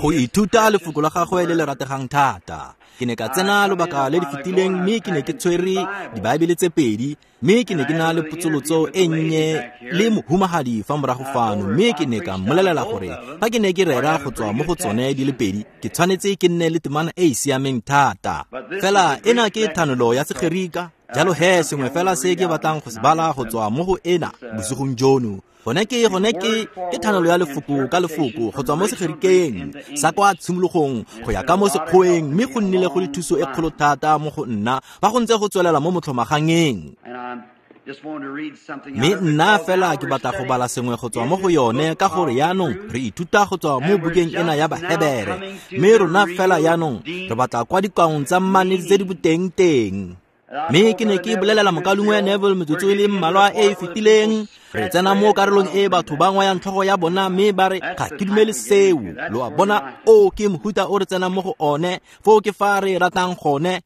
Go ithuta lefoko la gagwe le le rategang thata. Ke ne ka tsena lobaka le le fetileng mme ke ne ke tshwere dibaebele tse pedi, mme ke ne ke na le potsolotso e nnye le mohumagadi fa morago fano, mme ke ne ka mmolelela gore fa ke ne ke rera go tswa mo go tsone di le pedi, ke tshwanetse ke nne le temana e e siameng thata. Fela ena ke thanolo ya Segerika, jalo he sengwe fela se ke batlang go se bala go tswa mo go ena bosigong jono. Gone ke thanolo ya lefoko ka lefoko go tswa mo Segerikeng sa kwa tshimologong go ya ka mo Sekgoeng, mme go nnile go le thuso e kgolo thata mo go nna fa go ntse go tswelela mo motlhomagangeng. Mme nna fela ke batla go bala sengwe go tswa mo go yone, ka gore yaanong re ithuta go tswa mo bukeng ena ya Bahebere, mme rona fela yaanong re batla kwa dikaong tsa mmane tse di boteng teng. Mme ke ne ke bolelela mokaulengwe Neville metsotso e le mmalwa e e fetileng, re tsena mo karolong e batho ba ngwayang tlhogo ya bona mme ba re ga ke dumele seo. Lo a bona, o ke mohuta o re tsenang mo go one, foo ke fa re ratang gone.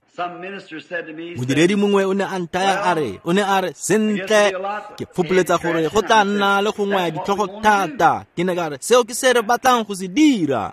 Modiredi mongwe o ne a nthaya a re, o ne a re, sentle, ke fopoletsa gore go tla nna le go ngwaya ditlhogo thata. Ke ne ka re, seo ke se re batlang go se dira.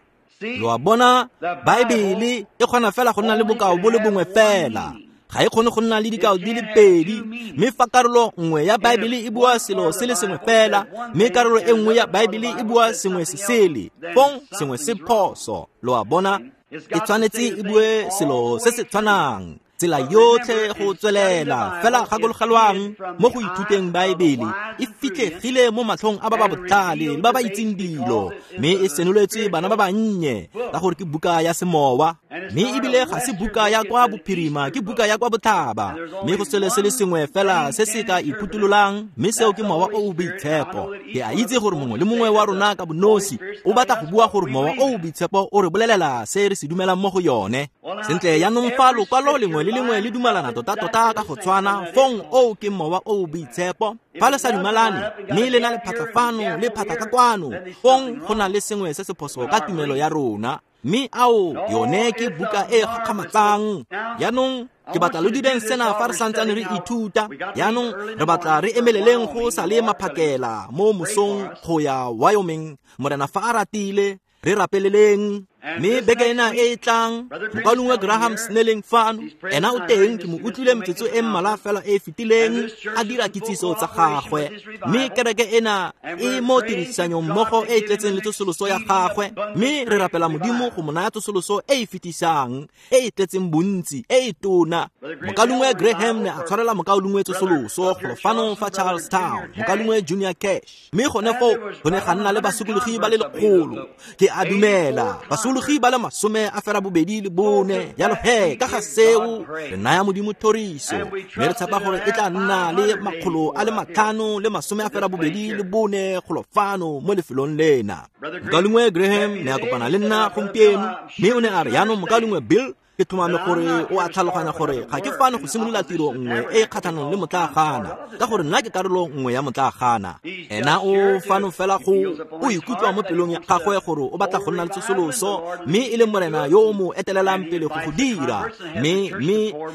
Lo a bona, Baebele e kgona fela go nna le bokao bo le bongwe fela. Ga e kgone go nna le dikao di le pedi, mme fa karolo nngwe ya Baebele e bua selo se le sengwe fela, mme karolo e nngwe ya Baebele e bua sengwe se sele, fong sengwe se phoso. Lo a bona, e tshwanetse e bue selo se se tshwanang tsela yotlhe go tswelela. Fela gakologelwang, mo go ithuteng Baebele e fitlhegile mo matlhong a ba ba botlhale le ba ba itseng dilo, mme e senoletswe bana ba bannye, ka gore ke buka ya semowa, mme ebile ga se buka ya kwa bophirima, ke buka ya kwa botlhaba. Mme go selo se le sengwe fela se se ka iphutulolang, mme seo ke Mowa o o Boitshepo. Ke a itse gore mongwe le mongwe wa rona ka bonosi o batla go bua gore Mowa o o Boitshepo o re bolelela se re se dumelang mo go yone. Sentle, yaanong fa lokwalo lengwe le lengwe le dumalana tota-tota ka go tshwana, fong oo ke Mowa o o Boitshepo. Fa le sa dumalane mme le na le phatla fano le phatla ka kwano, fong go na le sengwe se se phoso ka tumelo ya rona. Mme ao, yone ke buka e gakgamatsang. Yaanong ke batla lo direng sena fa re santsane re ithuta. Yaanong re batla re emeleleng go sa le maphakela mo mosong go ya Wyoming, Morena fa a ratile, re rapeleleng. Mme beke ena e e tlang, mokaulengwe Graham Snelling fano, ena o teng, ke mo utlwile metsotso e mmalwa fela e e fetileng a dira kitsiso tsa gagwe. Mme kereke ena e mo tirisanyong mmogo e e tletseng le tsosoloso ya gagwe, mme re rapela Modimo go mo naya tsosoloso e e fetisang, e e tletseng bontsi, e e tona. Mokaulengwe Graham ne a tshwarela mokaulengwe tsosoloso golo fano fa Charlestown, mokaulengwe Junior Cash. Mme gone foo go ne ga nna le basokologi ba le 100, ke a dumela basokologi ba le 84. Jalo he, ka ga seo re naya Modimo thoriso, mme re tshepa gore e tla nna le 584 golo fano mo lefelong lena. Mokaulengwe Graham ne a kopana le nna gompieno, mme o ne a re, yaanong mokaulengwe Bill, ke tlhomame gore o a tlhaloganya gore ga ke fano go simolola tiro nngwe e e kgatlhanong le motlaagana, ka gore nna ke karolo nngwe ya motlaagana. Ena o fano fela go o ikutlwa mo pelong ya gagwe gore o batla go nna le tsosoloso, mme e le Morena yo o mo etelelang pele go go dira. Mme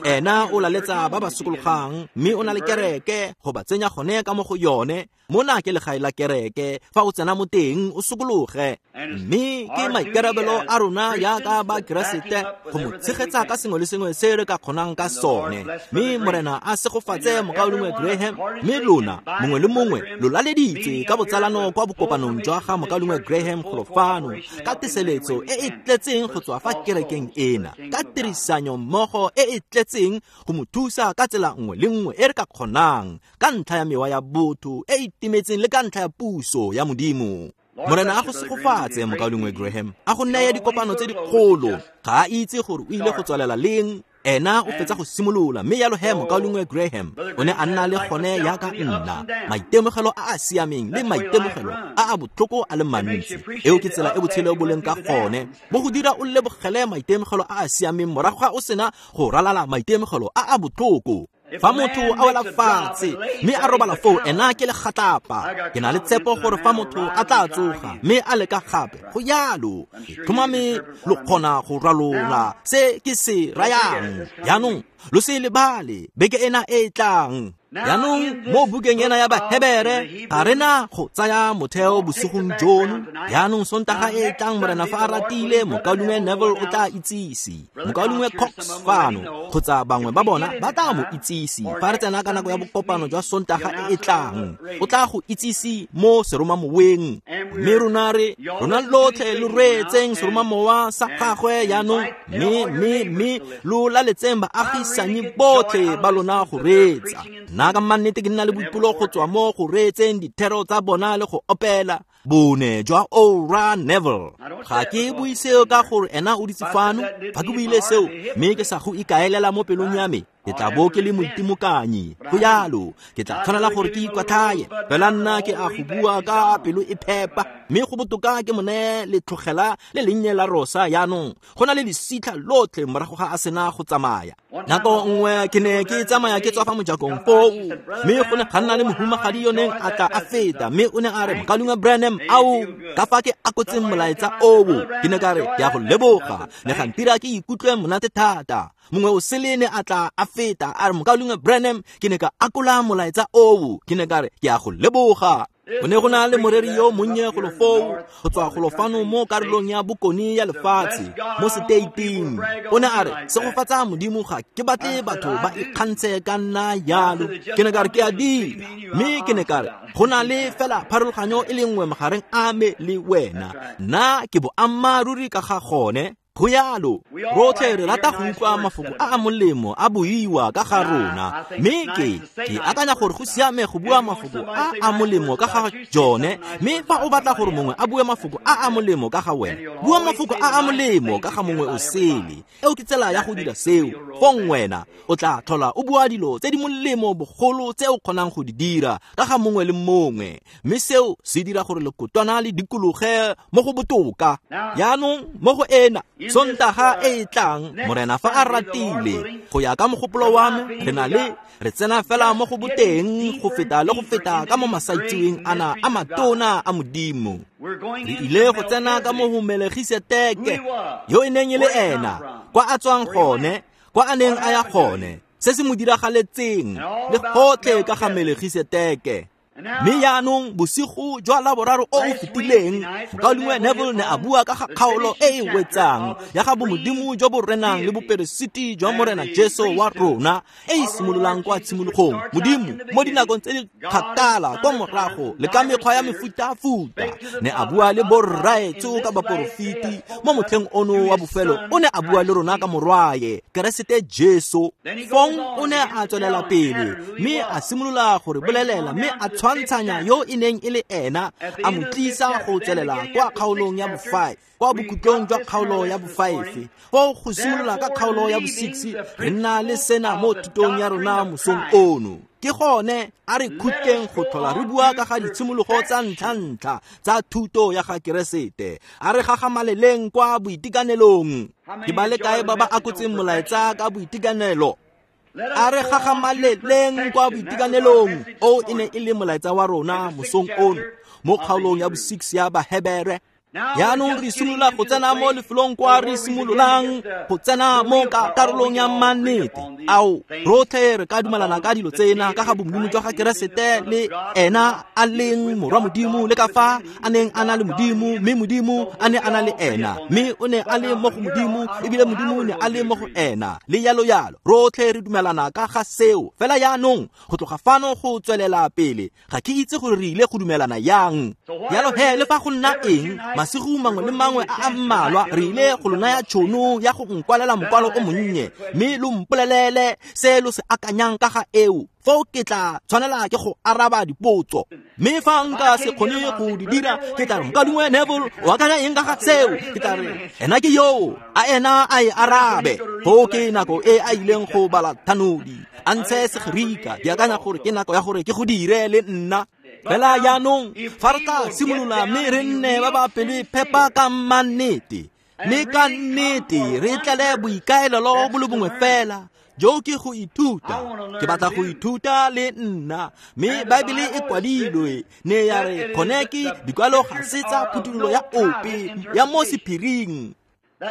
ena o laletsa ba ba sokologang, mme o na le kereke go ba tsenya gone ka mo go yone. Mona ke legae la kereke, fa o tsena mo teng o sokologe. Mme ke maikarabelo a rona jaaka ba Keresete go mo tshegetsa ka sengwe le sengwe se re ka kgonang ka sone. Mme Morena a segofatse mokaulengwe Graham, mme lona mongwe le mongwe lo laleditswe ka botsalano kwa bokopanong jwa ga mokaulengwe Graham golo fano, ka teseletso e e tletseng go tswa fa kerekeng ena, ka tirisanyo mmogo e e tletseng go mo thusa ka tsela nngwe le nngwe e re ka kgonang, ka ntlha ya mewa ya botho e e timetseng le ka ntlha ya puso ya Modimo. Morena a go segofatse mokaulengwe Graham, a go neye dikopano tse dikgolo. Ga a itse gore o ile go tswalela leng, ena o fetsa go simolola. Mme jalo he mokaulengwe Graham o ne a nna le gone jaaka nna, maitemogelo a a siameng le maitemogelo a a botlhoko a le mantsi. Eo ke tsela e botshelo bo leng ka gone, bo go dira o lebogele maitemogelo a a siameng morago ga o sena go ralala maitemogelo a a botlhoko. Fa motho a wela fatshe mme a robala foo, ena ke legatlapa. Ke na le tshepo gore fa motho a tla tsoga mme a leka gape, go jalo, ke tlhomame lo kgona go ralola se ke se rayang. Jaanong lo se lebale beke ena e e tlang. Jaanong mo bukeng ena ya Bahebere ga re na go tsaya motheo bosigong jono. Jaanong Sontaga e e tlang Morena fa a ratile, Mokaulengwe Neville o tla itsise, Mokaulengwe Cox fano kgotsa bangwe ba bona ba tla mo itsise fa re tsena ka nako ya bokopano jwa Sontaga e e tlang. O tla go itsise mo seromamoweng. Mme rona re rona lotlhe lo reetseng seromamowa sa gagwe jaanong, mme lo laletseng baagisanyi botlhe ba lona go reetsa. Nna ka mannete ke nna le boipelo go tswa mo go reetseng dithero tsa bona le go opela bone jwa Ora Neville. Ga ke bue seo ka gore ena o ditse fano. Fa ke buile seo mme ke sa go ikaelela mo pelong ya me, ke tla bo ke le moitimokanyi. Go jalo, ke tla tshwanela gore ke ikwatlhaye. Fela nna ke a go bua ka pelo e phepa, mme go botoka ke mo neye letlhogela le lennye la rosa. Jaanong go na le lesitlha lotlhe morago ga a sena go tsamaya. Nako nngwe ke ne ke tsamaya ke tswa fa mojakong foo, mme go ne ga nna le mohumagadi yo neng a tla a feta, mme o ne a re, Mokaulengwe Branham, ao ka fa ke akotseng molaetsa oo. Ke ne ka re, ke a go leboga, ne ga ntira ke ikutlwe monate thata. Mongwe o sele ne a tla a feta a re, Mokaulengwe Branham, ke ne ka akola molaetsa oo. Ke ne ka re, ke a go leboga. Go ne go na le moreri yo monnye golo foo go tswa golo fano mo karolong ya bokone ya lefatshe mo seteiting. O ne a re, segofatsa Modimo, ga ke batle batho ba ikgantshe ka nna jalo. Ke ne ka re, ke a dira. Mme ke ne ka re, go na le fela pharologanyo e le nngwe magareng a me le wena. Nna ke boammaaruri ka ga gone. Go jalo, rotlhe re rata go utlwa mafoko a a molemo a buiwa ka ga rona, mme ke akanya gore go siame go bua mafoko a a molemo ka ga jone. Mme fa o batla gore mongwe a bue mafoko a a molemo ka ga wena, bua mafoko a a molemo ka ga mongwe o sele. Eo ke tsela ya go dira seo. Fong wena o tla tlhola o bua dilo tse di molemo bogolo tse o kgonang go di dira ka ga mongwe le mongwe, mme seo se dira gore lekotwana le dikologe mo go botoka. Jaanong mo go ena Sontaga e e tlang, Morena fa a ratile, go ya ka mogopolo wa me, re na le re tsena fela mo go boteng go feta le go feta ka mo masaitseweng ana a matona a Modimo. Re ile go tsena ka mo go Melegiseteke, yo e neng e le ena, kwa a tswang gone, kwa a neng a ya gone, se se mo diragaletseng, le gotlhe ka ga Melegiseteke. Mme jaanong bosigo jwa Laboraro o o fetileng, Mokaulengwe Neville ne a bua ka ga kgaolo e e wetsang ya ga bomodimo jo bo renang le boperesiti jwa Morena Jesu wa rona, e e simololang kwa tshimologong Modimo mo dinakong tse di kgakala kwa morago le ka mekgwa ya mefutafuta ne a bua le borraetsho ka baporofeti. Mo motlheng ono wa bofelo o ne a bua le rona ka morwaye Keresete Jesu. Fong o ne a tswelela pele mme a simolola go re bolelela, mme a tshwantshanya yo e neng e le ena, a mo tlisa go tswelela kwa kgaolong ya bo-5, kwa bokhutlong jwa kgaolo ya bo-5. Foo go simolola ka kgaolo ya bo-6 re nna le sena mo thutong ya rona mosong ono. Ke gone a re khutleng go tlhola re bua ka ga ditshimologo tsa ntlha-ntlha tsa thuto ya ga Keresete. A re gagamaleleng kwa boitekanelong. Ke ba le kae ba ba akotseng molaetsa ka boitekanelo? A re gagamaleleng kwa boitekanelong. O e ne e le molaetsa wa rona mosong ono mo kgaolong ya bo-6 ya Bahebere. Jaanong re simolola go tsena mo lefelong kwa re simololang go tsena mo ka karolong ya mannete. Ao, rotlhe re ka dumalana ka dilo tsena ka ga bomodimo jwa ga Keresete le ena a leng morwa Modimo, le ka fa a neng a na le Modimo, mme Modimo a ne a na le ena, mme o ne a le mo go Modimo, ebile Modimo ne a le mo go ena, le yalo yalo. Rotlhe re dumelana ka ga seo. Fela jaanong go tloga fano go tswelela pele, ga ke itse gore re ile go dumelana yang. Jalo he, le fa go nna eng, masigo mangwe le mangwe a a mmalwa re ile go lo naya tšhono ya go nkwalela mokwalo o monnye, mme lo mpolelele se lo se akanyang ka ga eo. Foo ke tla tshwanela ke go araba dipotso. Mme fa nka se kgone go di dira, ke tla re, Mokaulengwe Neville o akanya eng ka ga seo? Ke tla re, ena ke yoo, a ena a e arabe. Foo ke nako e a ileng go bala thanodi, a ntshe Segerika. Ke akanya gore ke nako ya gore ke go dire le nna. Fela jaanong fa re tla simolola mme re nne ba ba pelo phepa ka mannete, mme ka nnete re tlele boikaelelo bo le bongwe fela, jo ke go ithuta. Ke batla go ithuta le nna. Mme Baebele e kwadilwe, ne ya re gone ke dikwalo ga se tsa phuthololo ya ope ya mo sephiring.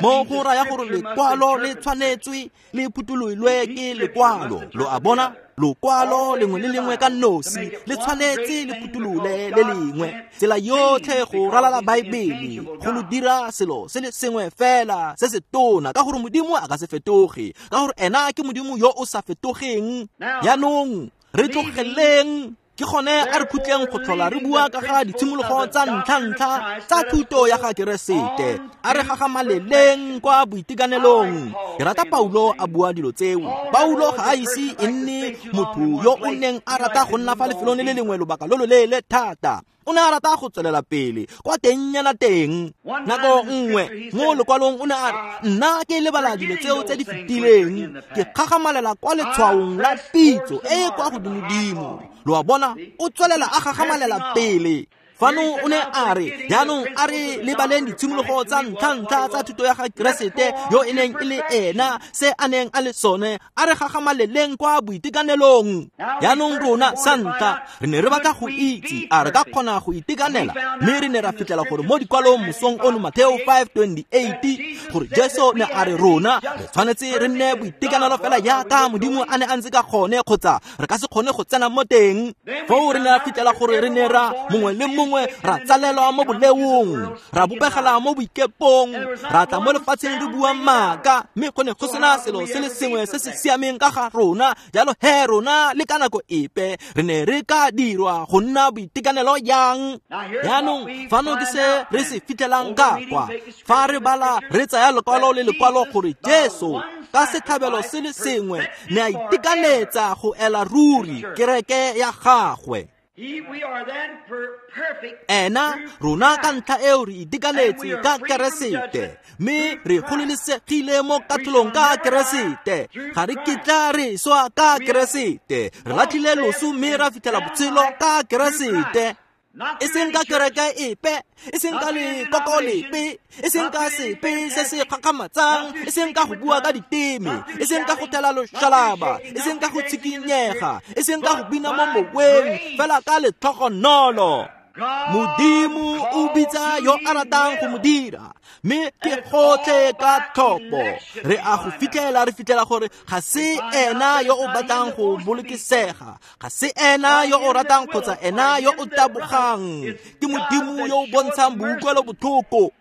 Mo go raya gore lekwalo le tshwanetswe le phuthololwe ke lekwalo. Lo a bona? Lokwalo lengwe le lengwe ka nosi le tshwanetse le phutholole le lengwe. Tsela yotlhe go ralala Baebele go lo dira selo se le sengwe fela se se tona, ka gore Modimo a ka se fetoge, ka gore ena ke Modimo yo o sa fetogeng. Jaanong re tlogeleng ke gone a re khutleng go tlhola re bua ka ga ditshimologo tsa ntlha-ntlha tsa thuto ya ga Keresete. A re gagamaleleng kwa boitekanelong. Ke rata Paulo a bua dilo tseo. Paulo ga a ise e nne motho yo o neng a rata go nna fa lefelong le le lengwe lobaka lo loleele thata. O ne a rata go tswelela pele kwa tengnyana teng. Nako nngwe mo lekwalong o ne a re, nna ke lebala dilo tseo tse di fetileng, ke gagamalela kwa letshwaong la pitso e e kwa godimodimo. Lo a bona, o tswelela a gagamalela pele. Fano o ne a re, jaanong a re lebaleng ditshimologo tsa ntlha-ntlha tsa thuto ya ga Keresete yo e neng e le ena, se a neng a le sone, a re gagamaleleng kwa boitekanelong. Jaanong rona sa ntlha re ne re batla go itse a re ka kgona go itekanela, mme re ne ra fitlhela gore mo dikwalong mosong ono Mateo 5:28 gore Jesu ne a re rona re tshwanetse re nne boitekanelo fela jaaka Modimo a ne a ntse ka gone, kgotsa re ka se kgone go tsena mo teng. Foo re ne ra fitlhela gore re ne ra mongwe le mongwe ra tsalelwa mo boleong, ra bopegela mo boikepong, ra tla mo lefatsheng re bua maaka, mme go ne go sena selo se le sengwe se se siameng ka ga rona. Jalo he rona le ka nako epe re ne re ka dirwa go nna boitekanelo jang? Jaanong fano ke se re se fitlhelang ka kwa fa re bala re tsaya lekwalo le lekwalo gore Jesu ka setlhabelo se le sengwe ne a itekanetsa go ela ruri kereke ya gagwe. Ena rona ka ntlha eo re itekanetse ka Keresete, mme re gololesegile mo katlholong ka Keresete. Ga re kitla re swa ka Keresete, re latlhile loso mme ra fitlhela botshelo ka Keresete. E seng ka kereke epe, e seng ka lekoko lepe, e seng ka sepe se se gakgamatsang, e seng ka go bua ka diteme, e seng ka go thela loshalaba, e seng ka go tshikinyega, e seng ka go bina mo moweng, fela ka letlhogonolo. Modimo o bitsa yo a ratang go mo dira, mme ke gotlhe ka tlhopho. Re a go fitlhela, re fitlhela gore ga se ena yo o batlang go bolokesega, ga se ena yo o ratang kgotsa ena yo o tabogang. Ke Modimo yo o bontshang boutlwelo botlhoko.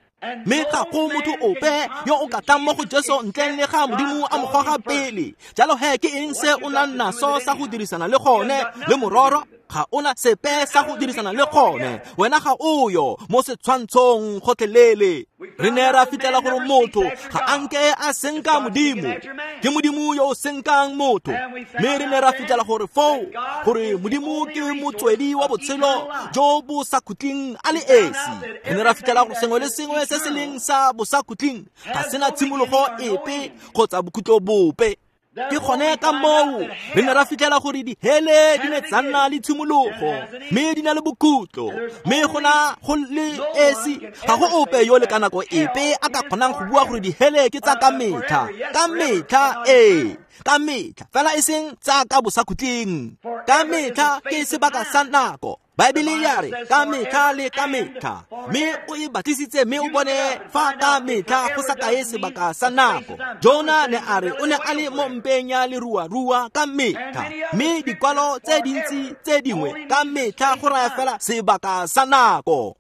Mme ga go motho ope yo o ka tlang mo go Jesu ntleng le ga Modimo a mo goga pele. Jalo he ke eng se o nang naso sa go dirisana le gone? Le mororo ga ona sepe sa go dirisana le gone, wena ga o yo mo setshwantshong gotlhelele. Re ne ra fitlhela gore motho ga a nke a senka Modimo, ke Modimo yo o senkang motho. Mme re ne ra fitlhela gore foo gore Modimo ke motswedi wa botshelo jo bo sa khutleng a le esi. Re ne ra fitlhela gore sengwe le sengwe se se leng sa bosakhutleng ga sena tshimologo epe kgotsa bokhutlo bope. Ke gone ka moo re ne ra fitlhela gore dihele di ne tsa nna le tshimologo mme di na le bokhutlo, mme go na go le esi ga go ope yo le ka nako epe a ka kgonang go bua gore dihele ke tsa ka metlha, ka metlha, ee, ka metlha, fela e seng tsa ka bosakhutleng. Ka metlha ke sebaka sa nako. Baebele ya re ka metlha le ka metlha, mme o e batlisitse mme o bone fa ka metlha go sa kae sebaka sa nako. Jona ne a re o ne a le mo mpeng ya leruarua ka metlha, mme dikwalo tse dintsi tse dingwe ka metlha go raya fela sebaka sa nako.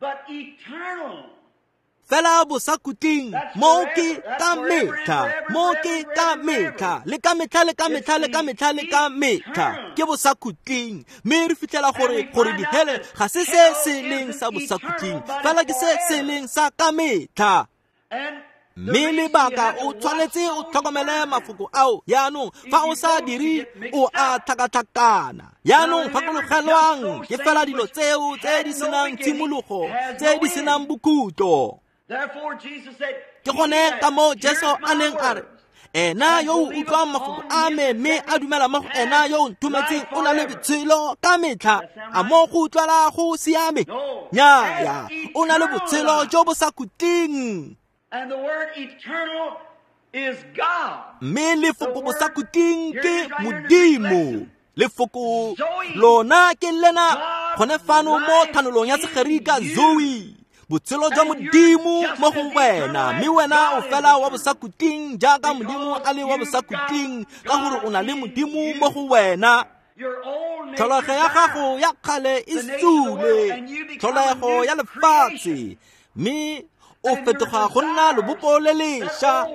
Fela bosakhutleng mo ke ka metlha, mo ke ka metlha, le ka metlha, le ka metlha, le ka metlha, le ka metlha, ke bosakhutleng. Mme re fitlhela gore dihele ga se se se leng sa bosakhutleng, fela ke se se leng sa ka metlha. Mme lebaka o tshwanetse o tlhokomele mafoko ao. Jaanong fa o sa dire o a tlhakatlhakana. Jaanong gakologelwang ke fela dilo tseo tse di senang tshimologo, tse di senang bokhutlo. Ke gone ka moo Jesu a neng a re, ena yo o utlwang mafoko a me mme a dumela mo go ena yo o nthometseng o na le botshelo ka metlha. A mo go utlwala go siame? Nnyaya, o na le botshelo jo bo sa khutleng. Mme lefoko bosakhutleng ke Modimo. Lefoko lona ke lena gone fano mo thanolong ya Segerika Zoe. Botshelo jwa Modimo mo go wena, mme wena o fela wa bosakhutleng jaaka Modimo a le wa bosakhutleng, ka gore o na le Modimo mo go wena. Tlholego ya gago ya kgale e sule, tlholego ya lefatshe, mme o fetoga go nna lobopo le lešwa.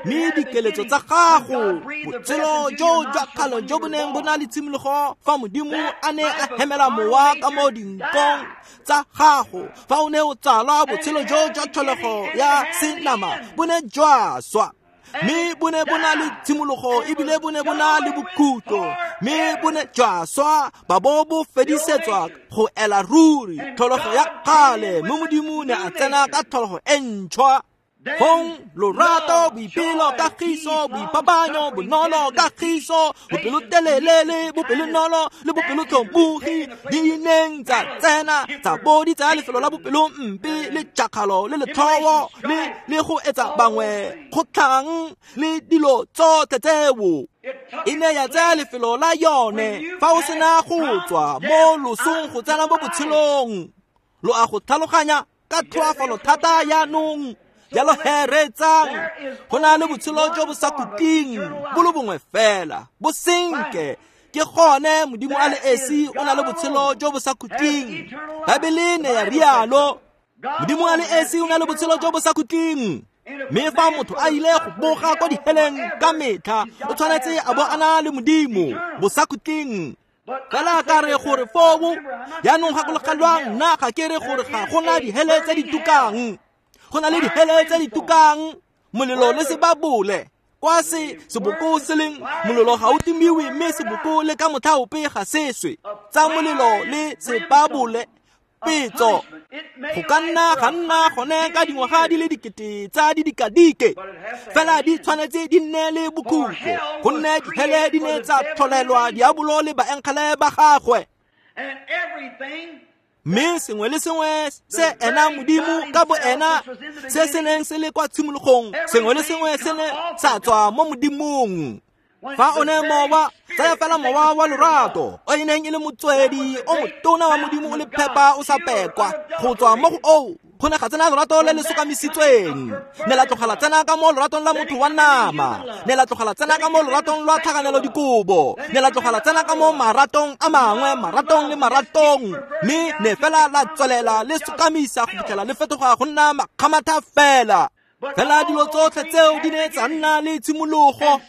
Mme dikeletso tsa gago, botshelo jo jwa kgale jo bo neng bo na le tshimologo fa Modimo a ne a hemela mowa ka mo dinkong tsa gago, fa o ne o tsalwa, botshelo jo jwa tlholego ya senama bo ne jwa swa, mme bo ne bo na le tshimologo ebile bo ne bo na le bokhutlo, mme bo ne jwa swa ba bo bo fedisetswa go ela ruri tlholego ya kgale, mme Modimo ne a tsena ka tlholego e ntšhwa. Fong lorato, boipelo, kagiso, boipapanyo, bonolo, kagiso, bopelotelele le bopelonolo le bopelotlhomogi di neng tsa tsena tsa bo di tsaya lefelo la bopelompe le tšakgalo le letlhowo le go etsa bangwe kgotlhang le dilo tsotlhe tseo. E ne ya tsaya lefelo la yone fa o sena go tswa mo losong go tsena mo botshelong. Lo a go tlhaloganya ka tlhoafalo thata jaanong. Jalo he reetsang, go na le botshelo jo bo sa khutleng bo le bongwe fela, bo senke. Ke gone Modimo a le esi o na le botshelo jo bo sa khutleng. Baebele ne ya rialo, Modimo a le esi o na le botshelo jo bo sa khutleng. Mme fa motho a ile go boga kwa diheleng ka metlha, o tshwanetse a bo a na le Modimo bosakhutleng. Fela ka re gore foo, jaanong gakologelwang, nna ga ke re gore ga gona dihele tse di tukang. Go na le dihele tse di tukang, molelo le sebabole. Kwa se seboko se leng, molelo ga o timiwe, mme seboko le ka motlha ope ga se swe. Tsa molelo le sebabole, petso. Go ka nna ga nna gone ka dingwaga di le dikete tsa didikadike, fela di tshwanetse di nne le bokhutlo, gonne dihele di ne tsa tlholelwa diabolo le baengele ba gagwe. Mme sengwe le sengwe se ena Modimo ka bo ena se se neng se le kwa tshimologong, sengwe le sengwe se ne sa tswa mo Modimong. Fa o ne mowa, tsaya fela mowa wa lorato, o e neng e le motswedi o motona wa Modimo o le phepa o sa pekwa, go tswa mo go oo go ne ga tsena lorato le le sokamisitsweng. Ne la tlogela tsena ka mo loratong la motho wa nama, ne la tlogela tsena ka mo loratong lwa tlhakanelo dikobo, ne la tlogela tsena ka mo maratong a mangwe, maratong le maratong, mme ne fela la tswelela le sokamisa go fitlhela le fetoga go nna makgamatha fela. Fela dilo tsotlhe tseo di ne tsa nna le tshimologo,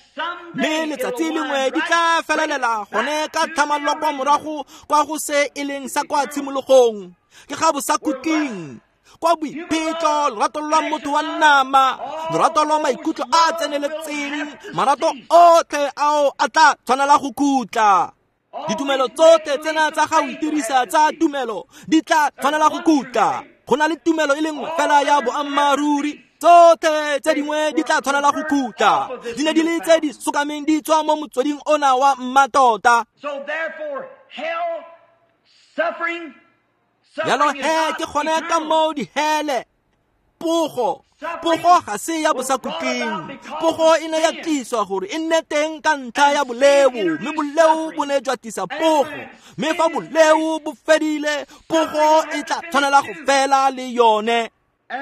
mme letsatsi lengwe di tla felelela gone ka tlhamallo kwa morago kwa go se e leng sa kwa tshimologong. Ke ga bosakhutleng, kwa boiphetlo, lorato lwa motho wa nama, lorato lwa maikutlo a a tseneletseng, marato otlhe ao a tla tshwanela go khutla. Ditumelo tsotlhe tsena tsa ga o itirisa tsa tumelo di tla tshwanela go khutla. Go na le tumelo e le nngwe fela ya boammaaruri, tsotlhe tse dingwe di tla tshwanela go khutla. Di ne di le tse di sokameng di tswa mo motsweding ona wa mmatota. Jalo he ke gone ka moo dihele, pogo ga se ya bosakhutleng. Pogo e ne ya tliswa gore e nne teng ka ntlha ya boleo, mme boleo bo ne jwa tlisa pogo. Mme fa boleo bo fedile, pogo e tla tshwanela go fela le yone.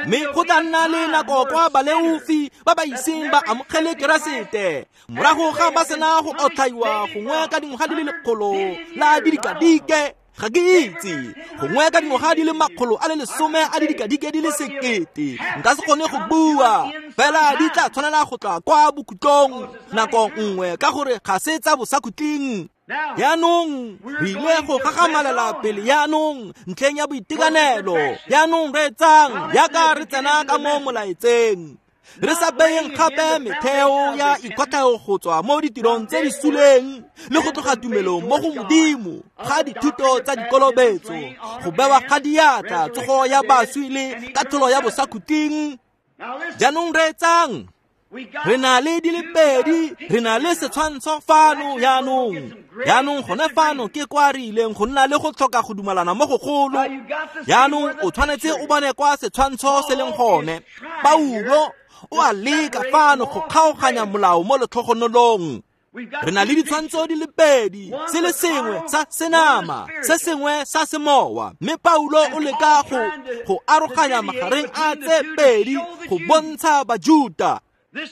Mme go tla nna le nako kwa baleofi ba ba iseng ba amogele Keresete, morago ga ba sena go otlhaiwa gongwe ka dingwaga di le 100 la didikadike, ga ke itse, gongwe ka dingwaga di le 110 a didikadike di le 1000, nka se kgone go bua, fela di tla tshwanela go tla kwa bokhutlong nako nngwe, ka gore ga se tsa bosakhutleng. Jaanong re ile go gagamalela pele jaanong ntlheng ya boitekanelo. Jaanong reetsang jaaka re tsena ka mo molaetseng, re sa beyeng gape metheo ya ikwatlhao go tswa mo ditirong tse di suleng le go tloga tumelong mo go Modimo ga dithuto tsa dikolobetso, go bewa ga diatla, tsogo ya baswi le katlholo ya bosakhutleng. Jaanong reetsang, re na le di le pedi, re na le setshwantsho fano jaanong. Jaanong gone fano ke kwa re ileng go nna le go tlhoka go dumalana mo gogolo. Jaanong o tshwanetse o bone kwa setshwantsho se leng gone. Paulo o a leka fano go kgaoganya molao mo letlhogonolong. Re na le ditshwantsho di le pedi, se le sengwe sa senama, se sengwe sa semowa. Mme Paulo o leka go aroganya magareng a tse pedi go bontsha Bajuta.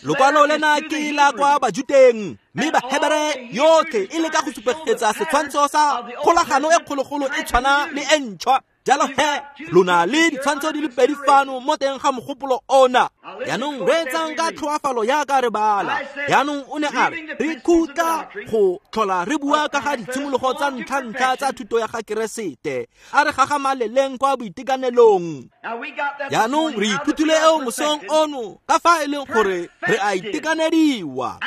Lokwalo lena ke la kwa Bajuteng, mme Bahebere yotlhe e leka go supegetsa setshwantsho sa kgolagano e kgologolo e tshwana le e ntšhwa. Jalo he, lona le ditshwantsho di le pedi fano mo teng ga mogopolo ona. Jaanong reetsang ka tlhoafalo jaaka re bala. Jaanong o ne a re, re khutla go tlhola re bua ka ga ditshimologo tsa ntlha-ntlha tsa thuto ya ga Keresete. A re gagamaleleng kwa boitekanelong. Jaanong re ithutile eo mosong ono ka fa e leng gore re a itekanediwa.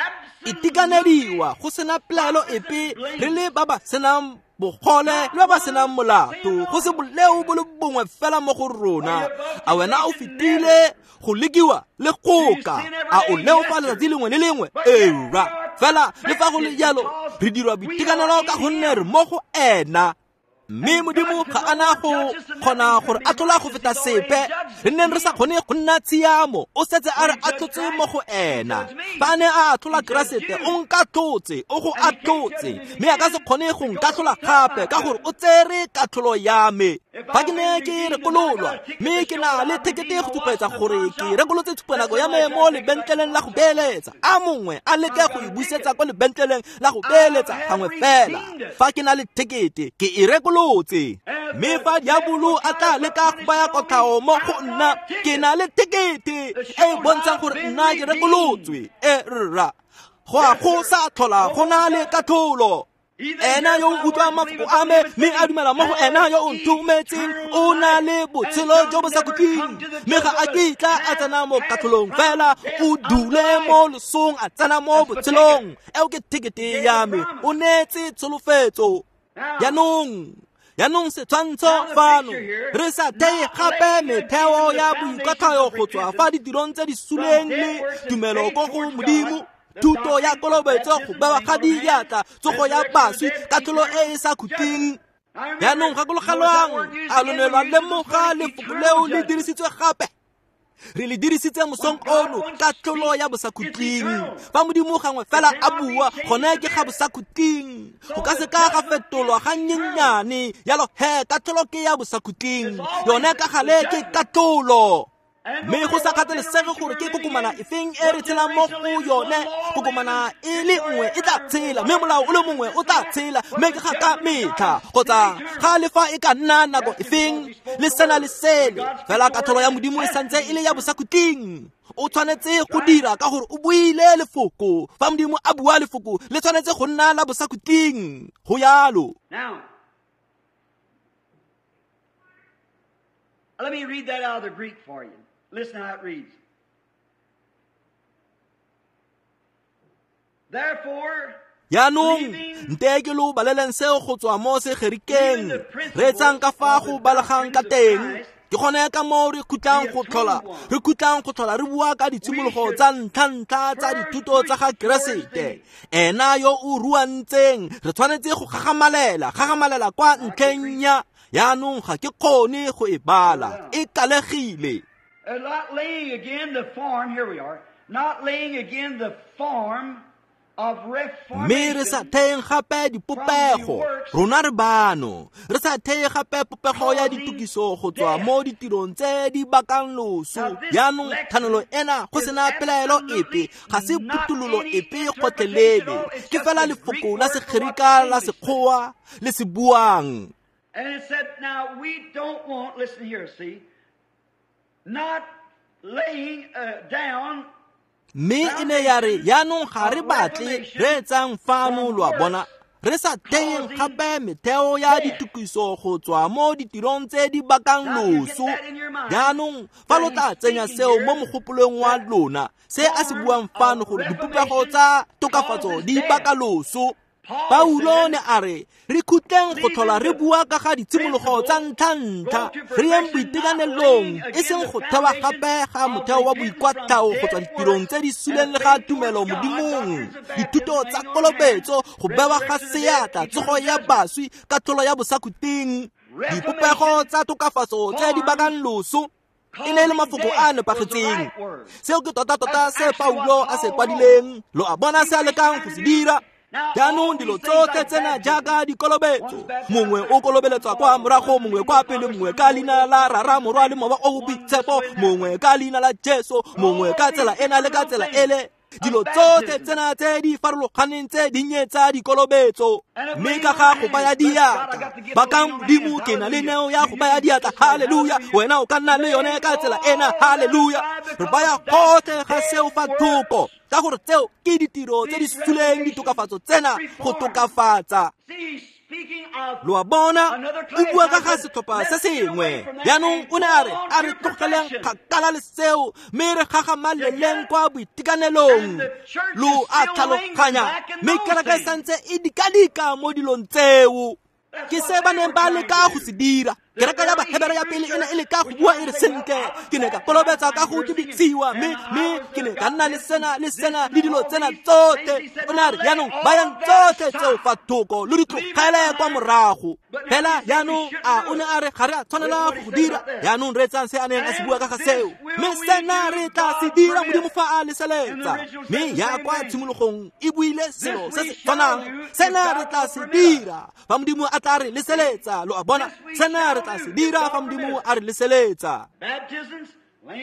Itekanediwa go sena pelaelo epe, re le ba ba senang bogole le ba ba senang molato, go se boleo bo le bongwe fela mo go rona. A wena o fetile go lekiwa le goka? A o leofa letsatsi lengwe le lengwe? Eura. Fela le fa go le jalo, re dirwa boitekanelo ka gonne re mo go ena. Mme Modimo ga ana go kgona gore atlhola go feta sepe. Re neng re sa kgone go nna tshiamo, o setse a re atlhotse mo go ena. Fa a ne a atlhola Keresete, o nkatlhotse, o go atlhotse, mme a ka se kgone go nkatlhola gape ka gore o tsere katlholo ya me. Fa ke ne ke rekololwa, mme ke na le thekete go supetsa gore ke rekolotse tshupanako ya me mo lebentleleng la go beeletsa, a mongwe a leke go e busetsa kwa lebentleleng la go beeletsa gangwe fela. Fa ke na le thekete, ke e rekolotse. Mme fa diabolo a tla leka go baya kotlhao mo go nna, ke na le thekete e e bontshang gore nna ke rekolotswe. E rra, go a go sa tlhola go na le katlholo. Ena yo o utlwang mafoko a me mme a dumela mo go ena yo o nthometseng, o na le botshelo jo bo sa khutleng, mme ga a kitla a tsena mo katlholong, fela o dule mo losong a tsena mo botshelong. Eo ke thekete ya me, o neetse tsholofetso. Jaanong setshwantsho fano, re sa theye gape metheo ya boikwatlhayo go tswa fa ditirong tse di suleng le tumelo ko go Modimo, thuto ya kolobetso, go bewa ga diatla, tsogo ya baswi, katlholo e e sa khutleng. Jaanong gakologelwang, a lo ne lwa lemoga lefoko leo le dirisitswe gape? Re le dirisitse mosong ono, katlholo ya bosakhutleng. Fa Modimo gangwe fela a bua, gone ke ga bosakhutleng, go ka se ka ga fetolwa ga nnyennyane. Jalo he, katlholo ke ya bosakhutleng, yone ka gale ke katlholo. Mme go sa kgathalesege gore ke kokomana efeng e re tshelang mo go yone, kokomana e le nngwe e tla tshela, mme molao o le mongwe o tla tshela, mme ke ga ka metlha kgotsa ga le fa e ka nna nako efeng, le sena le sele. Fela katlholo ya Modimo e santse e le ya bosakhutleng. O tshwanetse go dira ka gore o buile lefoko. Fa Modimo a bua lefoko, le tshwanetse go nna la bosakhutleng. Go yalo. Let me read that out of the Greek for you. Listen how it reads. Therefore, Jaanong nte ke lo baleleng seo go tswa mo Segerikeng. Reetsang ka fa go balegang ka teng. Ke gone ka moo re khutlang go tlhola, re khutlang go tlhola re bua ka ditshimologo tsa ntlha-ntlha tsa dithuto tsa ga Keresete. Ena yo o ruantseng, re tshwanetse go gagamalela kwa ntlheng ya. Jaanong ga ke kgone go e bala, e kalegile. Not laying again the form, here we are, not laying again the form Mme re sa theyeng gape dipopego, rona re bano, re sa theye gape popego ya ditokiso go tswa mo ditirong tse di bakang loso. Jaanong thanolo ena go sena pelaelo epe, ga se phuthololo epe gotlhelele, ke fela lefoko la Segerika la Sekgowa le se buang. And it said, now we don't want, listen here, see, not laying down. Mme e ne ya re, jaanong ga re batle, reetsang fano lo a bona, re sa theyeng gape metheo ya ditokiso go tswa mo ditirong tse di bakang loso. Jaanong fa lo tla tsenya seo mo mogopolong wa lona, se a se buang fano gore dipopego tsa tokafatso di baka loso. Paulo ne a re, re khutleng go tlhola re bua ka ga ditshimologo tsa ntlha-ntlha, re yeng boitekanelong, e seng go thewa gape ga motheo wa boikwatlhao go tswa ditirong tse di suleng le ga tumelo Modimong, dithuto tsa kolobetso, go bewa ga seatla, tsogo ya baswi, katlholo ya bosakhutleng, dipopego tsa tokafatso tse di bakang loso. E ne e le mafoko a a nepagetseng. Seo ke tota-tota se Paulo a se kwadileng. Lo a bona se a lekang go se dira. Jaanong dilo tsotlhe tsena jaaka dikolobetso, mongwe o kolobeletswa kwa morago, mongwe kwa pele, mongwe ka leina la Rara, Morwa le Mowa o o Boitshepo, mongwe ka leina la Jesu, mongwe ka tsela ena le ka tsela ele. Dilo tsotlhe tsena tse di farologaneng tse dinnye tsa dikolobetso. Mme ka ga go baya diatla, bakang Modimo, ke na le neo ya go baya diatla, halleluja. Wena o ka nna le yone ka tsela ena, halleluja. Re baya gotlhe ga seo fa thoko, ka gore tseo ke ditiro tse di suleng ditokafatso tsena go tokafatsa. Lo a bona, o bua ka ga setlhopha se sengwe. Jaanong o ne a re, a re tlogeleng kgakala le seo, mme re gagamaleleng kwa boitekanelong. Lo a tlhaloganya, mme kereke e santse e dikadika mo dilong tseo. Ke se ba neng ba leka go se dira. Kereke ya Bahebere ya pele e ne e leka go bua e re sentle, ke ne ka kolobetsa ka go tibisiwa, mme ke ne ka nna le sena le sena le dilo tsena tsotlhe. O ne a re, jaanong bayang tsotlhe tseo fa thoko, lo di tlogele kwa morago. Fela jaanong a o ne a re ga re a tshwanela go go dira. Jaanong reetsang se a neng a se bua ka ga seo. Mme sena re tla se dira Modimo fa a leseletsa. Mme ya kwa tshimologong e buile selo se se tshwanang. Sena re tla se dira fa Modimo a tla re leseletsa. Lo a bona, sena re tla se dira fa Modimo a re leseletsa.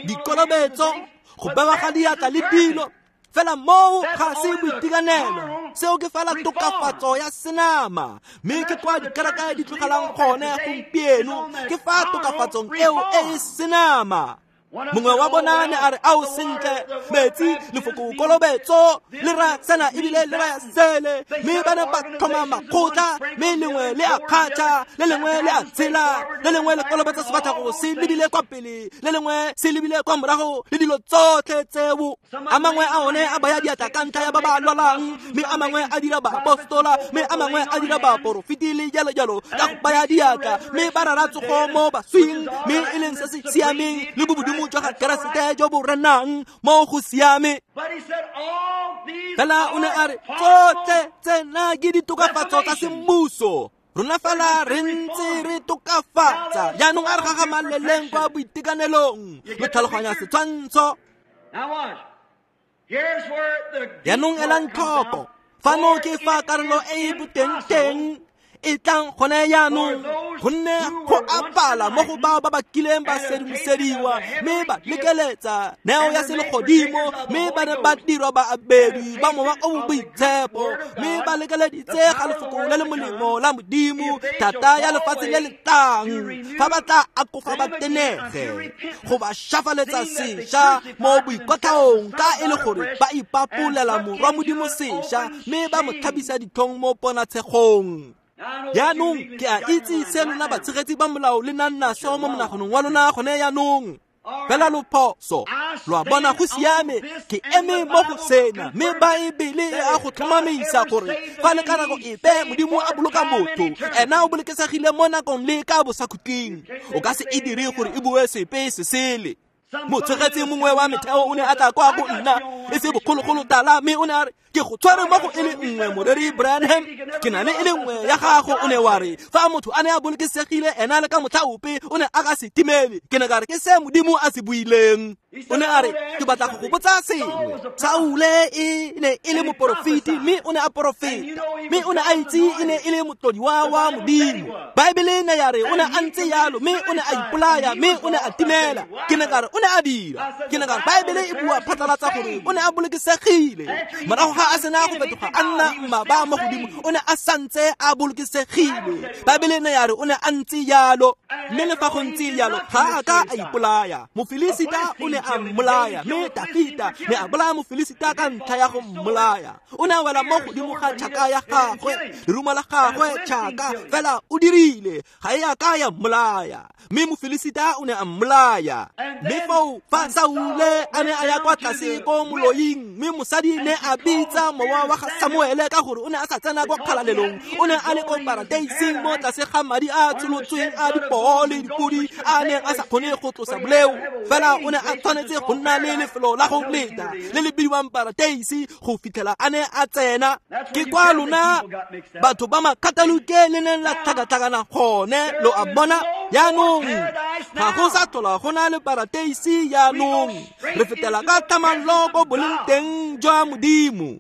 Dikolobetso, go bewa ga diatla le dilo, fela moo ga se boitekanelo. Seo ke fela tokafatso ya senama, mme ke kwa dikereke di tlogelang gone gompieno, ke fa tokafatsong eo e e senama. Mongwe wa bona ne a re, ao sentle, metsi, lefoko kolobetso le raya sena ebile le raya sele. Mme ba ne ba tlhoma makgotla, mme lengwe le a kgatšha, le lengwe le a tshela, le lengwe le kolobetsa sefatlhego se lebile kwa pele, le lengwe se lebile kwa morago, le dilo tsotlhe tseo. A mangwe a one a baya diatla ka ntlha ya ba ba lwalang, mme a mangwe a dira baapostola, mme a mangwe a dira baporofeti le jalo jalo ka go baya diatla, mme ba rara tsogo mo baswing, mme e leng se se siameng le bobodimo jwa ga Keresete jo bo renang mo go siame. Fela o ne a re, tsotlhe tsena ke ditokafatso tsa semmuso. Rona fela re ntse re tokafatsa. Jaanong a re gagamaleleng kwa boitekanelong. Lo tlhaloganya setshwantsho. Jaanong elang tlhoko, fano ke fa karolo e e boteng-teng e tlang gone jaanong, gonne go apala mo go bao ba ba kileng ba sedimosediwa, mme ba lekeletsa neo ya selegodimo, mme ba ne ba dirwa baabedi ba Mowa o o Boitshepo, mme ba lekeleditse ga lefoko le le molemo la Modimo, thata ya lefatshe le le tlang, fa ba tla akofa ba tenege, go ba šafaletsa sešwa mo boikotlhaong, ka e le gore ba ipapolela Morwa Modimo sešwa, mme ba mo tlhabisa ditlhong mo ponatshegong. Jaanong ke a itse se lona batshegetsi ba molao le nang naso mo monaganong wa lona gone jaanong. Fela lo phoso. Lo a bona, go siame, ke eme mo go sena, mme Baebele e a go tlhomamisa gore fa le ka nako epe Modimo a boloka motho, ena o bolokesegile mo nakong le ka bosakhutleng. O ka se e dire gore e bue sepe se sele. Motshegetsi mongwe wa metheo o ne a tla kwa go nna e se bogologolo tala, mme o ne a re, ke go tshware mo go e le nngwe, moreri Branham, ke na le e le nngwe ya gago. O ne wa re fa motho a ne a bolokesegile ena le ka motlha ope o ne a ka se timele. Ke ne ka re ke se Modimo a se buileng. O ne a re, ke batla go go botsa sengwe. Saule e ne e le moporofeti, mme o ne a porofeta, mme o ne a itse e ne e le motlodiwa wa Modimo. Baebele ne ya re o ne a ntse yalo, mme o ne a ipolaya, mme o ne a timela. Ke ne ka re o ne a dira. Ke ne ka re Baebele e bua phatlalatsa gore o ne a bolokesegile. Morago ga a sena go fetoga a nna mmaba mo godimo, o ne a santse a bolokesegile. Baebele ne ya re o ne a ntse yalo, mme le fa go ntse yalo ga a ka a ipolaya. Mofilisita o ne a mmolaya, mme Dafita ne a bolaya Mofilisita ka ntlha ya go mmolaya. O ne a wela mo godimo ga tšhaka ya gagwe, lerumo la gagwe tšhaka, fela o dirile, ga e a ka ya mmolaya. Mme Mofilisita o ne a mmolaya. Mme foo fa Saule a ne a ya kwa tlase ko moloing, mme mosadi ne a bitsa mowa wa ga Samuele ka gore o ne a sa tsena kwa kgalalelong. O ne a le ko paradeiseng mo tlase ga madi a tsholotsweng a dipoo le dipodi a neng a sa kgone go tlosa boleo. Fela o ne a tshwanetse go nna le lefelo la go leta le le bidiwang paradeise go fitlhela a ne a tsena. Ke kwa lona batho ba makatolike le neng la tlhakatlhakana gone, lo a bona. Jaanong ga go sa tlhola go na le parateisi jaanong, re fetela ka tlhamallo ko boleng teng jwa Modimo.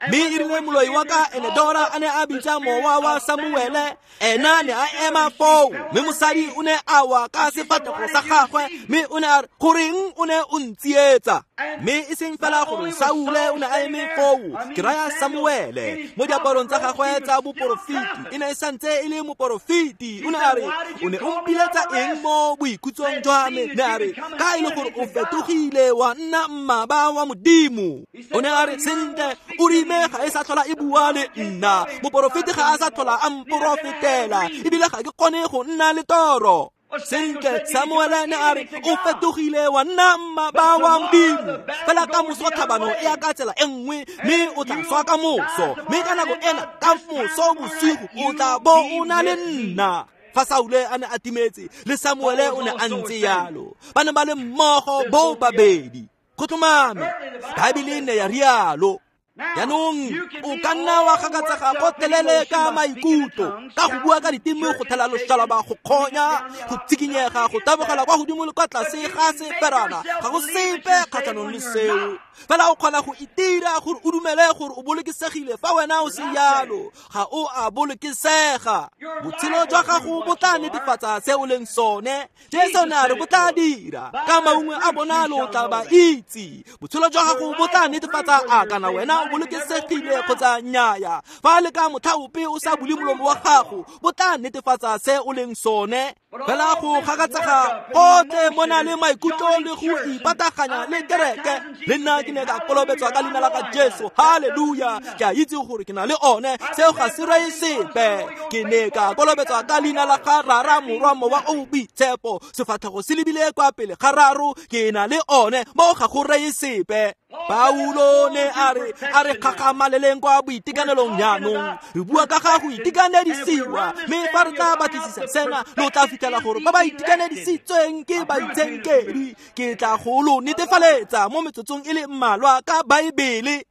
Mme e rile moloi wa ka Enedora a ne a bitsa mowa wa Samuele, ena ne a ema foo, mme mosadi o ne a wa ka sefatlhego sa gagwe, mme o ne a re, goreng o ne o ntsietsa? Mme e seng fela gore Saule o ne a eme foo, ke raya Samuele, mo diaparong tsa gagwe tsa boporofeti, e ne e santse e le moporofeti. O ne a re, o ne o mpiletsa eng mo boikhutsong jwa me? Ne a re, ka e le gore o fetogile wa nna mmaba wa Modimo. O ne a re, sentle, o rile ga e sa tlhola e bua le nna, moporofeti ga a sa tlhola a mporofetela, ebile ga ke kgone go nna le toro. Sentle, Samuele ne a re, o fetogile wa nna mmaba wa Modimo. Fela ka moso tlhabano e ya ka tsela e nngwe, mme o tla swa ka moso, mme ka nako ena ka moso bosigo o tla bo o na le nna. Fa Saule a ne a timetse, le Samuele o ne a ntse yalo, ba ne ba le mmogo bo babedi. Go tlhomame, Baebele ne ya rialo. Jaanong o ka nna wa gakatsega gotlhelele ka maikutlo, ka go bua ka diteme, go thela loshalaba, go kgonya, go tsikinyega, go tabogela kwa godimo le kwa tlase ga seferana, ga go sepe kgatlhanong le seo. Fela o kgona go itira gore o dumele gore o bolokesegile fa wena o se yalo, ga o a bolokesega. Botshelo jwa gago bo tla netefatsa se o leng sone. Jesu ne a re bo tla dira, ka maungwe a bona lo tla ba itse. Botshelo jwa gago bo tla netefatsa a kana wena o bolokesegile kgotsa nnyaya. Fa le ka motlha ope o sa bule molomo wa gago, bo tla netefatsa se o leng sone. Fela go gakatsega gotlhe mo na le maikutlo le go ipataganya le kereke, le nna ke ne ka kolobetswa ka leina la ga Jesu, halleluja, ke a itse gore ke na le one, seo ga se reye sepe. Ke ne ka kolobetswa ka leina la ga Rara, Morwa, Mowa o Boitshepo, sefatlhego se lebile kwa pele ga raro, ke na le one, mo ga go reye sepe. Paulo ne a re gagamaleleng kwa boitekanelong jaanong, re bua ka ga go itekanedisiwa, mme fa re tla batlisisa sena, lo tla fitlhela gore ba ba itekanedisitsweng ke baitshenkedi. Ke tla go lo netefaletsa mo metsotsong e le mmalwa ka Baebele.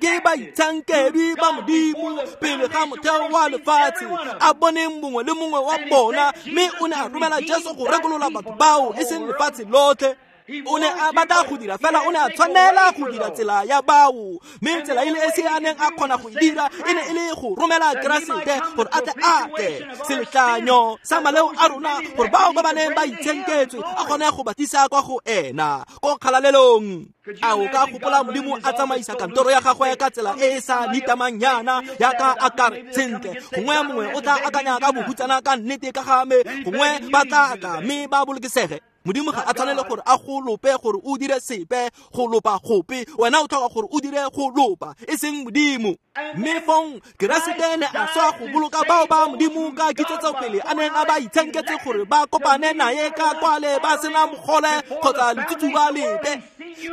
Ke baitshenkedwi ba Modimo pele ga motheo wa lefatshe, a boneng mongwe le mongwe wa bona, mme o ne a romela Jesu go rekolola batho bao, e seng lefatshe lotlhe. O ne a batla go dira fela, o ne a tshwanela go dira tsela ya bao, mme tsela e le e se a neng a kgona go e dira e ne e le go romela Keresete gore a tle a tle seletlanyo sa maleo a rona, gore bao ba ba neng ba itshenketswe a kgone go ba tlisa kwa go ena ko kgalalelong. A o ka gopola Modimo a tsamaisa kantoro ya gagwe ka tsela e e sa nitamang yana, yaka a kare sentle, gongwe mongwe o tla akanya ka bohutsana ka nnete ka ga me, gongwe ba tla tla mme ba bolokesege. Modimo ga a tshwanele gore a go lope gore o dire sepe, go lopa gope, wena o tlhoka gore o dire go lopa, e seng Modimo. Mme fong Keresete ne a swa go boloka bao ba Modimo ka kitsetsopele a neng a ba itshenketse gore ba kopane naye ka kwale ba sena mogole kgotsa letsutsuba lepe.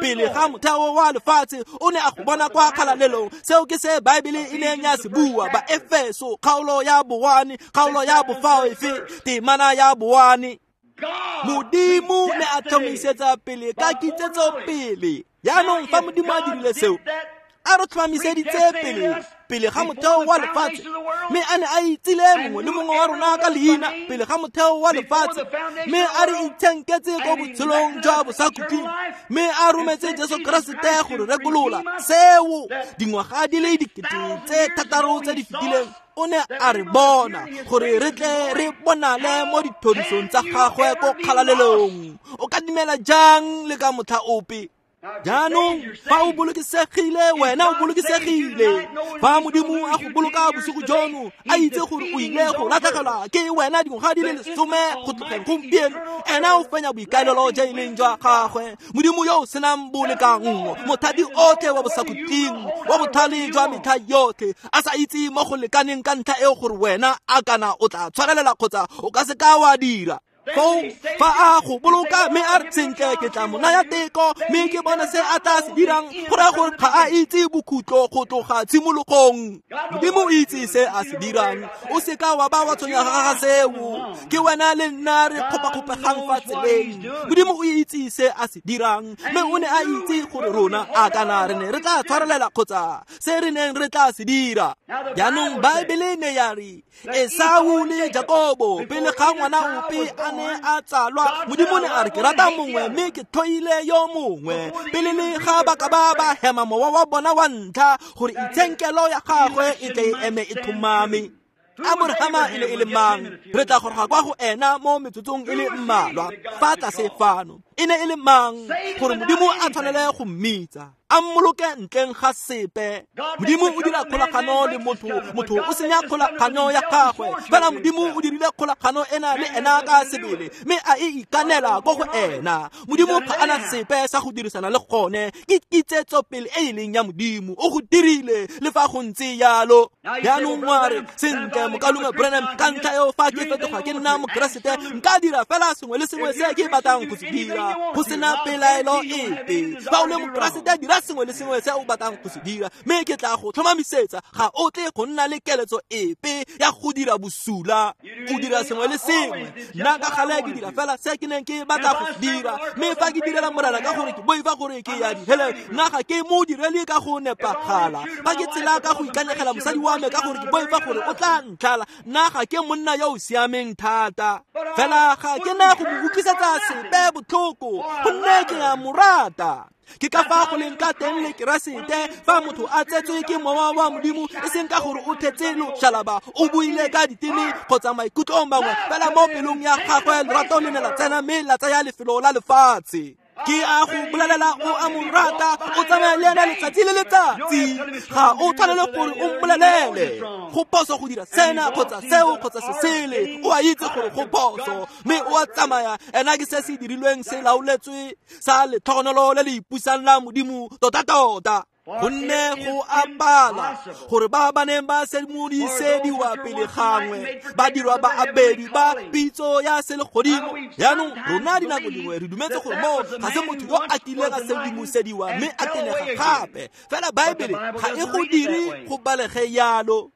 Pele ga motheo wa lefatshe o ne a go bona kwa kgalalelong. Seo ke se Baebele e neng ya se bua, ba Efeso kgaolo ya 1, kgaolo ya 5, temana ya 1. Modimo ne a tlhomisetsa pele ka kitsetsopele. Jaanong fa Modimo a dirile seo, a re tlhomamiseditse pele pele ga motheo wa lefatshe, mme a ne a itsile mongwe le mongwe wa rona ka leina pele ga motheo wa lefatshe, mme a re itshenketse ko botshelong jwa bosakhutleng, mme a rometse Jesu Keresete go re rekolola. Seo dingwaga di le 6,000 tse di fetileng o ne a re bona gore re tle re bonale mo dithorisong tsa gagwe ko kgalalelong. O ka dumela jang le ka motlha ope? Jaanong fa o bolokesegile, wena o bolokesegile. Fa Modimo a go boloka bosigo jono, a itse gore o ile go latlhegelwa ke wena dingwaga di le 10 go tlogeng gompieno, ena o fenya boikaelelo jo e leng jwa gagwe. Modimo yo o senang bolekanngo, mothati otlhe wa bosakhutleng, wa botlhale jwa metlha yotlhe, a sa itse mo go lekaneng ka ntlha eo gore wena a kana o tla tshwarelela kgotsa o ka se ka wa dira. Foo fa a go boloka mme a re sentle ke tla mo naya teko mme ke bone se a tla se dirang, go raya gore ga a itse bokhutlo go tloga tshimologong. Modimo o itse se a se dirang, o seka wa ba wa tshwenyega ga seo. Ke wena le nna re kgopakgopegang fa tseleng. Modimo o itse se a se dirang, mme o ne a itse gore rona a kana re ne re tla tshwarelela kgotsa se re neng re tla se dira. Jaanong Baebele ne ya re Esau le Jakobo pele ga ngwana ope a ne a tsalwa, Modimo ne a re ke rata mongwe mme ke tlhoile yo mongwe. Pele le ga ba ka ba ba hema mowa wa bona wa ntlha gore itshenkelo ya gagwe e tle e eme e tlhomame. Aborahama e ne e le mang? Re tla goroga kwa go ena mo metsotsong e le mmalwa fa tlase fano. E ne e le mang gore Modimo a tshwanele go mmitsa, a mmoloke ntleng ga sepe? Modimo o dira kgolagano le motho, motho o senya kgolagano ya gagwe. Fela Modimo o dirile kgolagano ena le ena ka sebele, mme a e ikanela ko go ena. Modimo ga ana sepe sa go dirisana le gone, ke kitsetsopele e e leng ya Modimo. O go dirile le fa go ntse yalo. Jaanong wa re sentle mokalume Branham, ka ntlha eo fa ke fetoga ke nna Mokeresete nka dira fela sengwe le sengwe se ke batlang go se dira, go sena pelaelo epe. Fa o le Mokeresete dira sengwe le sengwe se o batlang go se dira, mme ke tla go tlhomamisetsa ga o tle go nna le keletso epe ya go dira bosula. O dira sengwe le sengwe. Nna ka gale ke dira fela se ke neng ke batla go se dira, mme fa ke direla Morena ka gore ke boifa gore ke ya diheleng, nna ga ke mo direle ka go nepagala. Fa ke tsela ka go ikanyegela mosadi wa me ka gore ke boifa gore o tla ntlhala, nna ga ke monna yo o siameng thata. Fela ga ke na go mo utlwisetsa sepe botlhoko, gonne ke a mo rata. Ke ka fa go leng ka teng le Keresete, fa motho a tsetswe ke mowa wa Modimo, e seng ka gore o thetse loshalaba, o buile ka diteme kgotsa maikutlo mangwe, fela mo pelong ya gagwe lerato le ne la tsena mme la tsaya lefelo la lefatshe. Ke a go bolelela o a mo rata, o tsamaya le ena letsatsi le letsatsi. Ga o tshwanele gore o mmolelele go phoso go dira sena kgotsa seo kgotsa se sele. O a itse gore go phoso, mme o a tsamaya. Ena ke se se dirilweng se laoletswe sa letlhogonolo le le ipusang la Modimo tota-tota. Gonne go a pala gore ba ba neng ba sedimodisediwa pele gangwe ba dirwa ba abedi ba pitso ya selegodimo. Jaanong rona dinako dingwe re dumetse gore mo ga se motho yo a kileng a sedimosediwa mme a tenega gape. Fela Baebele ga e go dire go balege yalo.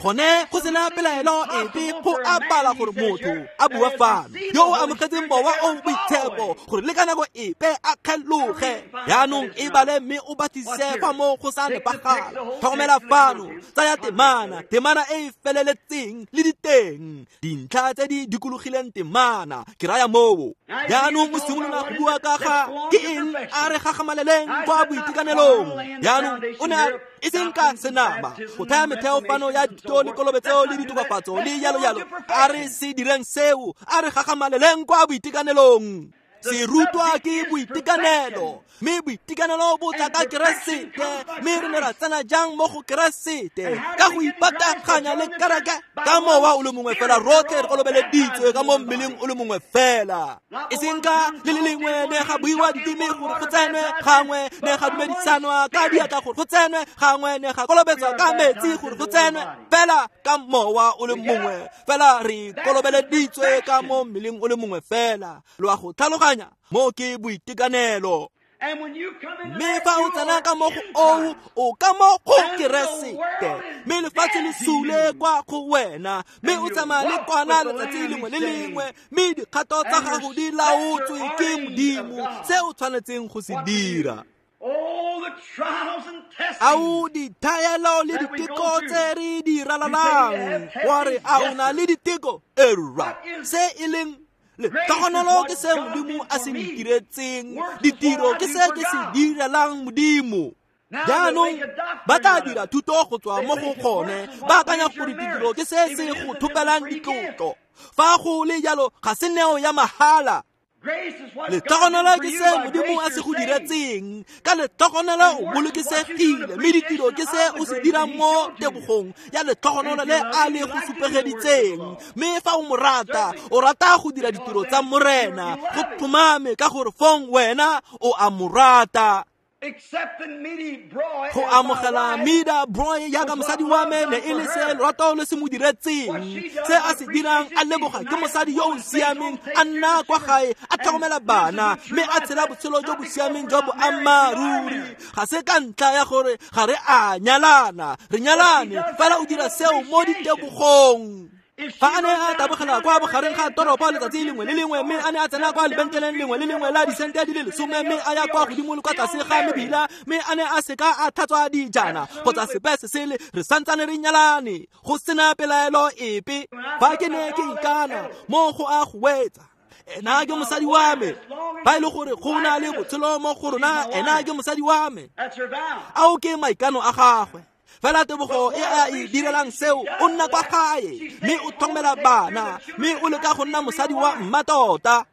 Gone go sena pelaelo epe go a pala gore motho a bua fano yo o amogetseng mowa o boitshepo gore le ka nako epe a kgeloge. Jaanong e bale mme o batlisise fa mo go sa nepagala. Tlhokomela fano, tsaya temana, temana e e feleletseng le diteng, dintlha tse di dikologileng temana, ke raya moo. Jaanong o simolola go bua ka ga ke eng a re gagamaleleng kwa boitekanelong. Jaanong o ne a e seng ka senama go thaya metheo fano ya dithuto le kolobetso le ditokafatso le yalo yalo. A re se direng seo, a re gagamaleleng kwa boitekanelong. Se rutwa ke boitekanelo, mme boitekanelo bo tla ka Keresete. Mme re ne ra tsena jang mo go Keresete? Ka go ipataganya le kereke ka mowa o le mongwe fela. Rotlhe re kolobeleditswe ka mo mmeleng o le mongwe fela, e seng ka le le lengwe ne ga buiwa diteme gore go tsenwe gangwe, ne ga dumedisanwa ka diatla gore go tsenwe gangwe, ne ga kolobetswa ka metsi gore go tsenwe, fela ka mowa o le mongwe fela re kolobeleditswe ka mo mmeleng o le mongwe fela. Lo a go tlhaloganya? Mo ke boitekanelo. Mme fa o tsena ka mo go oo, o ka mo go Keresete, mme lefatshe le sule kwa go wena, mme o tsamaya le kwana letsatsi lengwe le lengwe, mme dikgato tsa gago di laotswe ke Modimo se o tshwanetseng go se dira. Ao dithaelo le diteko tse re di ralalang, wa re a o na le diteko? Erra, se e leng letlhogonolo ke se Modimo a se ntiretseng, ditiro ke se ke se direlang Modimo. Jaanong ba tla dira thuto go tswa mo go gone, ba akanya gore ditiro ke se se go thopelang ditlotlo. Fa go le jalo ga se neo ya mahala. Letlhogonolo ke se Modimo a se go diretseng, ka letlhogonolo o bolokesegile, mme ditiro ke se o se dirang mo tebogong ya letlhogonolo le a le go supegeditseng. Mme fa o mo rata, o rata go dira ditiro tsa Morena, go tlhomame ka gore fong wena o a mo rata. Go amogela Meda Broy jaaka mosadi wa me ne e le se lorato le se mo diretseng, se a se dirang a leboga ke mosadi yo o siameng, a nna kwa gae a tlhokomela bana mme a tshela botshelo jo bo siameng jwa boammaaruri. Ga se ka ntlha ya gore ga re a nyalana, re nyalane fela o dira seo mo ditebogong. Fa a ne a tabogela kwa bogareng ga toropo letsatsi lengwe le lengwe, mme a ne a tsena kwa lebenkeleng lengwe le lengwe la disente di le 10 mme a ya kwa godimo le kwa tlase ga mebila, mme a ne a seka a tlhatswa dijana kgotsa sepe se sele, re santsane re nyalane go sena pelaelo epe. Fa ke ne ke ikana mo go a go wetsa, ena ke mosadi wa me. Ba e le gore go na le botshelo mo go rona, ena ke mosadi wa me. Ao ke maikano a gagwe. Fela tebogo e a e direlang seo, o nna kwa gae mme o tlhokomela bana mme o leka go nna mosadi wa mmatota.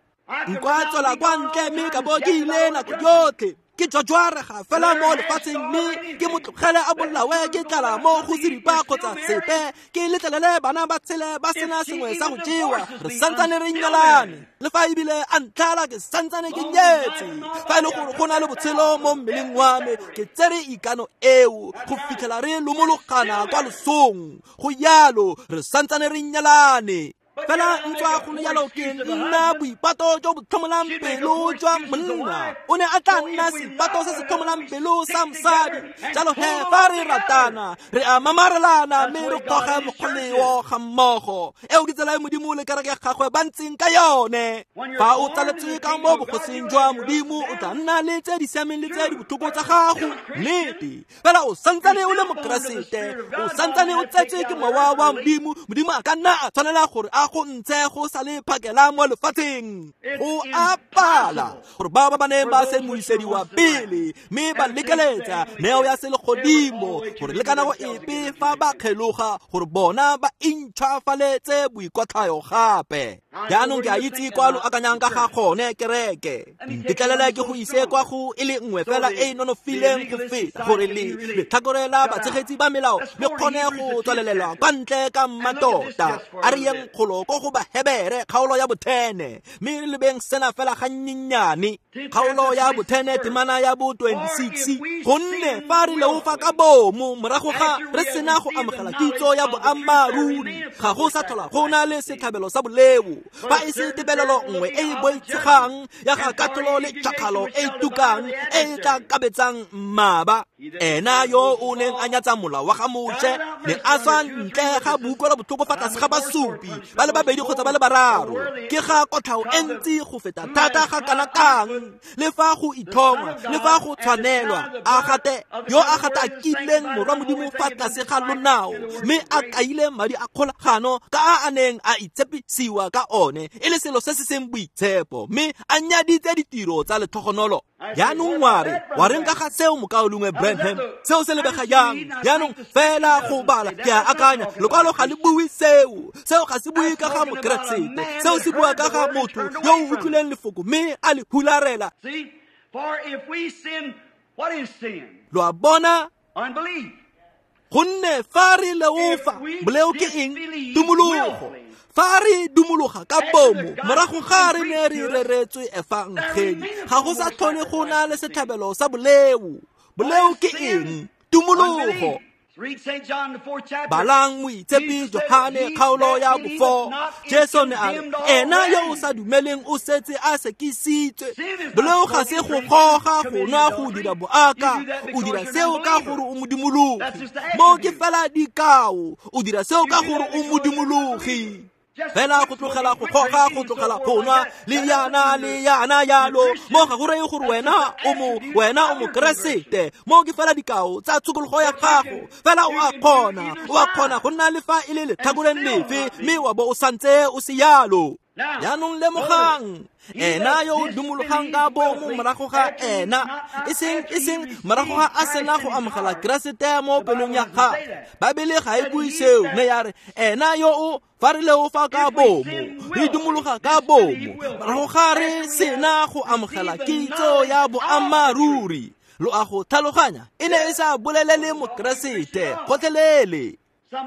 Nka tswela kwa ntle mme ka bo ke ile nako yotlhe, ke jwajwarega fela mo lefatsheng mme ke mo tlogele a bolawe ke tlala mo go seripa kgotsa sepe, ke letlelele bana ba tshele ba sena sengwe sa go jewa, re santsane re nyalane. Le fa ebile a ntlhala ke santsane ke nyetse. Fa e le gore go na le botshelo mo mmeleng wa me, ke tsere ikano eo go fitlhela re lomologana kwa losong. Go yalo re santsane re nyalane. Fela ntswa go le yalo ke nna boipato jo bo tlhomolang pelo jwa monna, o ne a tla nna seipato se se tlhomolang pelo sa mosadi. Jalo he fa re ratana re a mamarelana mme re goge mokgoleo ga mmogo. Eo ke tsela e Modimo le kereke ya gagwe ba ntseng ka yone. Fa o tsaletswe ka mo bogosing jwa Modimo, o tla nna le tse di siameng le tse di botlhoko tsa gago, nnete. Fela o santsane o le mokeresete, o santsane o tsetswe ke mowa wa Modimo. Modimo a ka nna a tshwanela gore a go ntshe go sa le phakela mo lefatsheng. Go a pala gore bao ba ba neng ba se moisediwa pele mme ba lekeletsa neo ya selegodimo, gore le ka nako epe fa ba kgeloga gore bona ba intšhwafaletse boikotlhayo gape. Jaanong ke a itse kwa lo akanyang ka ga gone kereke. Ntetlelele ke go ise kwa go e le nngwe fela e e nonofileng go feta, gore le letlhakore la batshegetsi ba melao le kgone go tswalelelwa kwa ntle ka mmatota. A re yeng kgolo ko go Bahebere kgaolo ya 10, mme re lebeng sena fela gannyenyane. Kgaolo ya 10 temana ya bo 26. Gonne fa re leofa ka bomo morago ga re sena go amogela kitso ya boammaaruri, ga go sa tlhola go na le setlhabelo sa boleo, fa e se tebelelo nngwe e e boitshegang ya ga katlholo le tšhakgalo e e tukang e e tla kabetsang mmaba. Ena yo o neng a nyatsa molao wa ga Moshe ne a swa ntle ga boutlwelo botlhoko fa tlase ga basupi ba le babedi kgotsa ba le bararo. Ke ga kotlhao e ntsi go feta thata ga kana kang, le fa go ithongwa le fa go tshwanelwa, a gate yo a gatakileng morwa Modimo fa tlase ga lonao mme a kaile madi a kgolagano ka a a neng a itshepisiwa ka one e le selo se se seng boitshepo, mme a nyaditse ditiro tsa letlhogonolo. Jaanong wa re, wa reng ka ga seo mokaulengwe Branham? Seo se lebega jang? Jaanong fela go bala ke a akanya, lekwalo ga le bue seo. Seo ga se bue ka ga mokeresete, seo se bua ka ga motho yo o utlwileng lefoko mme a le hularela. Lo a bona? Gonne fa re leofa, boleo ke eng? Tumologo. Fa re dumologa ka bomo morago ga re ne re reretswe efangeli, ga go sa tlhole go na le setlhabelo sa boleo. Boleo ke eng? Tumologo. Balang moitshepi Johane kgaolo ya bo 4. Jesu ne a re, ena yo o sa dumeleng o setse a sekisitswe. Boleo ga se go goga, go nwa, go dira boaka. O dira seo ka gore o modimologi. Mo ke fela dikao. O dira seo ka gore o modimologi. Fela go tlogela go goga, go tlogela go nwa, le yana le yana yalo, mo ga go reye gore wena o mokeresete. Mo ke fela dikao tsa tshokologo ya gago. Fela o a kgona go nna le fa e le letlhakoreng lefe, mme wa bo o santse o se yalo. Jaanong lemogang, ena yo o dumologang ka bomo morago ga ena, e seng morago ga a sena go amogela Keresete mo pelong ya gagwe. Baebele ga e bue seo, mme ya re ena yo o fa re leofa ka bomo, re dumologa ka bomo morago ga re sena go amogela kitso ya boammaaruri. Lo a go tlhaloganya? E ne e sa bolelele mokeresete gotlhelele.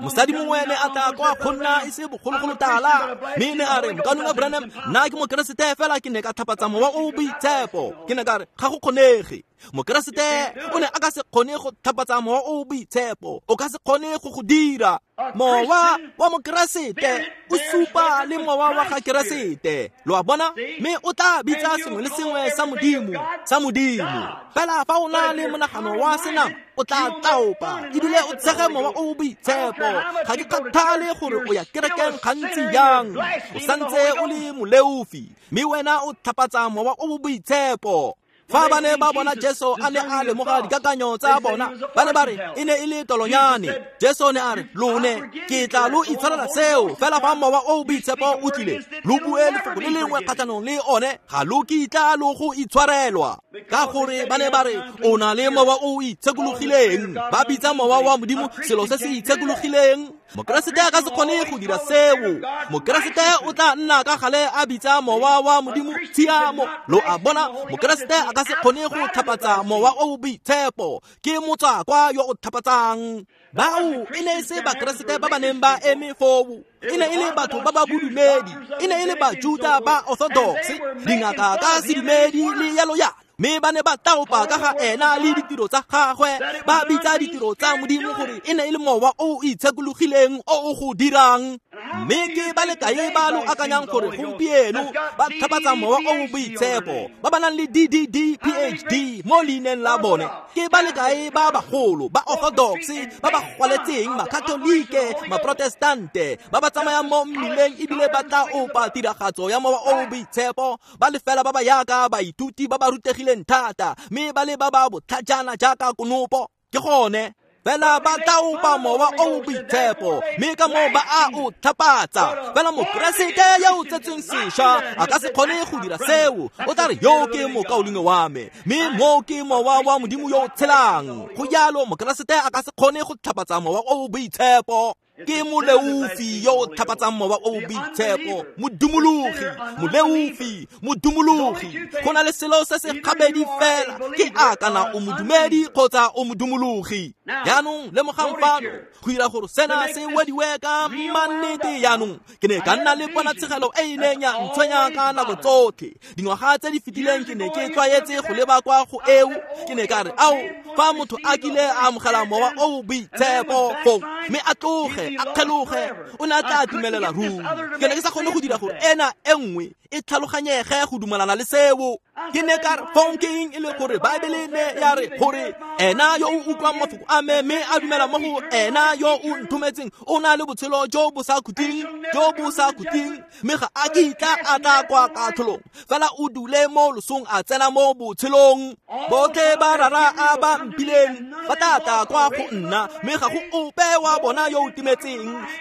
Mosadi mongwe ne a tla kwa go nna e se bogologolo tala, mme ne a re, mokaulengwe Branham, nna ke mokeresete fela ke ne ka tlhapatsa mowa o boitshepo. Ke ne ka re, ga go kgonege. Mokeresete o ne a ka se kgone go tlhapatsa mowa o o boitshepo, o ka se kgone go go dira. Mowa wa Mokeresete o supa le mowa wa ga Keresete, lo a bona, mme o tla bitsa sengwe le sengwe sa Modimo sa Modimo. Fela fa o na le monagano wa senama, o tla tlaopa ebile o tshege mowa o o boitshepo. Ga ke kgathale gore o ya kerekeng gantsi jang, o santse o le moleofi, mme wena o tlhapatsa mowa o o boitshepo. Fa ba ne ba bona Jesu a ne a lemoga dikakanyo tsa bona, ba ne ba re e ne e le tolonyane. Jesu ne a re, lone ke tla lo itshwarela seo, fela fa mowa o o boitshepo o tlile, lo bue lefoko le lengwe kgatlhanong le one, ga lo kitla lo go itshwarelwa. Ka gore ba ne ba re o na le mowa o o itshekologileng, ba bitsa mowa wa Modimo selo se se itshekologileng. Mokeresete a ka se kgone go dira seo. Mokeresete o tla nna ka gale a bitsa mowa wa Modimo tshiamo, lo a bona. Mokeresete a ka se kgone go tlhapatsa mowa o o boitshepo, ke motswakwa yo o tlhapatsang. Bao e ne e se Bakeresete ba ba neng ba eme foo, e ne e le batho ba ba bodumedi, e ne e le Bajuda ba Orthodox, dingaka ka sedumedi le yalo yalo. Mme ba ne ba taopa ka ga ena le ditiro tsa gagwe, ba bitsa ditiro tsa Modimo gore e ne e le mowa o o itshekologileng o o go dirang. Mme ke ba le kae ba lo akanyang gore gompieno ba tlhapatsa mowa o o boitshepo, ba ba nang le DDD PhD mo leineng la bone? Ke ba le kae ba bagolo ba Orthodox ba ba gwaletseng, Makatolike, Maprotestante, ba ba tsamayang mo mmileng ebile ba tla opa tiragatso ya mowa o o boitshepo, ba le fela ba ba yaka baithuti ba ba rutegileng thata, mme ba le ba ba botlhajana jaaka konopo? Ke gone fela ba tlaopa mowa o o boitshepo, mme ka moo ba a o tlhapatsa. Fela Mokeresete yo o tsetsweng sešwa a ka se kgone go dira seo. O tla re, yo ke mokaulengwe wa me, mme mo ke mowa wa Modimo yo o tshelang. Go jalo Mokeresete a ka se kgone go tlhapatsa mowa o o boitshepo. Ke moleofi yo o tlhapatsang mowa o o boitshepo, modumologi, moleofi, modumologi. Go na le selo se se gabedi fela, ke a kana o modumedi kgotsa o modumologi. Jaanong lemogang fano, go dira gore sena se wediwe ka mannete. Jaanong ke ne ka nna le ponatshegelo e e neng ya ntshwenya ka nako tsotlhe. Dingwaga tse di fetileng ke ne ke tlwaetse go leba kwa go eo, ke ne ka re, ao, fa motho a kile a amogela mowa o o boitshepo foo, mme a tloge a kgeloge, o ne a tla dumelela ruri. Ke ne ke sa kgone go dira gore ena e nngwe e tlhaloganyege go dumelana le seo. Ke ne ka re, fong ke eng e le gore Baebele ne ya re gore ena yo o utlwang mafoko a me mme a dumela mo go ena yo o nthometseng o na le botshelo jo bo sa khutleng, jo bo sa khutleng, mme ga a kitla a tla kwa katlholong, fela o dule mo losong a tsena mo botshelong. Botlhe ba rara a ba mpileng ba tla tla kwa go nna, mme ga go ope wa bona yo o timetseng.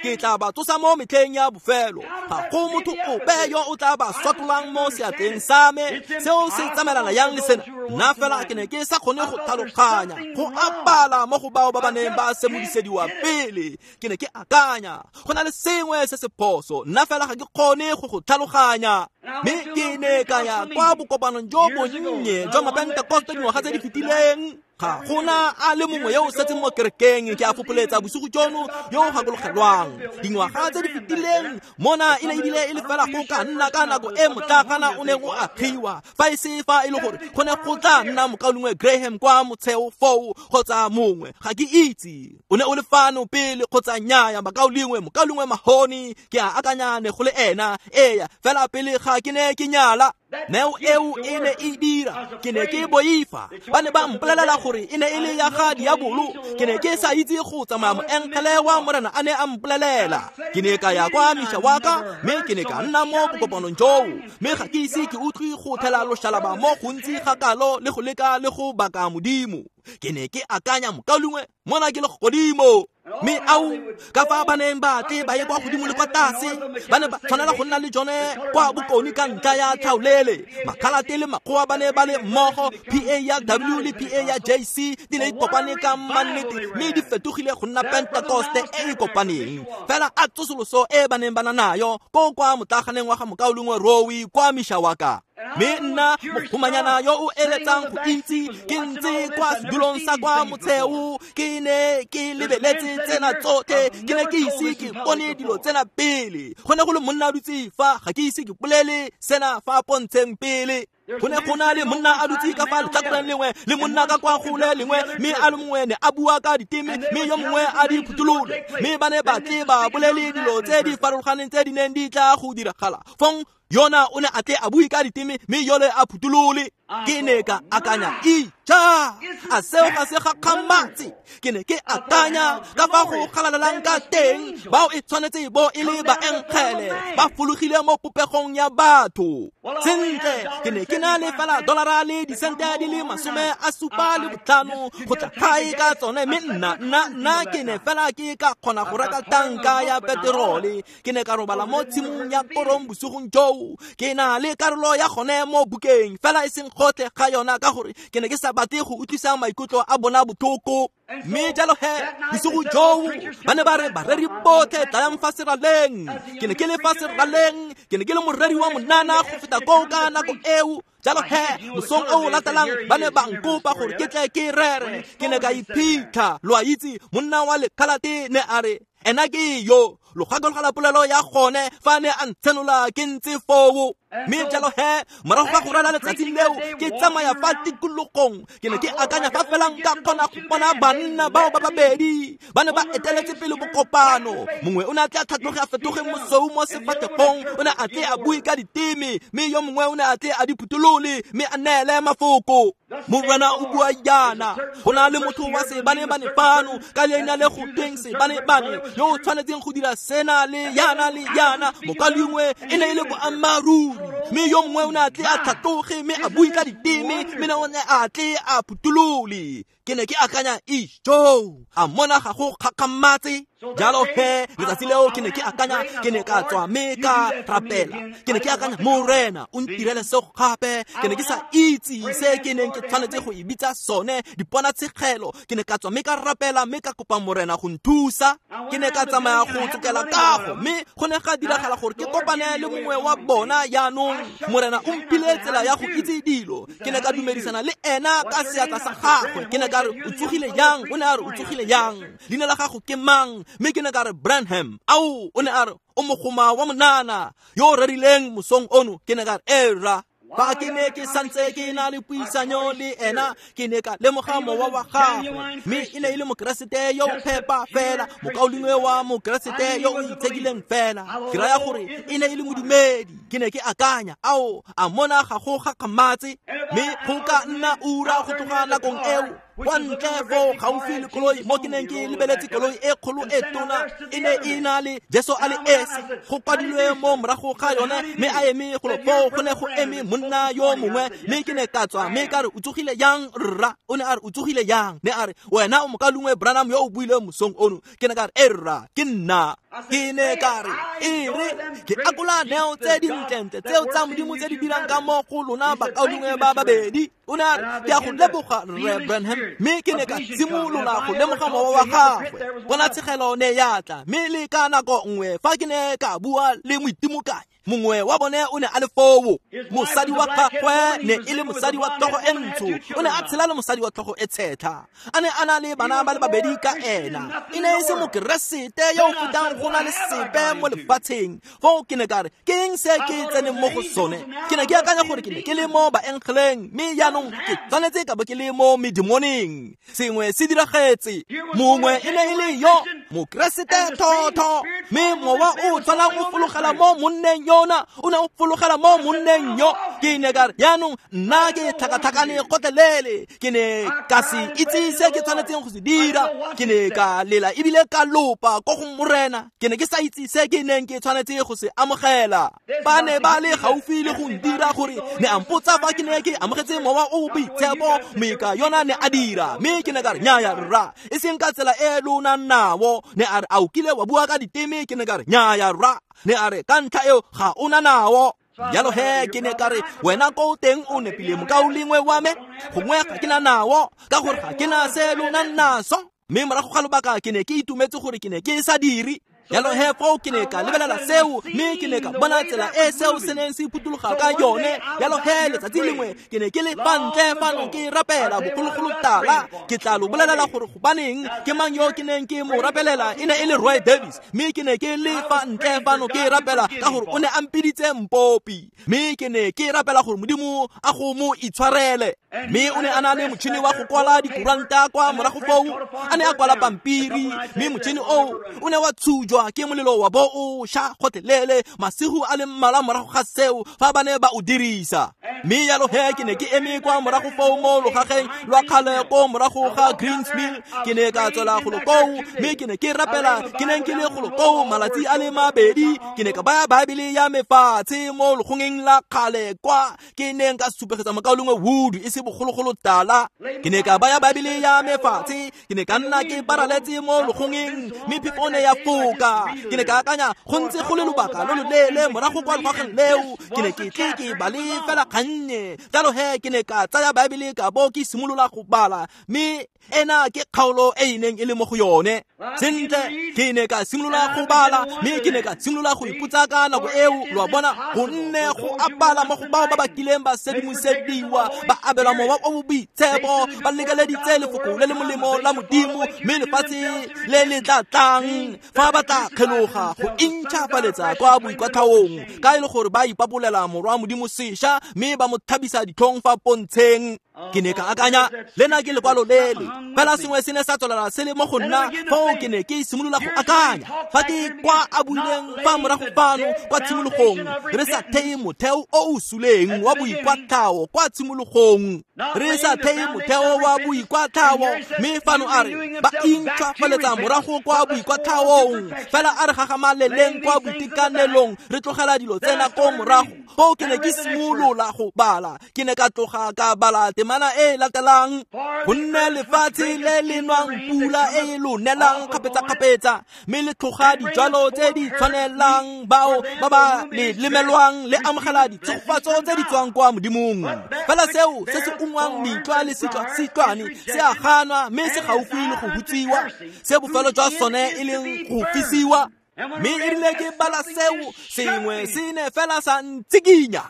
Ke tla ba tsosa mo metlheng ya bofelo. Ga go motho ope yo o tla ba swatolang mo seatleng sa me. Seo se tsamaelana yang le sena? Nna fela ke ne ke sa kgone go tlhaloganya go apala mo go bao ba ba neng ba semodisediwa pele. Ke ne ke akanya go na le sengwe se se phoso, nna fela ga ke kgone go go tlhaloganya. Mme ke ne ka ya kwa bokopanong jo bonnye jwa Mapentekoste dingwaga tse di fetileng. Ga gona a le mongwe yo o setseng mo kerekeng, ke a fopoletsa bosigo jono, yo o gakologelwang dingwaga tse di fetileng mona e ne ebile e le fela go ka nna ka nako e motlagana o neng o agiwa, fa e se fa e le gore go ne go tla nna mokaulengwe Graham kwa motsheo foo kgotsa mongwe, ga ke itse o ne o le fano pele kgotsa nnyaya. Mokaulengwe, mokaulengwe Mahoni, ke a akanya ne go le ena, eya, fela pele ga ke ne ke nyala. Neo eo e ne e dira, ke ne ke boifa. Ba ne ba mpolelela gore e ne e le ya ga diabolo. Ke ne ke sa itse go tsamaya moengele wa Morena a ne a mpolelela. Ke ne ka ya kwa Mishawaka, mme ke ne ka nna mo bokopanong joo, mme ga ke ise ke utlwe go thela loshalaba mo gontsi ga kalo le go leka le go baka Modimo. Ke ne ke akanya, mokaulengwe, mona ke le godimo. Mme ao, ka fa ba neng ba tle ba ye kwa godimo le kwa tlase, ba ne ba tshwanela go nna le jone kwa bokone ka ntlha ya tlhaolele. Makhalate le makgowa ba ne ba le mmogo, PA ya W le PA ya JC di ne di kopane ka mannete, mme di fetogile go nna Pentekoste e e kopaneng. Fela a tsosoloso e ba neng ba na nayo ko kwa motlaganeng wa ga mokaulengwe Rowe kwa Mishawaka. Mme nna mogomanyana yo o eletsang go itse ke ntse kwa sedulong sa kwa motsheo, ke ne ke lebeletse tsena tsotlhe, ke ne ke ise ke bone dilo tsena pele. Go ne go le monna a dutse fa, ga ke ise ke bolele sena fa pontsheng pele. Go ne go na le monna a dutse ka fa letlhakoreng lengwe le monna ka kwa go le lengwe, mme a le mongwe ne a bua ka diteme, mme yo mongwe a di phutholole, mme ba ne ba tle ba bolele dilo tse di farologaneng tse di neng di tla go diragala. Fong yona o ne a tle a bue ka diteme, mme yole a phutholole. Ke ne ka akanya, ija, a seo ga se gakgamatse? Ke ne ke akanya ka fa go galalelang ka teng, bao e tshwanetse bo e le baengele ba fologile mo popegong ya batho. Sentle, ke ne ke na le fela dolara le disente di le 75 go tla gae ka tsone, mme nna ke ne fela ke ka kgona go reka tanka ya peterole. Ke ne ka robala mo tshimong ya korong bosigong joo. Ke na le karolo ya gone mo bukeng, fela e seng gotlhe ga yona, ka gore ke ne ke sa batle go utlwisa maikutlo a bona botlhoko. Mme jalo he bosigo joo ba ne ba re, bareri botlhe tlayang fa seraleng. Ke ne ke le fa seraleng, ke ne ke le moreri wa monana go feta koo ka nako eo. Jalo he mosong o latelang ba ne ba nkopa gore ke tle ke rere. Ke ne ka iphitlha, lo a itse, monna wa lekhalate ne a re, ena ke yo, lo gakologela polelo ya gone fa ne a ntshenola ke ntse foo. Mme jalo he morago ga go rera letsatsi leo, ke tsamaya fa tikologong, ke ne ke akanya fa fela nka kgona go bona banna bao ba babedi ba ne ba eteletse pele bokopano. Mongwe o ne a tle a tlhatloge a fetoge mosou mo sefatlhegong, o ne a tle a bue ka diteme, mme yo mongwe o ne a tle a di phutholole mme a neele mafoko. Morena o bua jaana, go na le motho wa sebane-bane fano ka leina le go tweng sebane-bane yo o tshwanetseng go dira sena le yana le yana. Mokalengwe e ne e le boammaaruri, mme yo mongwe o ne a tle a tlhatloge mme a bue ka diteme, mme o ne a tle a phutholole. Ke ne ke akanya, ijo, a mona ga go kgakgamatse? Jalo he letsatsi leo ke ne ke akanya, ke ne ka tswa mme ka rapela. Ke ne ke akanya, Morena o ntirele seo gape. Ke ne ke sa itse se ke neng ke tshwanetse go e bitsa sone, diponatshegelo. Ke ne ka tswa mme ka rapela mme ka kopa Morena go nthusa. Ke ne ka tsamaya go tsokela kago, mme go ne ga diragala gore ke kopane le mongwe wa bona. Jaanong Morena o mphile tsela ya go itse dilo. Ke ne ka dumedisana le ena ka seatla sa gagwe. Ke ne ka re, o tsogile yang? O ne a re, o tsogile yang? Leina la gago ke mang? Mme ke ne ka re, Branham. Ao, o ne a re, o mogoma wa monana yo o rerileng mosong ono. Ke ne ka re, era. Fa ke ne ke santse ke na le puisanyo le ena, ke ne ka lemoga mowa wa gagwe, mme e ne e le mokeresete yo o phepa fela, mokaulengwe wa mokeresete yo o itshekileng fela. Ke raya gore e ne e le modumedi. Ke ne ke akanya, ao, a mona ga go gakgamatse? Mme go ka nna ura go tloga nakong eo, kwa ntle foo gaufi le koloi mo ke neng ke lebeletse koloi e kgolo e tona, e ne e na le Jesu a le esi go kwadilwe mo morago ga yone, mme a eme golo foo go ne go eme monna yo mongwe. Mme ke ne ka tswa mme ka re, o tsogile yang rra? O ne a re, o tsogile yang? Ne a re, wena o mokalengwe Branham yo o buileng mosong ono. Ke ne ka re, e rra, ke nna. Ke ne ka re, e re ke akola neo tse dintlentle tseo tsa Modimo tse di dirang ka mo go lona bakaulengwe ba babedi. O ne a re, ke a go leboga rre Branham. Mme ke ne ka simolola go lemoga mowa wa gagwe. Ponatshegelo ne ya tla, mme le ka nako nngwe fa ke ne ka bua le moitimokanyi mongwe wa bone o ne a le foo. Mosadi wa gagwe ne e le mosadi wa tlhogo e ntsho, o ne a tshela le mosadi wa tlhogo e tshetlha, a ne a na le bana ba le babedi ka ena. E ne e se mokeresete yo o fetang go na le sepe mo lefatsheng. Foo ke ne ka re, ke eng se ke tseneng mo go sone? Ke ne ke akanya gore ke ne ke le mo baengeleng, mme jaanong ke tshwanetse ka bo ke le mo medemoneng. Sengwe se diragetse. Mongwe e ne e le yo mokeresete thotho, mme mowa o tshwanang o fologela mo monneng yona, o ne o fologela mo monneng yo. Ke ne ka re, jaanong nna ke tlhakatlhakane gotlhelele. Ke ne ka se itse se ke tshwanetseng go se dira. Ke ne ka lela ebile ka lopa ko go Morena. Ke ne ke sa itse se ke neng ke tshwanetse go se amogela. Ba ne ba le gaufi le go ndira gore ne a mpotsa fa ke ne ke amogetse mowa o boitshepo, mme ka yona ne a dira. Mme ke ne ka re, nnyaya rra, e seng ka tsela e lona nao. Ne a re, a o kile wa bua ka diteme? Ke ne ka re, nnyaya rra. Ne a re, ka ntlha eo ga o na nao. Jalo he ke ne ka re, wena ko teng o nepile mokaulengwe wa me, gongwe ga ke na nao, ka gore ga ke na se lona naso. Mme morago ga lobaka ke ne ke itumetse gore ke ne ke sa dire. Jalo he foo ke ne ka lebelela seo, mme ke ne ka bona tsela e seo se neng se phuthuloga ka yone. Jalo he letsatsi lengwe ke ne ke le fa ntle fano ke rapela bogologolo tala. Ke tla lo bolelela gore gobaneng ke mang yo ke neng ke mo rapelela, e ne e le Roy Davis. Mme ke ne ke le fa ntle fano ke rapela ka gore o ne a mpiditse mpopi, mme ke ne ke rapela gore Modimo a go mo itshwarele. Mme o ne a na le motšhini wa go kwala dikuranta kwa morago foo, a ne a kwala pampiri, mme motšhini oo o ne wa tshujwa ke molelo wa bo o sha gotlhelele masigo a le mmalwa morago ga seo fa ba ne ba o dirisa. Mme jalo he ke ne ke eme kwa morago foo mo logageng lwa kgale ko morago ga Greens Mill. Ke ne ka tswela golo koo, mme ke ne ke rapela. Ke neng ke le golo koo malatsi a le mabedi. Ke ne ka baya Baebele ya me fatshe mo logongeng la kgale kwa ke neng ka supegetsa mokaulengwe Wood e se bogologolo tala. Ke ne ka baya Baebele ya me fatshe, ke ne ka nna ke paraletse mo logongeng, mme phefo ne ya foka. Ke ne ka akanya go ntse go le lobaka lo loleele morago kwa logageng leo, ke ne ke tle ke bale fela kgannye. Jalo he ke ne ka tsaya Baebele ka bo ke simolola go bala, mme ena ke kgaolo e e neng e le mo go yone. Sentle, ke ne ka simolola go bala, mme ke ne ka simolola go ipotsa ka nako eo, lo a bona, gonne go a bala mo go bao ba ba kileng ba sedimosediwa, ba abelwa mowa o boitshepo, ba lekeleditse lefoko le le molemo la Modimo, mme lefatshe le le tla tlang fa ba tla kgeloga go intšhafaletsa kwa boikwatlhaong, ka e le gore ba ipabolela morwa Modimo sešwa, mme ba mo thabisa ditlhong fa pontsheng. Ke ne ka akanya, lena ke lekwalo lele. Fela sengwe se ne sa tswelela se le mo go nna foo ke ne ke simolola go akanya fa ke kwa a buileng fa morago fano kwa tshimologong, re sa theye motheo o o suleng wa boikwatlhao kwa tshimologong, re sa theye motheo wa boikwatlhao. Mme fano a re ba intšhwafaletsa morago kwa boikwatlhaong, fela a re gagamaleleng kwa boitekanelong, re tlogela dilo tsena ko morago. Foo ke ne ke simolola go bala, ke ne ka tloga ka bala temana e latelang: gonne lefatshe le le nwang pula e e lo nelang kgapetsa-kgapetsa, mme le tlhoga dijalo tse di tshwanelang bao ba ba le lemelwang, le amogela ditshegofatso tse di tswang kwa Modimong. Fela seo se se ungwang metlwa le sitlwane se a ganwa, mme se gaufi le go hutsiwa, se bofelo jwa sone e leng go fisiwa. Mme e rile ke bala seo, sengwe se ne fela sa ntsikinya.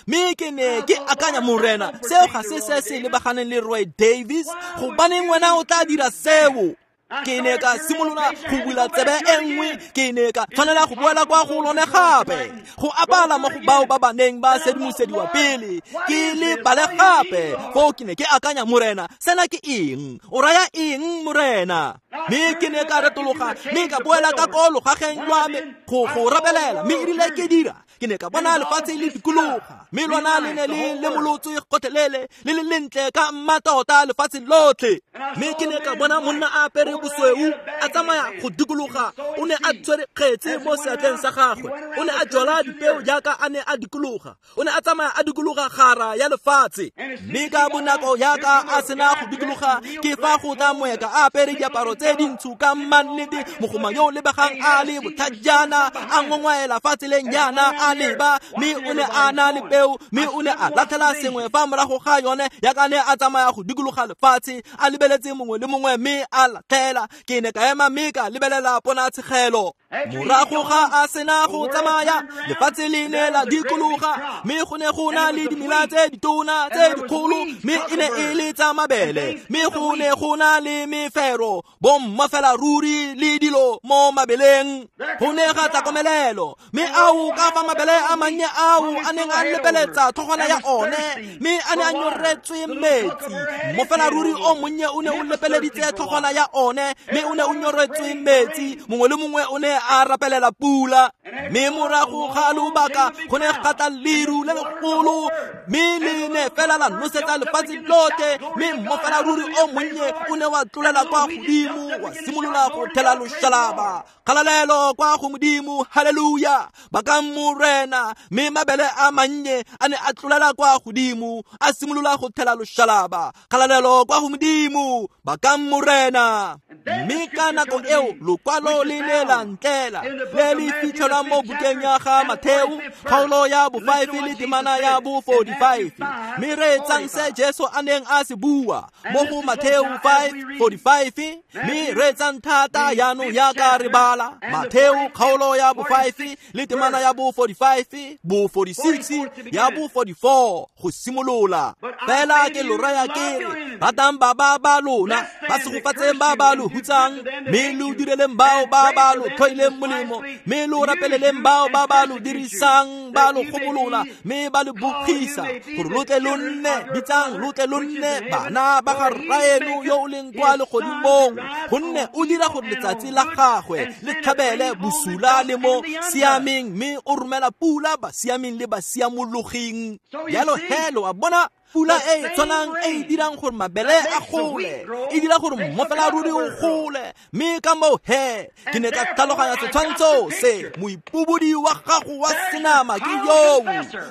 Mme ke ne ke akanya, Morena, seo ga se se se lebaganeng le Roy Davis, gobaneng wena o tla dira seo? Ke ne ka simolola go bula tsebe e nngwe, ke ne ka tshwanela go boela kwa go lone gape, go apala mo go bao ba ba neng ba sedimosediwa pele, ke le bale gape. Foo ke ne ke akanya, Morena, sena ke eng? O raya eng, Morena? Mme ke ne ka retologa, mme ka boela ka ko logageng lwa me go rapelela. Mme e rile ke dira, ke ne ka bona lefatshe le dikologa, mme lona le ne le lemolotswe gotlhelele, le le lentle ka mmatota lefatshe lotlhe. Mme ke ne ka bona monna a apere bosweu a tsamaya go dikologa, o ne a tshwere kgetse mo seatleng sa gagwe, o ne a jwala dipeo jaaka a ne a dikologa, o ne a tsamaya a dikologa gara ya lefatshe. Mme ka bonako jaaka a sena go dikologa, ke fa go tla moeka a apere diaparo tse dintsho ka mannete, mogoma yo o lebegang a le botlhajana, a ngongwaela fa tseleng jaana a leba, mme o ne a na le peo, mme o ne a latlhela sengwe fa morago ga yone jaaka ne a tsamaya go dikologa lefatshe, a lebeletse mongwe le mongwe mme a latlhela. Ke ne ka ema mme ka lebelela ponatshegelo. Morago ga a sena go tsamaya, lefatshe le ne la dikologa, mme go ne go na le dimela tse ditona tse dikgolo, mme e ne e le tsa mabele, mme go ne go na le mefero, bomma fela ruri le dilo mo mabeleng. Go ne ga tla komelelo, mme ao ka fa mabele a mannye ao a neng a lepeletsa tlhogwana ya one, mme a ne a nyoretswe metsi. Mo fela ruri o monnye o ne o lepeleditse tlhogwana ya one, mme o ne o nyoretswe metsi. Mongwe le mongwe o ne a rapelela pula. Mme morago ga lobaka go ne ga tla leru le legolo, mme le ne fela la nosetsa lefatshe lotlhe, mme mmofela ruri o monnye o ne wa tlolela kwa godimo, wa simolola go thela loshalaba. Kgalalelo kwa go Modimo, haleluya, bakang Morena. Mme mabele a mannye a ne a tlolela kwa godimo, a simolola go thela loshalaba. Kgalalelo kwa go Modimo, bakang Morena. Mme ka nako eo lokwalo le ne la tlela le le fitlhelwang mo bukeng ya ga Matheo kgaolo ya bo 5 le temana ya bo 45. Mme reetsang se Jesu a neng a se bua mo go Matheo 5:45. Mme reetsang thata jaanong jaaka re bala Matheo kgaolo ya bo 5 le temana ya bo 45, bo 46, ya bo 44 go simolola. Fela ke lo raya ke re, ratang ba ba ba lona, ba segofatseng ba ba lo hutsang, mme lo direleng bao ba ba lo tlhoileng molemo, mme lo rapeleleng bao ba ba lo dirisang, ba lo gobolola, mme ba lo bogisa, gore lo tle lo nne bitsang, lo tle lo nne bana ba ga Rraeno yo o leng kwa legodimong, gonne o dira gore letsatsi la gagwe le tlhabele bosula le mo siameng, mme o romela pula basiameng le basiamologing. Jalo he lo a bona pula e e tshwanang e e dirang gore mabele a gole, e dira gore mmofela ruri o gole. Mme ka moo he ke ne ka tlhaloganya setshwantsho se, moipobodi wa gago wa senama ke yoo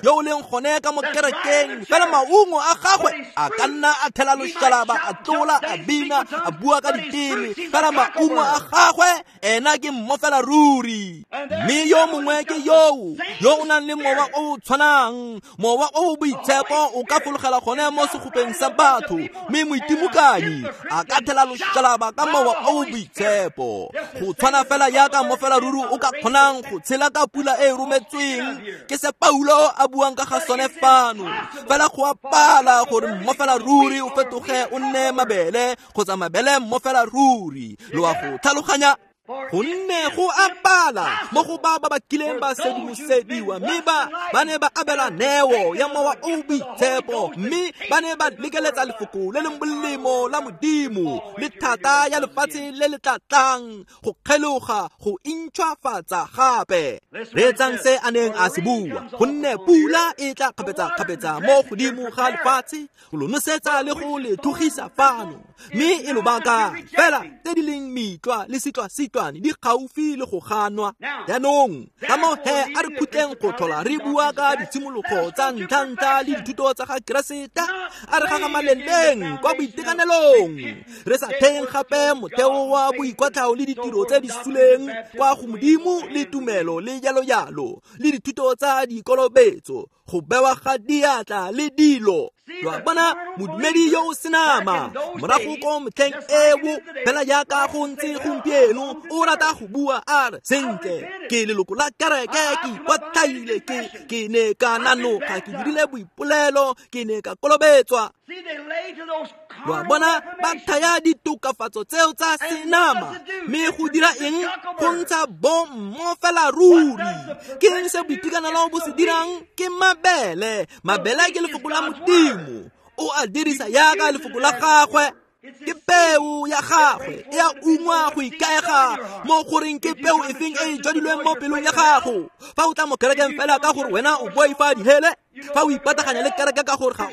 yo o leng gone ka mo kerekeng, fela maungo a gagwe a ka nna a thela loshalaba, a tlola, a bina, a bua ka diteme, fela maungo a gagwe ena ke mmofela ruri. Mme yo mongwe ke yoo yo o nang le mowa o o tshwanang, mowa o o boitshepo o ka fologela gone mo segopeng sa batho, mme moitimokanyi a ka thela loshalaba ka mowa o o boitshepo. Go tshwana fela jaaka mmofela ruri o ka kgonang go tshela ka pula e e rometsweng, ke se Paulo a buang ka ga sone fano. Fela go a pala gore mmofela ruri o fetoge o nne mabele, kgotsa mabele mmofela ruri. Lo a go tlhaloganya? Gonne go a pala mo go ba ba kileng ba sedimosediwa, mme ba ne ba abela neo ya mowa o boitshepo, mme ba ne ba lekeletsa lefoko le le molemo la Modimo le thata ya lefatshe le le tla tlang go kgeloga go intšhwafatsa gape. Reetsang se a neng a se bua, gonne pula e tla kgapetsa-kgapetsa mo godimo ga lefatshe go lo nosetsa le go le thugisa fano, mme e lo baka fela tse di leng mitlwa le sitlwa-sitlwane di gaufi le go ganwa. Jaanong ka moo he a re khutleng go tlhola re bua ka ditshimologo tsa ntlha-ntlha le dithuto tsa ga Keresete, a re gagamaleleng kwa boitekanelong, re sa theng gape motheo wa boikwatlhao le ditiro tse di suleng kwa go Modimo le tumelo le jalo-jalo le dithuto tsa dikolobetso, go bewa ga diatla le dilo. Lo a bona modumedi yo o senama morago ko motlheng eo, fela jaaka go ntse gompieno, o rata go bua a re, sentle ke leloko la kereke, ke ikwatlhaile, ke ne ka nanoga, ke dirile boipolelo, ke ne ka kolobetswa. Lo a bona ba thaya ditokafatso tseo tsa senama, mme go dira eng? Go ntsha bommofela ruri. Ke eng se boitekanelo bo se dirang? Ke mabele. Mabele ke lefoko la Modimo, o a dirisa jaaka lefoko la gagwe. Ke peo ya gagwe e a ungwa go ikaega mo goreng ke peo efeng e e jwadilweng mo pelong ya gago. Fa o tla mo kerekeng fela ka gore wena o boifa dihele, fa o ipataganya le kereke ka gore ga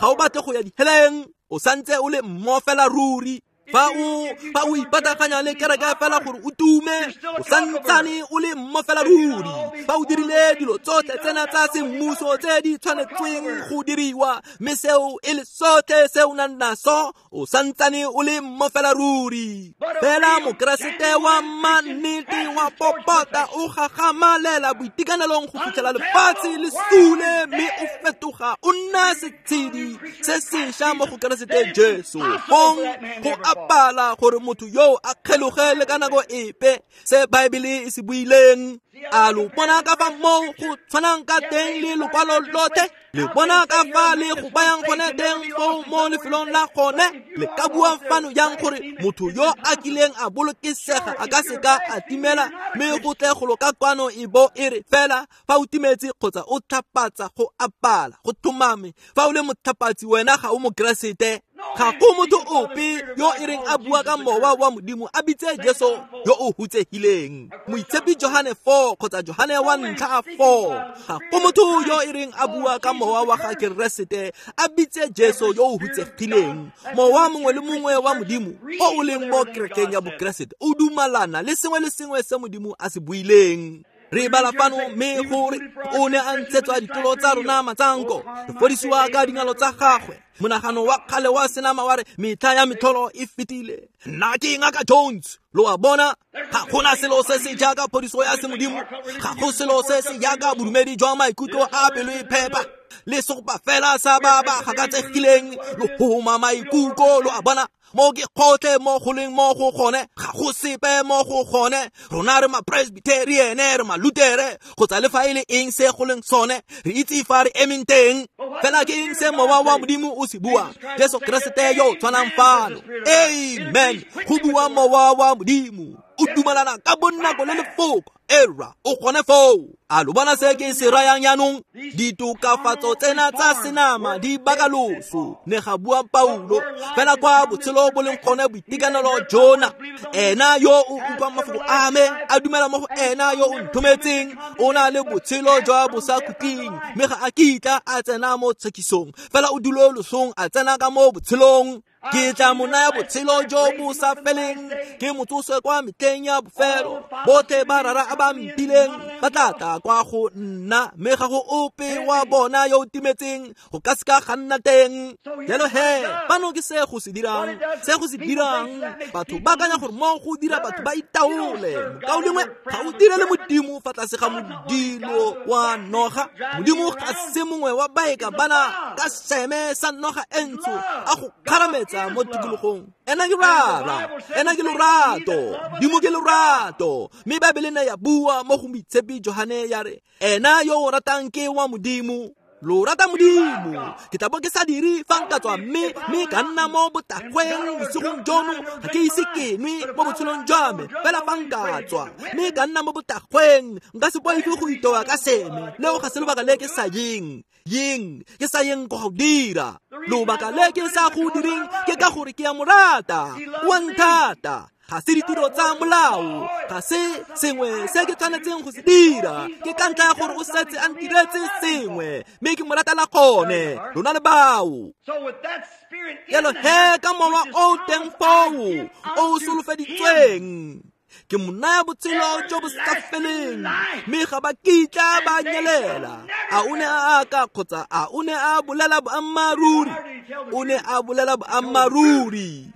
o batle go ya diheleng, o santse o le mmofela ruri. Fa o ipataganya le kereke fela gore o tume, o santsane o le mmofela ruri. Fa o dirile dilo tsotlhe tsena tsa semmuso tse di tshwanetsweng go diriwa, mme seo e le sotlhe se o nang naso, o santsane o le mmofela ruri. Fela Mokeresete wa mannete wa popota o gagamalela boitekanelong go fitlhela lefatshe le sule, mme o fetoga o nna setshedi se sešwa mo go Keresete Jesu. Fong go a pala gore motho yo a kgeloge le ka nako epe se Baebele e se buileng. A lo bona ka fa moo go tshwanang ka teng le lokwalo lothe? Le bona ka fa le go bayang gone teng foo mo lefelong la gone? Le ka bua fano jang gore motho yo a kileng a bolokesega a ka seka a timela, mme go tle go lo ka kwano e bo e re fela fa o timetse kgotsa o tlhapatsa go apala go tlhomame. Fa o le motlhapatsi wena ga o Mokeresete. Ga go motho ope yo e reng a bua ka mowa wa Modimo a bitse Jesu yo o hutsegileng. Moitshepi Johane 4 kgotsa Johane wa ntlha 4. Ga go motho yo e reng a bua ka mowa wa ga Keresete a bitse Jesu yo o hutsegileng. Mowa mongwe le mongwe wa Modimo o o leng mo kerekeng ya Bokeresete o dumalana le sengwe le sengwe se Modimo a se buileng. Re bala fano mme gore o ne a ntshetswa ditolo tsa rona matsanko, re fodisiwa ka dingalo tsa gagwe. Monagano wa kgale wa senama wa re metlha ya metlholo e fetile. Nna ke Ngaka Jones. Lo a bona, ga gona selo se se jaaka phodiso ya semodimo, ga go selo se se jaaka bodumedi jwa maikutlo a pelo e phepa le segopa fela sa ba ba gakatsegileng lo homa maikutlo. Lo a bona, mo ke kgotlhe mo go leng mo go gone, ga go sepe mo go gone. Rona re ma-Presbyterian, re ma-Lutere, kgotsa le fa e le eng se go leng sone, re itse fa re emeng teng. Fela ke eng se mowa wa Modimo o se buang? Jesu Keresete yo tshwanang fano. Amen. Go bua mowa wa Modimo, o dumalana ka bonako le lefoko. Era o gone foo. A lo bona se ke se rayang jaanong? Ditokafatso tsena tsa senama di baka loso, ne ga bua Paulo. Fela kwa botshelo bo leng gone boitekanelo jona, ena yo o utlwang mafoko a me a dumela mo go ena yo o nthometseng, o na le botshelo jwa bosakhutleng, mme ga a kitla a tsena mo tshekisong, fela o dule losong a tsena ka mo botshelong. Ke tla mo naya botshelo jo bo sa feleng, ke mo tsose kwa metlheng ya bofelo. Botlhe ba rara a ba mpileng ba tla tla kwa go nna, mme ga go ope wa bona yo o timetseng, go ka seka ga nna teng. Jalo he, fano ke se go se dirang, se go se dirang. Batho ba akanya gore mo go dira batho ba itaole. Mokaulengwe, ga o direle Modimo fa tlase ga modilo wa noga. Modimo ga se mongwe wa baeka bana ka seme sa noga e ntsho a go kgarametsa mo tikologong. Ena ke rara, ena ke lorato, Modimo ke lorato. Mme Baebele ne ya bua mo go Moitshepi Johane ya re, ena yo o ratang ke wa Modimo. Lo rata Modimo. Ke tla bo ke sa dire fa nka tswa mme ka nna mo botagweng bosigong jono, ga ke ise ke nwe mo botshelong jwa me. Fela fa nka tswa mme ka nna mo botagweng, nka se boife go itoa ka seme. Leo ga se lobaka le ke sa yeng ke sa yeng go dira. Lobaka le ke sa go direng ke ka gore ke a mo rata, o a nthata. Ga se ditiro tsa molao, ga se sengwe se ke tshwanetseng go se dira, ke ka ntlha ya gore o setse a ntiretse sengwe, mme ke mo ratela gone. Lona le bao. Jalo he, ka mowa o teng foo o o solofeditsweng, ke mo naya botshelo jo bo sa feleng, mme ga ba kitla ba nyelela. A o ne a aka kgotsa a o ne a bolela boammaaruri? O ne a bolela boammaaruri.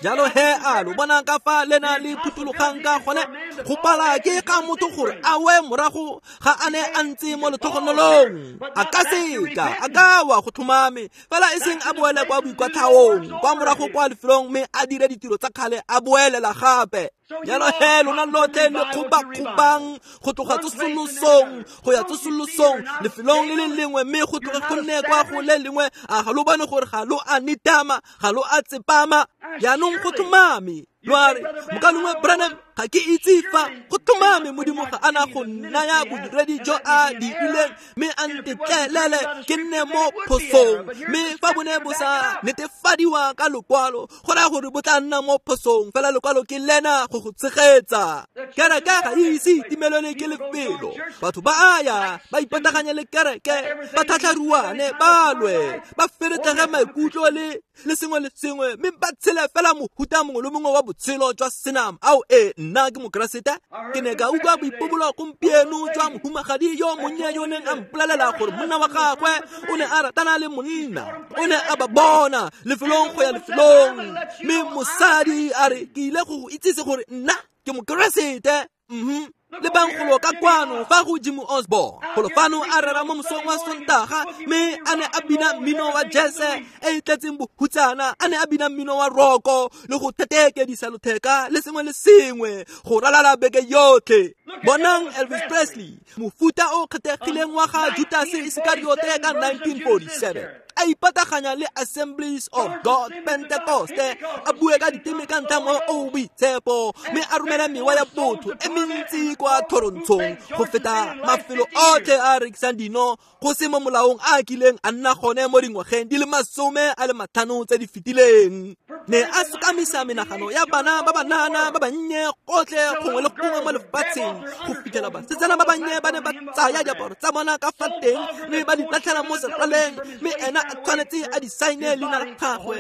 Jalo he, a lo bona ka fa lena le phuthulogang ka gone? Go pala ke ga motho gore a we morago ga a ne a ntse mo letlhogonolong. A ka seka, a ka wa go tlhomame, fela e seng a boele kwa boikwatlhaong, kwa morago kwa lefelong, mme a dire ditiro tsa kgale a boelela gape. Jalo he, lona lotlhe le kgobakgobang go tloga tsosolosong go ya tsosolosong, lefelong le le lengwe, mme go tloge go nne kwa go le lengwe. A ga lo bone gore ga lo a nitama, ga lo a tsepama? Jaanong go tlhomame. Lo a re, Mokaulengwe Branham, ga ke itse fa go tlhomame Modimo ga ana go nnaya bodiredi jo a dirileng, mme a ntetlelele ke nne mo phosong. Mme fa bo ne bo sa netefadiwa ka lokwalo, go raya gore bo tla nna mo phosong, fela lokwalo ke lena go go tshegetsa. Kereke ga e ise itimelelwe ke lefelo. Batho ba a ya, ba ipataganye le kereke, ba tlhatlharuane, ba lwe, ba feretlege maikutlo le sengwe le sengwe, mme ba tshele fela mohuta mongwe le mongwe wa botshelo jwa senama. Ao e, nna ke Mokeresete. Ke ne ka utlwa boipobolo gompieno jwa mohumagadi yo monnye yo neng a mpolelela gore monna wa gagwe o ne a ratana le monna, o ne a ba bona lefelong go ya lefelong, mme mosadi a re, ke ile go go itsise gore nna ke Mokeresete. Le bang golo ka kwano fa go Jim Osborne golo fano a rera mo mosong wa Sontaga, mme a ne a bina mmino wa jazz e e tletseng bohutsana, a ne a bina mmino wa roko le go thetekedisa lotheka le sengwe le sengwe go ralala beke yotlhe. Bonang Elvis Presley, mofuta o kgethegileng wa ga Judas Iskariote ka 1947, a ipataganya le Assemblies of God Pentecoste, a bue ka diteme ka ntlha mo o boitshepo, mme a romela mewa ya botho e mentsi kwa thorontshong go feta mafelo otlhe a rekisang dino go se mo molaong a kileng a nna gone mo dingwageng di le 50 tse di fetileng. Ne a sokamisa menagano ya bana ba banana ba bannye gotlhe gongwe le gongwe mo lefatsheng, go fitlhela basetsana ba bannye ba ne ba tsaya diaparo tsa bona ka fa teng mme ba di latlhela mo seraleng, mme ena a tshwanetse a di saene leina la gagwe.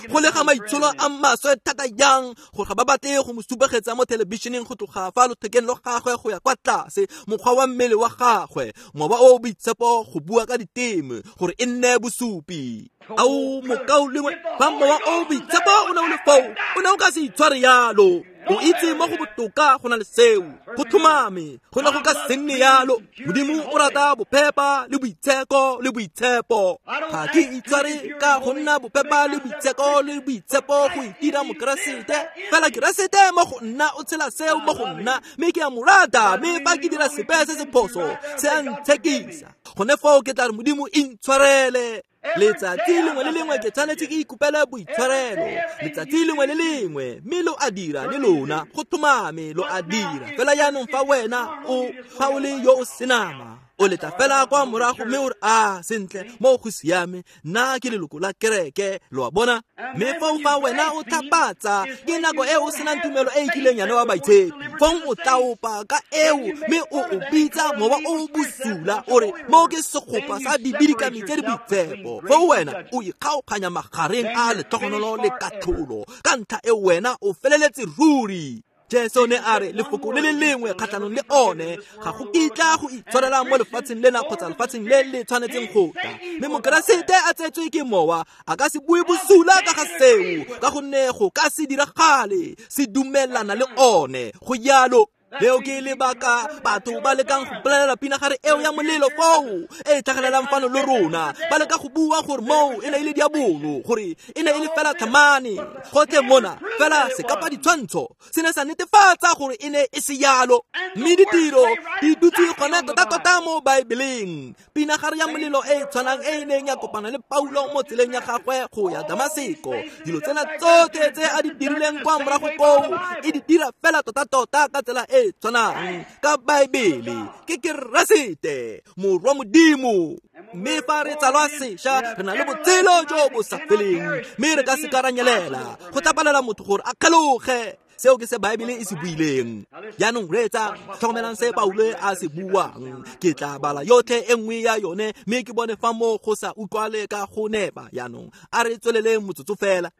Go le ga maitsholo a maswe thata jang gore ga ba batle go mo supegetsa mo thelebišeneng go tloga fa lothekeng lo gagwe go ya kwa tlase, mokgwa wa mmele wa gagwe, mowa o boitshepo go bua ka diteme gore e nne bosupi. Ao mokaulengwe, fa mowa o boitshepo o ne o le foo, o ne o ka se itshware yalo. O itse mo go botoka go na le seo, go tlhomame, go ne go ka se nne yalo. Modimo o rata bophepa le boitsheko le boitshepo. Ga ke itshware ka go nna bophepa le boitsheko le boitshepo go itira mokeresete, fela Keresete mo go nna o tshela seo mo go nna, mme ke a mo rata, mme fa ke dira sepe se se phoso se a ntshekisa, gone foo ke tla re Modimo intshwarele. Letsatsi lengwe le lengwe ke tshwanetse ke ikopele boitshwarelo, letsatsi lengwe le lengwe, mme lo a dira le lona, go tlhomame lo a dira. Fela jaanong fa wena o fa o le yo o senama, o letla fela kwa morago mme o re, a sentle, mo go siame, nna ke leloko la kereke, lo a bona. Mme foo fa wena o tlhapatsa, ke nako e o senang tumelo e e kileng ya newa baitshepi, fong o tlaopa ka eo mme o o bitsa mowa o bosula, o re mo ke segopa sa dibidikami tse di boitshepo. Foo wena o ikgaoganya magareng a letlhogonolo le katlholo, ka ntlha e wena o feleletse ruri. Jesu ne a re lefoko le le lengwe kgatlhanong le one ga go kitla go itshwarela mo lefatsheng lena kgotsa lefatsheng le le tshwanetseng go tla. Mme mokeresete a tsetswe ke mowa a ka se bue bosula ka ga seo, ka gonne go ka se diragale, se dumelana le one go jalo. Leo ke lebaka batho ba lekang go bolelela pinagare eo ya molelo foo e tlhagelelang fano le rona, ba leka go bua gore moo e ne e le diabolo, gore e ne e le fela tlhamane. Gotlhe mona fela sekapa ditshwantsho se ne sa netefatsa gore e ne e se yalo, mme ditiro di dutse gone tota-tota mo Baebeleng. Pinagare ya molelo e e tshwanang e e neng ya kopana le Paulo mo tseleng ya gagwe go ya Damaseko, dilo tsena tsotlhe tse a di dirileng kwa morago koo e di dira fela tota-tota ka tsela e tshwanang ka Baebele. Ke Keresete, Morwa Modimo. Mme fa re tsalwa sešwa, re na le botshelo jo bo sa feleng, mme re ka se ka ra nyelela. Go tla palela motho gore a kgeloge. Seo ke se Baebele e se buileng. Jaanong reetsa, tlhokomelang se Paulo a se buang. Ke tla bala yotlhe e nngwe ya yone, mme ke bone fa mo go sa utlwale ka go nepa. Jaanong a re tsweleleng motsotso fela.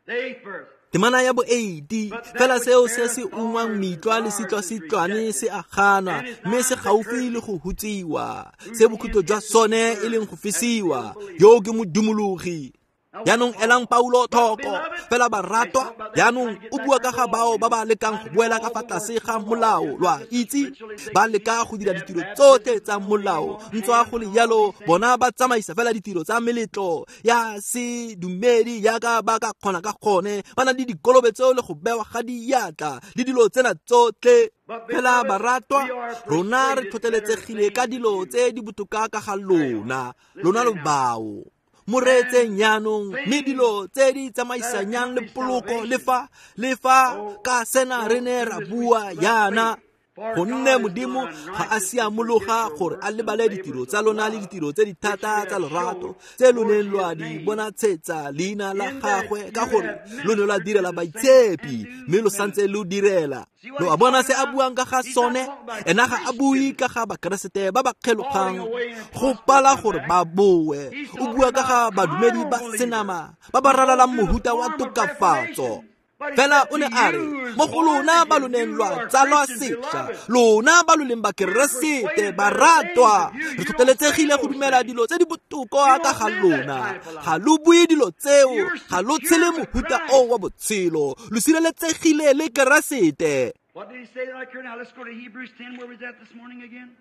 Temana ya bo 80, fela seo se se ungwang mitlwa le sitlwa-sitlwane se a ganwa, mme se gaufi le go hutsiwa, se bokhutlo jwa sone e leng go fisiwa. Yo ke modumologi. Jaanong elang Paulo tlhoko, fela baratwa. Jaanong o bua ka ga bao ba ba lekang go boela ka fa tlase ga molao, lo a itse, ba leka go dira ditiro tsotlhe tsa molao, ntswa go le jalo bona ba tsamaisa fela ditiro tsa meletlo ya sedumedi jaaka ba ka kgona ka gone, ba na le dikolobetso le go bewa ga diatla le dilo tsena tsotlhe. Fela baratwa, rona re tlhotlheletsegile ka dilo tse di botoka ka ga lona, lona lo bao mo reetseng jaanong, mme dilo tse di tsamaisanyang le poloko le fa ka sena re ne ra bua jaana, gonne Modimo ga a siamologa gore a lebale ditiro tsa lona le ditiro tse di thata tsa lorato tse lo neng lwa di bonatshetsa leina la gagwe, ka gore lo ne lwa direla baitshepi, mme lo santse lo direla. Lo a bona se a buang ka ga sone? Ena ga a bue ka ga bakeresete ba ba kgelogang go pala gore ba boe, o bua ka ga badumedi ba senama ba ba ralalang mohuta wa tokafatso. Fela o ne a re mo go lona ba lo neng lwa tsalwa sešwa, lona ba lo leng bakeresete baratwa, re tlhotlheletsegile go dumela dilo tse di botoka ka ga lona. Ga lo bue dilo tseo, ga lo tshele mohuta o wa botshelo, lo sireletsegile le Keresete. What did he say right here? Now let's go to Hebrews 10. Where was that this morning again?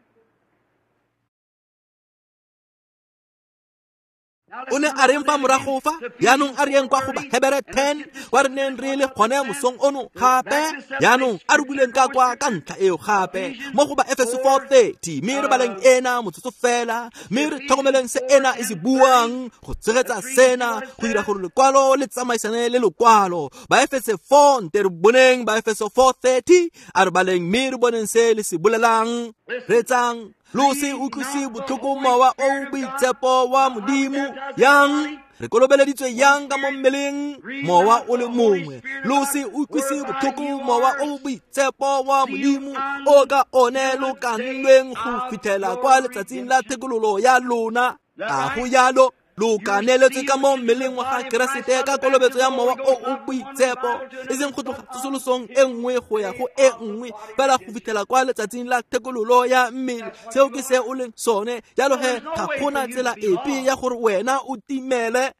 O ne a reng fa morago fa? Jaanong a re yeng kwa go Bahebere 10, kwa re neng re le gone mosong ono gape. Jaanong a re buleng ka kwa ka ntlha eo gape mo go Baefeso 4:30, mme re baleng ena motsotso fela, mme re tlhokomeleng se ena e se buang go tshegetsa sena, go dira gore lekwalo le tsamaisane le lekwalo. Baefeso 4, nte re boneng Baefeso 4:30, a re baleng mme re boneng se le se bolelang. Reetsang, lo se utlwise botlhoko mowa o boitshepo wa Modimo. Yang re kolobeleditswe yang ka mo mmeleng mowa o le mongwe. Lo se utlwise botlhoko mowa o boitshepo wa Modimo o ka one lo ka nnweng go fitlhela kwa letsatsing la thekololo ya lona. A go jalo? Lo kaneletswe ka mo mmeleng wa ga Keresete ka kolobetso ya mowa o o boitshepo, e seng go tloga tsosolosong e nngwe go ya go e nngwe, fela go fitlhela kwa letsatsing la thekololo ya mmele. Seo ke se o leng sone. Jalo he ga gona tsela epe ya gore wena o timele.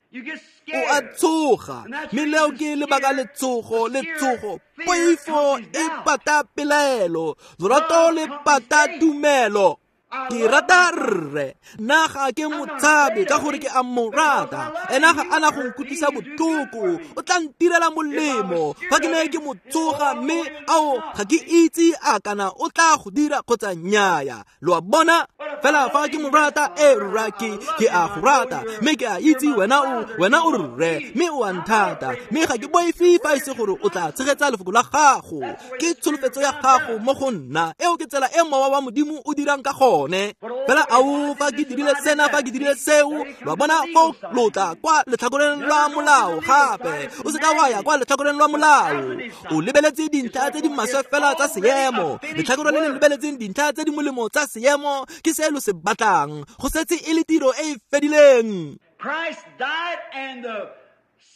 O a tshoga, mme leo ke lebaka letshogo. Poifo e pata pelaelo, lorato le pata tumelo. Ke rata rre, nna ga ke motshabe ka gore ke a mo rata. Ena ga ana go nkutlwisa botlhoko, o tla ntirela molemo. Fa ke ne ke mo tsoga, mme ao ga ke itse a kana o tla go dira kgotsa nnyaya. Lo a bona? Fela fa ke mo rata, e rra ke a go rata, mme ke a itse wena o rre, mme o a nthata, mme ga ke boife fa e se gore o tla tshegetsa lefoko la gago. Ke tsholofetso ya gago mo go nna. Eo ke tsela e mowa wa Modimo o dirang ka gone. Fela ao fa ke dirile sena, fa ke dirile seo, lo bona foo lo tla kwa letlhakoreng lwa molao gape. O seka wa ya kwa letlhakoreng lwa molao. O lebeletse dintlha tse di maswe fela tsa seemo. Letlhakore le le lebeletseng dintlha tse di molemo tsa seemo ke se lo se batlang. Go setse e le tiro e e fedileng.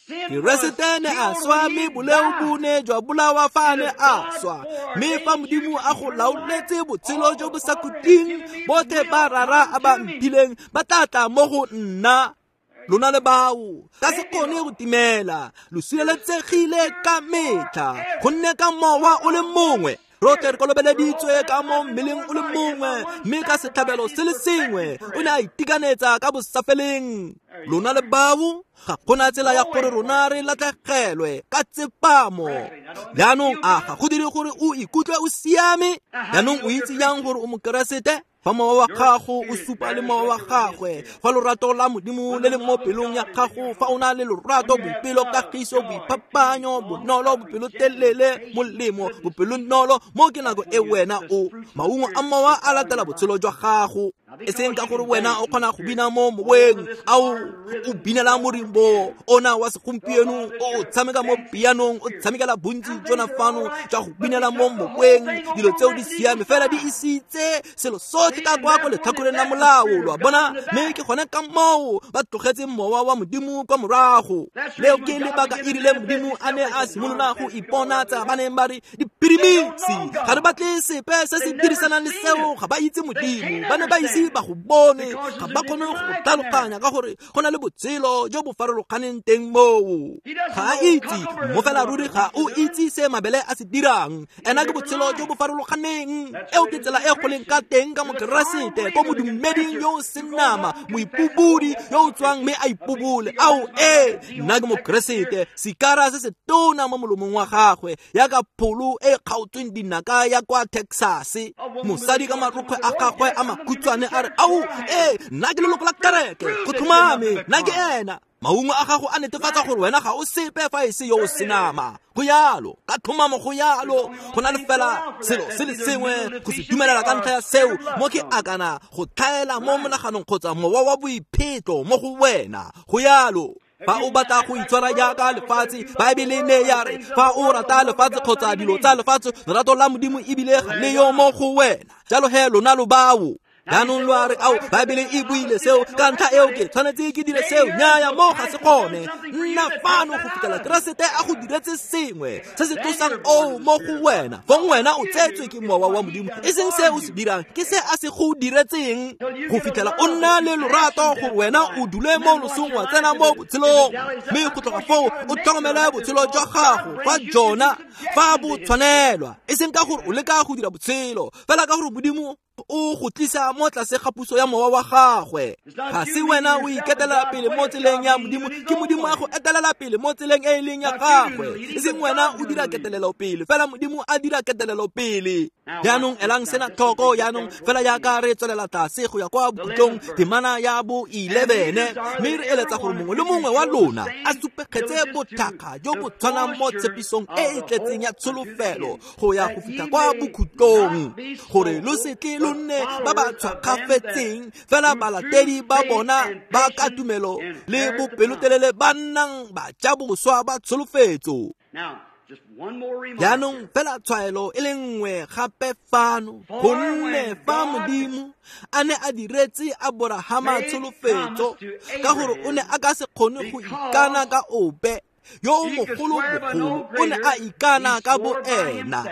Keresete ne a swa, mme boleo bo ne jwa bolawa fa ne a swa. Mme fa Modimo a go laoletse botshelo jo bo sa khutleng, botlhe ba rara a ba mphileng ba tla tla mo go nna. Lona le bao ka se kgone go timela, lo sireletsegile ka metlha, gonne ka mowa o le mongwe rotlhe re kolobeleditswe ka mo mmeleng o le mongwe, mme ka setlhabelo se le sengwe o ne a itekanetsa ka bosafeleng. Lona le bao ga gona tsela ya gore rona re latlhegelwe ka tsepamo. Jaanong a ga go dire gore o ikutlwe o siame? Jaanong o itse jang gore o Mokeresete? Fa mowa wa gago o supa le mowa wa gagwe, fa lorato la Modimo le le mo pelong ya gago, fa o na le lorato, boipelo, kagiso, boiphapanyo, bonolo, bopelotelele, molemo, bopelonolo, mo ke nako e wena o maungo a mowa a latela botshelo jwa gago. E seng ka gore wena o kgona go bina mo moweng, ao o binela morimbo ona wa segompieno, o tshameka mo pianong, o tshamekela bontsi jona fano jwa go binela mo moweng. Dilo tseo di siame, fela di isitse selo sotlhe ka kwa ko letlhakoreng la molao, lo a bona? Mme ke gone ka moo ba tlogetse mowa wa Modimo kwa morago. Leo ke lebaka e rile Modimo a ne a simolola go iponatsa ba neng ba re diphirimisi, ga re batle sepe se se dirisanang le seo. Ga ba itse Modimo, ba ne ba ise ba go bone, ga ba kgone go tlhaloganya ka gore go na le botshelo jo bo farologaneng teng moo. Ga a itse mo fela ruri, ga o itse se mabele a se dirang. Ena ke botshelo jo bo farologaneng. Eo ke tsela e go leng ka teng ka Mokeresete, ko modumeding yo o senama, moipobodi yo o tswang mme a ipobole. Ao ee, nna ke Mokeresete, sikara se se tona mo molomong wa gagwe, yaka pholo e kgaotsweng dinaka ya kwa Texas. Mosadi ka marokgwe a gagwe a makhutshwane a re, ao ee, nna ke leloko la kereke, go tlhomame, nna ke ena. Maungo a gago a netefatsa gore wena ga o sepe fa e se yo o senama. Go yalo, ka tlhomamo go yalo. Go na le fela selo se le sengwe go se dumelela ka ntlha ya seo, mo ke akana go tlhaela mo monaganong kgotsa mowa wa boiphetlo mo go wena. Go yalo. Fa o batla go itshwara jaaka lefatshe, Baebele ne ya re fa o rata lefatshe kgotsa dilo tsa lefatshe, lerato la Modimo ebile ga le yo mo go wena. Jalo he lona lo bao. Jaanong lo a re, ao, Baebele e buile seo, ka ntlha eo ke tshwanetse ke dire seo. Nnyaya, mo ga se gone. Nna fano go fitlhela Keresete a go diretse sengwe se se tlosang oo mo go wena. Fong wena o tsetswe ke mowa wa Modimo, e seng se o se dirang, ke se a se go diretseng, go fitlhela o nna le lorato gore wena o dule mo losong wa tsena mo botshelong. Mme go tloga foo o tlhokomele botshelo jwa gago fa jona fa bo tshwanelwa, e seng ka gore o leka go dira botshelo, fela ka gore Modimo o go tlisa mo tlase ga puso ya mowa wa gagwe. Ga se wena o iketelela pele mo tseleng ya Modimo, ke Modimo a go etelela pele mo tseleng e e leng ya gagwe. E seng wena o dira ketelelo pele, fela Modimo a dira ketelelo pele. Jaanong elang sena tlhoko jaanong, fela jaaka re tswelela tlase go ya kwa bokhutlong, temana ya bo 11, mme re eletsa gore mongwe le mongwe wa lona a supegetse bothakga jo bo tshwanang mo tshepisong e e tletseng ya tsholofelo go ya go fitlha kwa bokhutlong, gore lo se tle lo nne ba ba tshwakgafetseng, fela balatedi ba bona ba ka tumelo le bopelotelele ba nnang ba ja boswa ba tsholofetso. Jaanong fela tshwaelo e le nngwe gape fano, gonne fa Modimo a ne a diretse Aborahama tsholofetso, ka gore o ne a ka se kgone go ikana ka ope yo o mogolo-bogolo, o ne a ikana ka bo ena,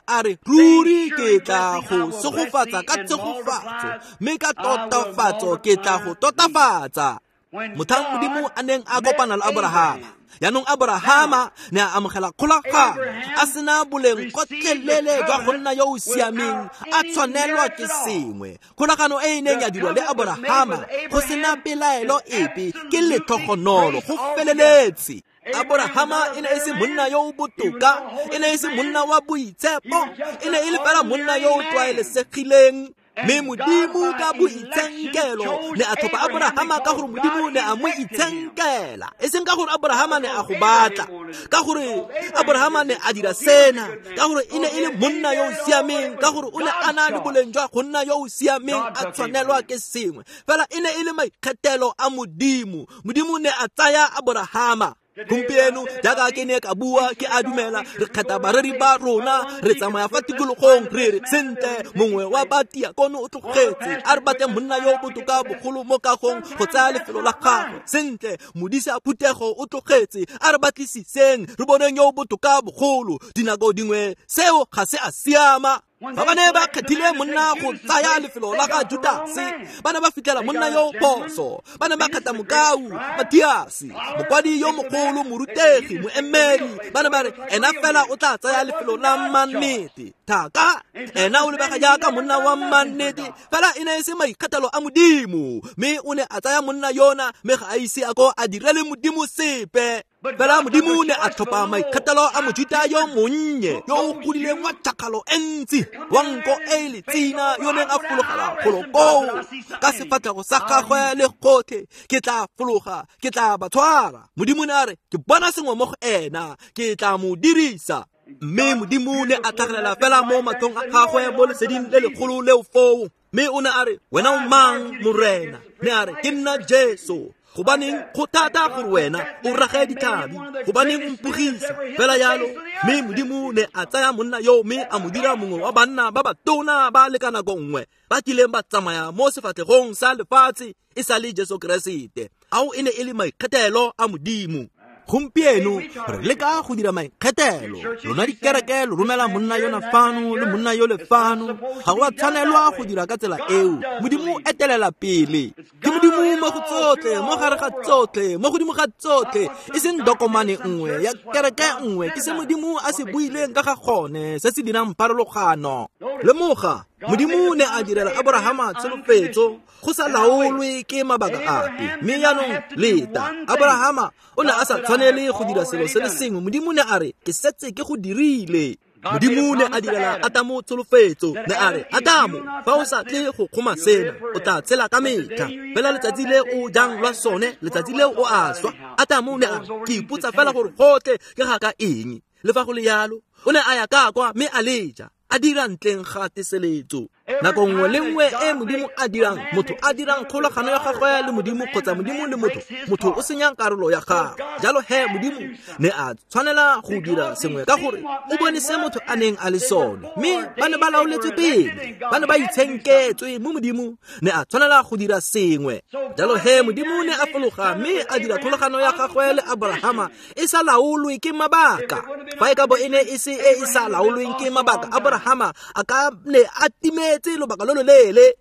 a re ruri ke tla go segofatsa ka tshegofatso, mme ka totafatso ke tla go totafatsa. Motlhang Modimo a neng a kopana le Aborahama, jaanong Aborahama ne a amogela kgolagano a sena boleng gotlhelele jwa go nna yo o siameng, a tshwanelwa ke sengwe. Kgolagano e e neng ya dirwa le Aborahama go sena pelaelo epe ke letlhogonolo go feleletse. Aborahama e ne e se monna yo o botoka, e ne e se monna wa boitshepo, e ne e le fela monna yo o tlwaelesegileng. Mme Modimo ka boitshenkelo ne a tlhopha Aborahama ka gore Modimo ne a mo itshenkela, e seng ka gore Aborahama ne a go batla, ka gore Aborahama ne a dira sena, ka gore e ne e le monna yo o siameng, ka gore o ne a na le boleng jwa go nna yo o siameng, a tshwanelwa ke sengwe. Fela e ne e le maikgethelo a Modimo. Modimo ne a tsaya Aborahama. Gompieno jaaka ke ne ka bua, ke a dumela re kgetha bareri ba rona, re tsamaya fa tikologong re re sentle mongwe wa batiakono o tlogetse, a re batle monna yo o botoka bogolo mo kagong go tsaya lefelo la gagwe. Sentle modisa phuthego o tlogetse, a re batlisiseng re boneng yo o botoka bogolo. Dinako dingwe seo ga se a siama. Fa ba ne ba kgethile monna go tsaya lefelo la ga Judase, ba ne ba fitlhela monna yo phoso. Ba ne ba kgetha mokau Matiase, mokwadi yo mogolo, morutegi, moemedi. Ba ne ba re ena fela o tla tsaya lefelo la mannete. Thaka ena o lebega jaaka monna wa mannete, fela e ne e se maikgethelo a Modimo. Mme o ne a tsaya monna yona, mme ga a ise a ko a direle Modimo sepe. Fela Modimo ne a tlhopha maikgethelo a Mojuta yo monnye, yo o godileng wa tšhakgalo e ntsi, wa nko e letsina, yo neng a fologela golo koo ka sefatlhego sa gagwe le gotlhe. Ke tla fologa, ke tla ba tshwara. Modimo ne a re ke bona sengwe mo go ena, ke tla mo dirisa. Mme Modimo ne a tlhagelela fela mo matlhong a gagwe mo leseding le legolo leo foo. Mme o ne a re, wena o mang, Morena? Ne a re, ke nna Jesu. Gobaneng go thata gore wena o rage ditlhabi, gobaneng o mpogisa fela yalo. Mme Modimo ne a tsaya monna yo mme a mo dira mongwe wa banna ba batona ba le ka nako nngwe ba kileng ba tsamaya mo sefatlhegong sa lefatshe e sa le Jesu Keresete. Ao e ne e le maikgethelo a Modimo. Gompieno re leka go dira maikgethelo. Lona dikereke lo romela monna yona fano le monna yo le fano. Ga go a tshwanelwa go dira ka tsela eo. Modimo o etelela pele. Ke Modimo mo go tsotlhe, mo gare ga tsotlhe, mo godimo ga tsotlhe, e seng dokomane nngwe ya kereke nngwe. Ke se Modimo a se buileng ka ga gone, se se dirang pharologano. Lemoga, Modimo ne a direla Aborahama tsholofetso go sa laolwe ke mabaka ape. Mme jaanong leta, Aborahama o ne a sa tshwanele go dira selo se le sengwe. Modimo ne a re, ke setse ke go dirile. Modimo ne a direla Adamo tsholofetso, ne a re, Adamo, fa o sa tle go kgoma sena, o tla tshela ka metlha. Fela letsatsi le o jang lwa sone, letsatsi leo o a swa. Adamo ne a re, ke ipotsa fela gore gotlhe ke ga ka eng. Le fa go le yalo, o ne a ya ka kwa mme a leja, a dira ntleng ga teseletso. Nako nngwe le nngwe e Modimo a dirang, motho a dirang kgolagano ya gagwe le Modimo kgotsa Modimo le motho, motho o senyang karolo ya gagwe. Jalo he Modimo ne a tshwanela go dira sengwe ka gore o bone se motho a neng a le sone. Mme ba ne ba laoletswe pele, ba ne ba itshenketswe mo Modimo ne a tshwanela go dira sengwe. Jalo he Modimo ne a fologa mme a dira kgolagano ya gagwe le Aborahama e sa laolwe ke mabaka. Fa e ka bo e ne e se e e sa laolweng ke mabaka, Aborahama a ka ne a timetse lobaka lo loleele.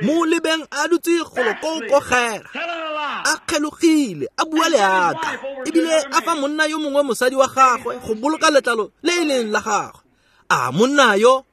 Mo lebeng a dutse golo ko kogera, a kgelogile, a bua leaka, ebile a fa monna yo mongwe mosadi wa gagwe go boloka letlalo le e leng la gagwe. A monna yo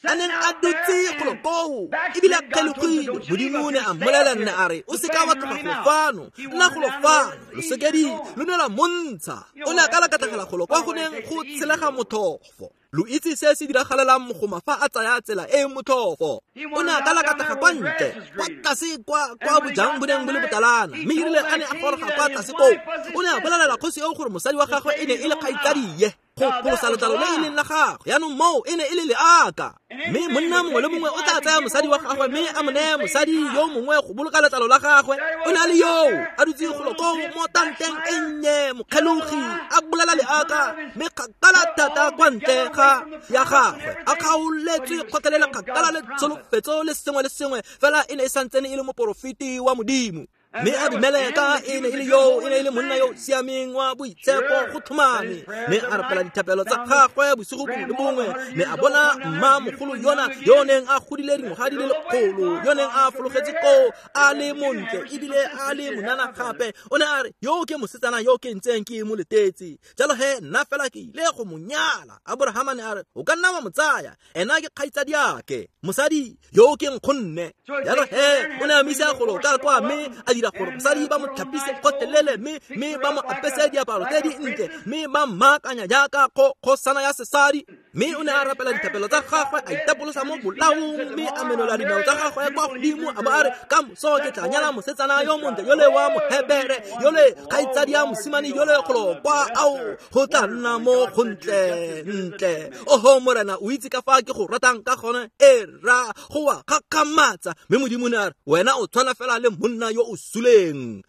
a neng a dutse golo koo ebile a kgelogile, Modimo ne a mmolelela nne a re, o seka wa tloga golo fano, nna golo fano. Losekedi lo ne la montsha. O ne a ka lakatlhagela golo kwa go neng go tshelega motlhofo. Lo itse se se diragalelang mogoma fa a tsaya tsela e motlhofo. O ne a ka lakatega kwa ntle, kwa tlase kwa bojang bo neng bo le botalana. Mme erile a ne a goroga kwa tlase koo, o ne a bolelela kgosi eo gore mosadi wa gagwe e ne e le kgaitsadie. Go pholosa letlalo le e leng la gagwe. Yaanong moo e ne e le leaka. Mme monna mongwe le mongwe o tla tsaya mosadi wa gagwe mme a mo neye mosadi yo mongwe go boloka letlalo la gagwe. O ne a le yoo a dutse golo koo mo tanteng e nnye, mokgelogi, a bolela leaka, mme kgakala thata kwa ntle ga ya gagwe, a kgaoletswe kgotlelele kgakala le tsholofetso le sengwe le sengwe, fela e ne e santsene e le moporofeti wa Modimo. Mme Abimeleka e ne e le yoo, e ne e le monna yo o siameng wa boitshepo go tlhomame, mme a rapela dithapelo tsa gagwe bosigo bongwe le bongwe, mme a bona mma mogolo yona yo o neng a godile dingwaga di le lekgolo, yo neng a fologetse koo a le montle ebile a le monana gape. O ne a re, yo ke mosetsana yo ke ntseng ke mo letetse, jalo he nna fela ke ile go mo nyala. Aborahama ne a re, o ka nna wa mo tsaya, ena ke kgaitsadiake, mosadi yo ke nkgonne. Jalo he o ne a misa golo ka kwa mme a dira gore mosadi ba mo tlhapise gotlhelele, mme ba mo apese diaparo tse dintle, mme ba mmaakanya jaaka kgosana ya sesadi. Mme o ne a rapela dithapelo tsa gagwe, a itapolosa mo bolaong, mme a menola dinao tsa gagwe kwa godimo, a bo a re, ka moso ke tla nyala mosetsana yo montle yole wa Mohebere, yole kgaitsadi ya mosimane yole golo kwa, ao go tla nna mo gontle ntle. Oho Morena, o itse ka fa ke go ratang ka gone, e ra go wa gakgamatsa. Mme Modimo ne a re, wena o tshwana fela le monna yo o suleng.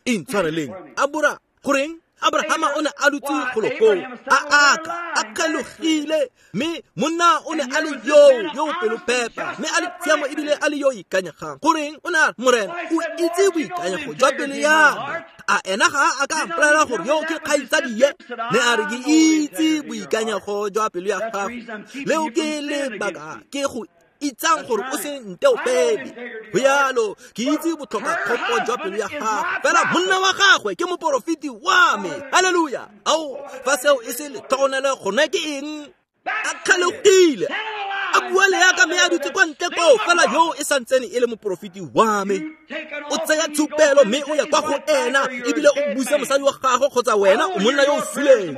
Intshwareleng. Abora, goreng? Abrahama o ne a dutse golo koo, a aka, a kgelogile, mme monna o ne a le yo pelopepa, mme a le tshiamo ebile a le yo ikanyegang. Goreng? O ne a re, Morena, o itse boikanyego jwa pelo ya me. A ena ga a ka mpolelela gore yo ke kgaitsadie? Ne a re, ke itse boikanyego jwa pelo ya gago, leo ke lebaka ke go itsang gore o se nteopele. Go yalo, ke itse botlhokakgopo jwa pelo ya gagwe, fela monna wa gagwe ke moporofeti wa me. Halleluja! Ao, fa seo e se letlhogonelo, gone ke eng? A kgalogile, a bua leaka mme a dutse kwa ntle koo, fela yo e santsene e le moporofeti wa me. O tsaya tshupelo mme o ya kwa go ena, ebile o busa mosadi wa gagwe kgotsa wena o monna yo o suleng.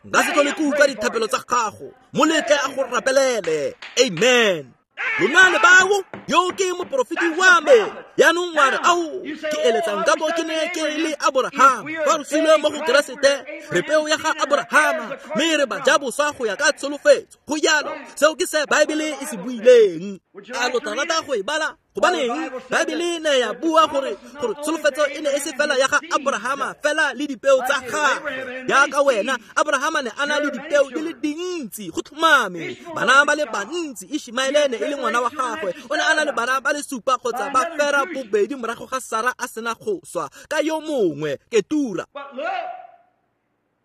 Nka se tlhole ke utlwa dithapelo tsa gago, mo letle a go rapelele. Amen. Lona le bao, yo ke moporofeti wa me. Yaanong wa re, ao, ke eletsang ka bo ke ne ke le Aborahama. Fa re sule mo go Keresete, re peo ya ga Aborahama, mme re bajaboswa go ya ka tsholofetso. Go jalo, seo ke se Baebele e se buileng. A lo tla rata go e bala? Gobaneng Baebele ne ya bua gore tsholofetso e ne e se fela ya ga Aborahama fela le dipeo tsa gagwe. Jaaka wena, Aborahama ne a na le dipeo di le dintsi, go tlhomame, bana ba le bantsi. Ishmaele ne e le ngwana wa gagwe, o ne a na le bana ba le supa kgotsa ba fera bobedi morago ga Sara a sena go swa ka yo mongwe, Ketura.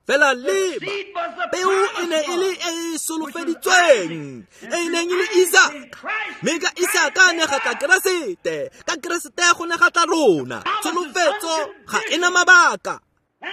Fela leba, peo e ne e le e e solofeditsweng, e e neng e le Isaka. Mme ka Isaka ne ga tla Keresete, ka Keresete go ne ga tla rona. Tsholofetso ga e na mabaka.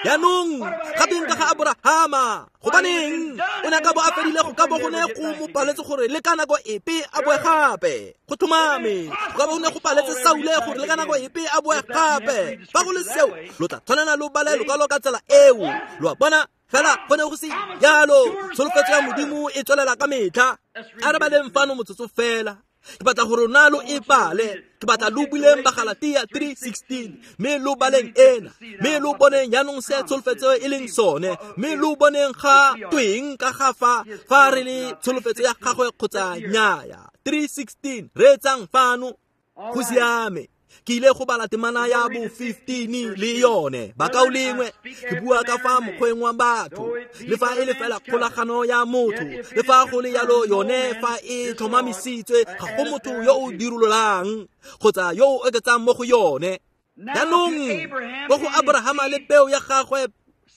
Yaanong gapeng ka ga Aborahama, gobaneng o ne a ka bo a fedile go ka bo go ne go mo paletse gore le ka nako epe a boe gape. Go tlhomame, go ka bo go ne go paletse Saule gore le ka nako epe a boe gape. Fa go le seo, lo tla tshwanela lo bale lokwalo ka tsela eo. Lo a bona? Fela go ne go se jalo. Tsholofetso ya Modimo e tswelela ka metlha. A re baleng fano motsotso fela. Ke batla gore rona lo e bale. Ke batla lo buleng Bagalatia 3:16, mme lo baleng ena, mme lo boneng jaanong se tsholofetso e leng sone, mme lo boneng ga tweng ka ga fa re le tsholofetso ya gagwe kgotsa nnyaya. 3:16, reetsang fano. Go siame. Ke ile go bala temana ya bo 15 le yone. Bakaulengwe, ke bua ka fa mokgweng wa batho, le fa e le fela kgolagano ya motho, le fa go le yalo yone fa e tlhomamisitswe, ga go motho yo o dirololang kgotsa yo o oketsang mo go yone. Jaanong ko go Aborahama le peo ya gagwe,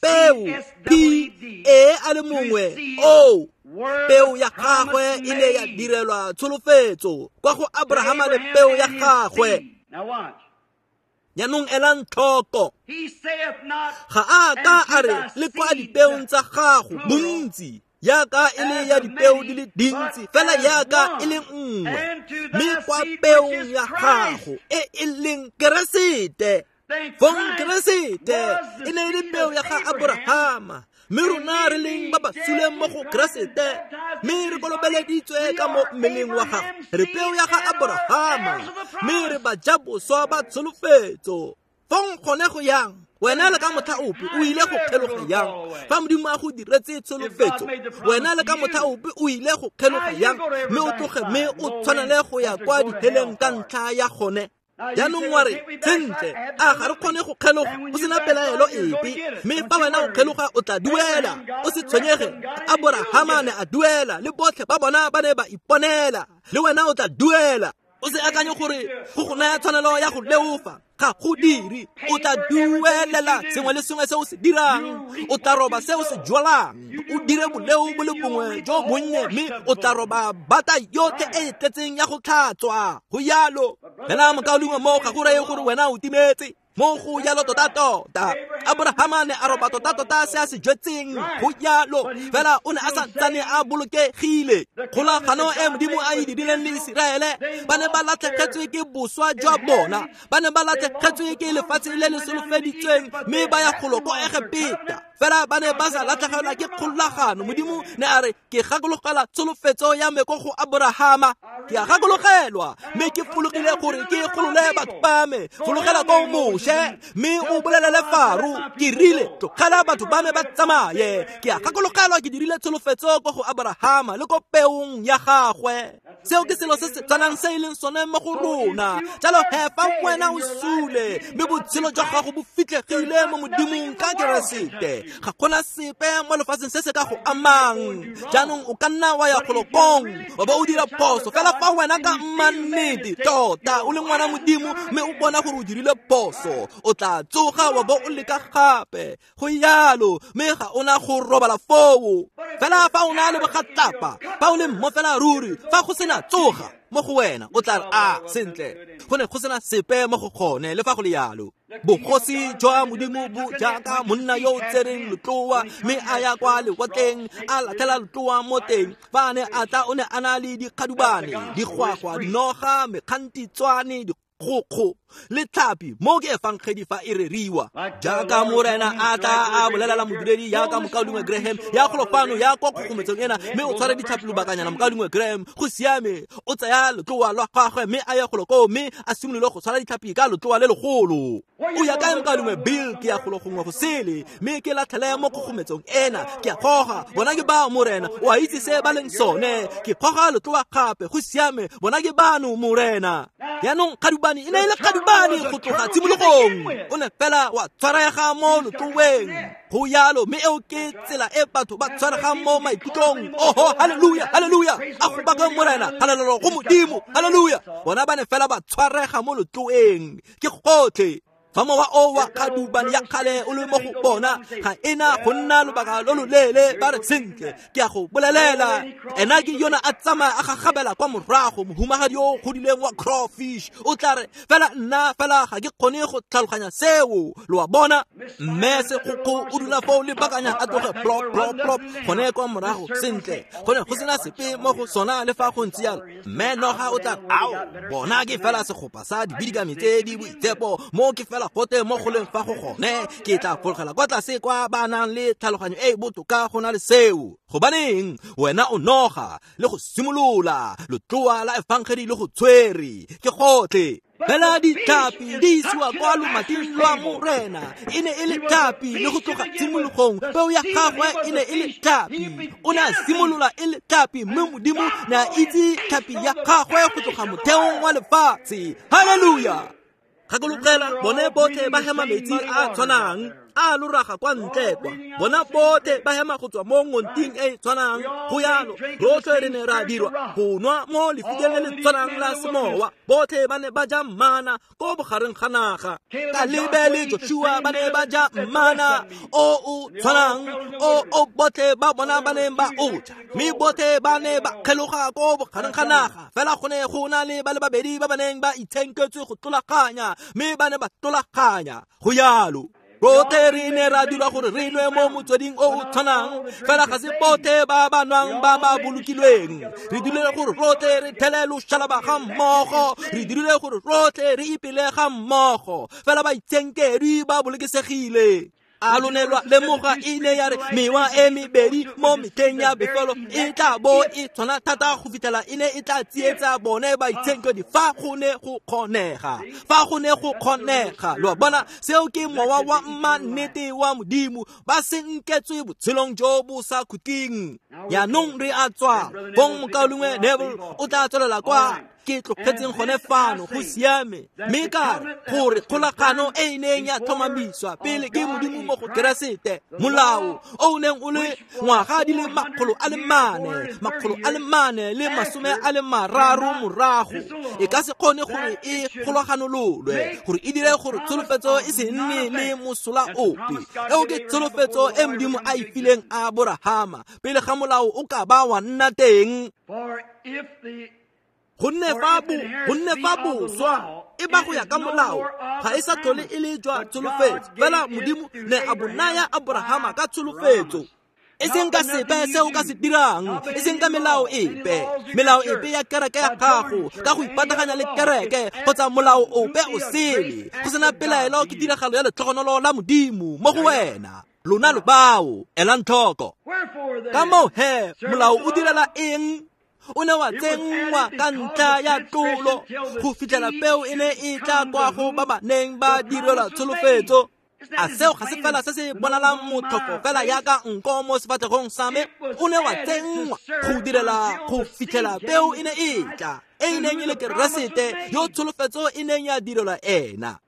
peo P E a le mongwe O, peo ya gagwe e ne ya direlwa tsholofetso kwa go Aborahama le peo ya gagwe. Jaanong elang tlhoko, ga a ka a re le kwa dipeong tsa gago bontsi, jaaka e le ya dipeo di le dintsi, fela jaaka e le nngwe, mme kwa peong ya gago e e leng Keresete. Fong Keresete e ne e le peo ya ga Aborahama, mme rona re leng ba ba suleng mo go Keresete, mme re kolobeleditswe ka mo mmeleng wa gagwe. Re peo ya ga Aborahama, mme re bajaboswa ba tsholofetso. Fong gone go yang? Wena le ka motlha ope o ile go kgeloga yang? Fa Modimo a go diretse tsholofetso, wena le ka motlha ope o ile go kgeloga yang? Mme o tloge mme o tshwanele go ya kwa diheleng ka ntlha ya gone. Jaanong wa re, sentle, a ga re kgone go kgeloga go sena pelaelo epe, mme fa wena o kgeloga o tla duela. O se tshwenyege, Aborahama ne a duela, le botlhe ba bona ba ne ba iponela, le wena o tla duela. O se akanye gore go go naya tshwanelo ya go leofa, ga go dire. O tla duelela sengwe le sengwe se o se dirang, o tla roba se o se jwalang. O dire boleo bo le bongwe jo bonnye, mme o tla roba bata yotlhe e e tletseng ya go tlhatswa. Go yalo. Fela mokaulengwe, mo ga go reye gore wena o timetse. Mo go yalo tota-tota. Aborahama ne a roba tota-tota se a se jwetseng. Go yalo. Fela o ne a sa ntsane a bolokegile. Kgolagano e Modimo a e dirileng le Iseraele, ba ne ba latlhegetswe ke boswa jwa bona, ba ne ba latlhegetswe ke lefatshe le le solofeditsweng, mme ba ya golo ko Egepeta. Fela ba ne ba sa latlhegelwa ke kgolagano. Modimo ne a re, ke gakologelwa tsholofetso ya me ko go Aborahama. Ke a gakologelwa, mme ke fologile gore ke golole batho ba me. Fologela ko Moshe, mme o bolelele Faro, ke rile, tlogela batho ba me ba tsamaye. Ke a gakologelwa ke dirile tsholofetso ko go Aborahama le ko peong ya gagwe. Seo ke selo se se tshwanang se e leng sone mo go rona. Jalo he, fa wena o sule, mme botshelo jwa gago bo fitlhegile mo Modimong ka Keresete, ga gona sepe mo lefatsheng se se ka go amang. Jaanong o ka nna wa ya kgolokong wa ba o dira phoso, fela fa wena ka mmannete tota o le ngwana Modimo mme o bona gore o dirile phoso, o tla tsoga wa bo o leka gape. Go yalo, mme ga ona go robala foo. Fela fa o na le bogatlapa, fa o le mmo fela ruri, fa go sena tsoga mo go wena, o tla re, a sentle, go ne go sena sepe mo go gone. Le fa go le yalo, bogosi jwa Modimo bo jaaka monna yo o tsereng letloa, mme a ya kwa lewatleng, a latlhela letloa mo teng. Fa a ne a tla, o ne a na le dikgadubane, digwagwa, dinoga, mekgantitswane, dikgokgo le tlhapi. Mo ke efangedi fa e reriwa. Jaaka Morena a tla a bolelela modiredi jaaka mokaulengwe Graham, ya golo fano, ya kwa kgogometsong ena, mme o tshware ditlhapi lobakanyana. Mokaulengwe Graham, go siame, o tsaya letloa lwa gagwe mme a ya golo koo, mme a simolole go tshwara ditlhapi ka letloa le legolo. O ya kae, mokaulengwe Bill? Ke ya golo gongwe go sele, mme ke latlhele mo kgogometsong ena. Ke a goga, bona ke bao, Morena, o a itse se ba leng sone. Ke goga letloa gape, go siame, bona ke bano, Morena. Jaanong kgadubane e ne e le kgadubane go tloga tshimologong, o ne fela wa tshwarega mo letloeng. Go yalo, mme eo ke tsela e batho ba tshwaregang mo maikutlong. Oho, haleluya, haleluya, a go baka Morena, halalelo go Modimo, haleluya. Bona ba ne fela ba tshwarega mo letloeng. Ke gotlhe. Fa mowa o wa kgadubane ya kgale o le mo go bona, ga ena go nna lobaka lo loleele. Ba re, sentle, ke a go bolelela, ena ke yona a tsamaya a gagabela kwa morago, mohumagadi o godileng wa crawfish. O tla re, fela nna fela ga ke kgone go tlhaloganya seo. Lo a bona? Mme segokgo o dula foo lebakanya, a tloge plop plop plop gone kwa morago. Sentle, go ne go sena sepe mo go sona le fa go ntse yalo. Mme noga o tla, ao, bona ke fela segopa sa dibidikami tse di boitshepo, mo ke fela gote mo go leng fa go gone. Ke tla fologela kwa tlase kwa ba nang le tlhaloganyo e e botoka go na le seo. Gobaneng, wena o noga le go simolola letloa la efangedi le go tshwere. Ke gotlhe. Fela ditlhapi di isiwa kwa lomating lwa Morena. E ne e le tlhapi le go tloga tshimologong. Peo ya gagwe e ne e le tlhapi. O ne a simolola e le tlhapi, mme Modimo ne a itse tlhapi ya gagwe go tloga motheong wa lefatshe. Haleluya. Gakologela, bone botlhe ba hema metsi a tshwanang a loraga kwa ntle kwa. Bona botlhe ba hema go tswa mo ngonting e e tshwanang. Go yalo, rotlhe re ne ra dirwa go nwa mo lefikeng le le tshwanang la semowa. Botlhe ba ne ba ja mana ko bogareng ga naga. Kalebe le Joshua ba ne ba ja mana o o tshwanang o botlhe ba bona ba neng ba o ja, mme botlhe ba ne ba kgeloga ko bogareng ga naga. Fela go ne go na le ba le babedi ba ba neng ba itshenketswe go tlolaganya, mme ba ne ba tlolaganya. Go yalo. Rotlhe re ne ra dirwa gore re nwe mo motsweding o o tshwanang, fela ga se botlhe ba ba nwang ba ba bolokilweng. Re dirile gore rotlhe re thele loshalaba ga mmogo, re dirile gore rotlhe re ipele ga mmogo, fela baitshenkedwi ba bolokesegile. A lo ne lwa lemoga e ne ya re mewa e mebedi mo metlheng ya bofelo e tla bo e tshwana thata go fitlhela e ne e tla tsietsa bone baitshenkedi fa go ne go kgonega. Fa go ne go kgonega, lo a bona, seo ke mowa wa mannete wa Modimo, ba senketswe botshelong jo bo sa khutleng. Jaanong re a tswa, fong mokaulengwe Neville o tla tswelela kwa ke tlogetseng gone fano, go siame. Mme ka re gore kgolagano e e neng ya tlhomamiswa pele ke Modimo mo go Keresete, molao o o neng o le ngwaga di le 430 morago, e ka se kgone gore e kgolaganololwe gore e dire gore tsholofetso e se nne le mosola ope. Eo ke tsholofetso e Modimo a e fileng Aborahama pele ga molao o ka ba wa nna teng. Gonne fa boswa e ba go ya ka molao ga e sa tlhole e le jwa tsholofetso, fela Modimo ne a bo naya Aborahama ka tsholofetso. E seng ka sepe se o ka se dirang, e seng ka melao epe, melao epe ya kereke ya gago, ka go ipataganya le kereke kgotsa molao ope o sele. Go sena pelaelo ke tiragalo ya letlhogonolo la Modimo mo go wena. Lona lo bao, elang tlhoko. Ka moo he, molao o direla eng? O ne wa tsenngwa ka ntlha ya tlolo go fitlhela peo e ne e tla kwa go ba ba neng ba direlwa tsholofetso. A seo ga se fela se se bonalang motlhofo fela yaka nko mo sefatlhegong sa me? O ne wa tsenngwa go direla go fitlhela peo e ne e tla, e e neng e le Keresete yo tsholofetso e neng ya direlwa ena,